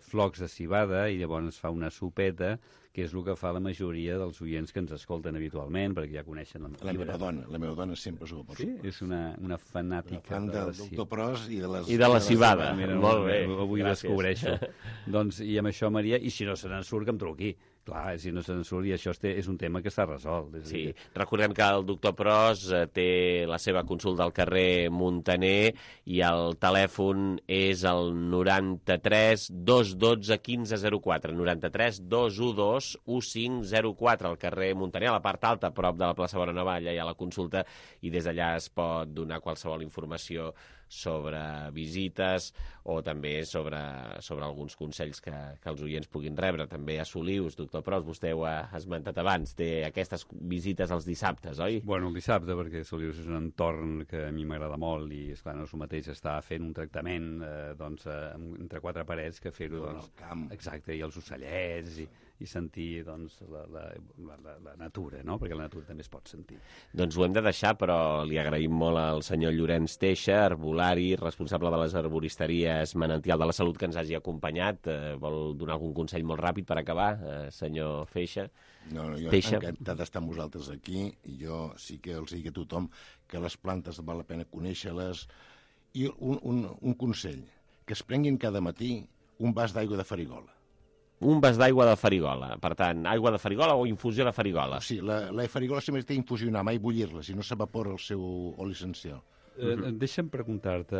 flocs de civada, i llavors fa una sopeta, que és el que fa la majoria dels oients que ens escolten habitualment, perquè ja coneixen la meva dona sempre s'ho posa. Sí? És una fanàtica del doctor Pros i de la civada. Molt bé, avui descobreixo. Doncs, i amb això, Maria, i si no se n'en surt, que em truqui. Clar, si no se'n surt, i això és un tema que està resolt. Sí, recordem que el doctor Pros té la seva consulta al carrer Muntaner i el telèfon és el 93 212 1504, 93 212 1504, al carrer Muntaner, a la part alta, a prop de la plaça Bonanova, allà hi ha la consulta, i des d'allà es pot donar qualsevol informació sobre visites o també sobre alguns consells que els oients puguin rebre. També a Solius, doctor Pros, vostè ho ha esmentat abans, té aquestes visites els dissabtes, oi? Bueno, el dissabte, perquè Solius és un entorn que a mi m'agrada molt i, esclar, no és el mateix estar fent un tractament entre quatre parets que fer-ho al camp. Exacte, i els ocellets i sentir la natura, no? Perquè la natura també es pot sentir. Doncs ho hem de deixar, però li agraïm molt al senyor Llorenç Teixa, herbolari, responsable de les arboristeries Manantial de la Salut, que ens hagi acompanyat. Vol donar algun consell molt ràpid per acabar, senyor Feixa? No, jo encantat d'estar amb vosaltres aquí, i jo sí que els dic a tothom que les plantes val la pena conèixer-les. I un consell, que es prenguin cada matí un vas d'aigua de farigola. un vas d'aigua de farigola. Per tant, aigua de farigola o infusió de farigola. Sí, la farigola sempre té infusionar, mai bullir-la, si no s'evapora el seu oli essencial. Deixa'm preguntar-te,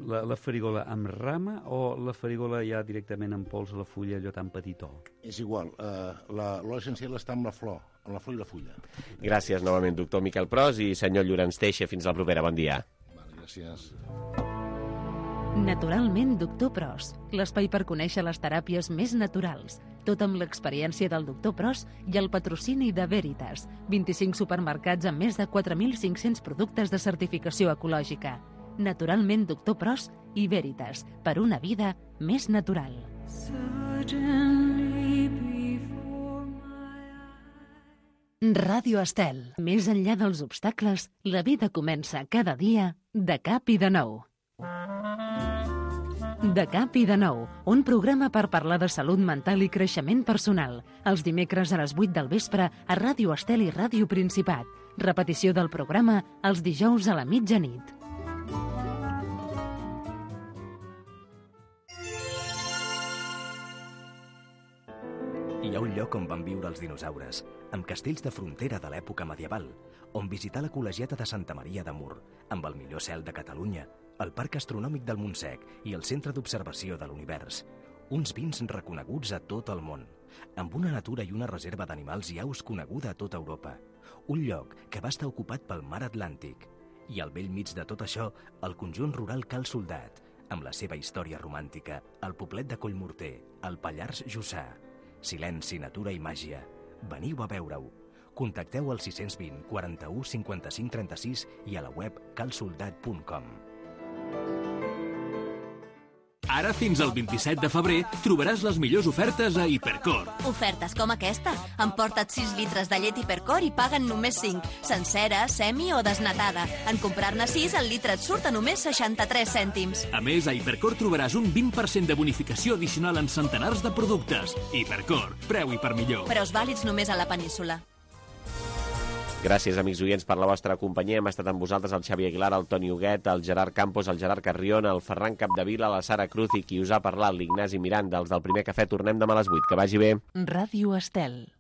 la farigola amb rama o la farigola ja directament en pols a la fulla, allò tan petitó? És igual, l'oli essencial està amb la flor i la fulla. Gràcies novament, doctor Miquel Pros i senyor Llorenç Teixa. Fins la propera, bon dia. Gràcies. Naturalment, doctor Pros, l'espai per conèixer les teràpies més naturals, tot amb l'experiència del doctor Pros i el patrocini de Veritas, 25 supermercats amb més de 4.500 productes de certificació ecològica. Naturalment, doctor Pros i Veritas, per una vida més natural. Ràdio Estel. Més enllà dels obstacles, la vida comença cada dia de cap i de nou. De cap i de nou, un programa per parlar de salut mental i creixement personal. Els dimecres a les 8 del vespre a Ràdio Estel i Ràdio Principat. Repetició del programa els dijous a la mitjanit. Hi ha un lloc on van viure els dinosaures, amb castells de frontera de l'època medieval, on visitar la col·legiata de Santa Maria de Mur, amb el millor cel de Catalunya, el Parc Astronòmic del Montsec i el Centre d'Observació de l'Univers. Uns vins reconeguts a tot el món, amb una natura i una reserva d'animals i aus coneguda a tota Europa. Un lloc que va estar ocupat pel mar Atlàntic. I al bell mig de tot això, el conjunt rural Cal Soldat, amb la seva història romàntica, el poblet de Collmorter, el Pallars Jussà. Silenci, natura i màgia. Veniu a veure-ho. Contacteu al 620 41 55 36 i a la web calsoldat.com. Ara, fins al 27 de febrer, trobaràs les millors ofertes a Hipercor. Ofertes com aquesta. Emporta't 6 litres de llet Hipercor i paguen només 5. Sencera, semi o desnatada. En comprar-ne 6, el litre et surt a només 63 cèntims. A més, a Hipercor trobaràs un 20% de bonificació addicional en centenars de productes. Hipercor, preu i per millor. Preus vàlids només a la península. Gràcies, amics oients, per la vostra companyia. Hem estat amb vosaltres el Xavi Aguilar, el Toni Huguet, el Gerard Campos, el Gerard Carrion, el Ferran Capdevila, la Sara Cruz i qui us ha parlat, l'Ignasi Miranda, els del Primer Cafè. Tornem demà a les 8. Que vagi bé. Ràdio Estel.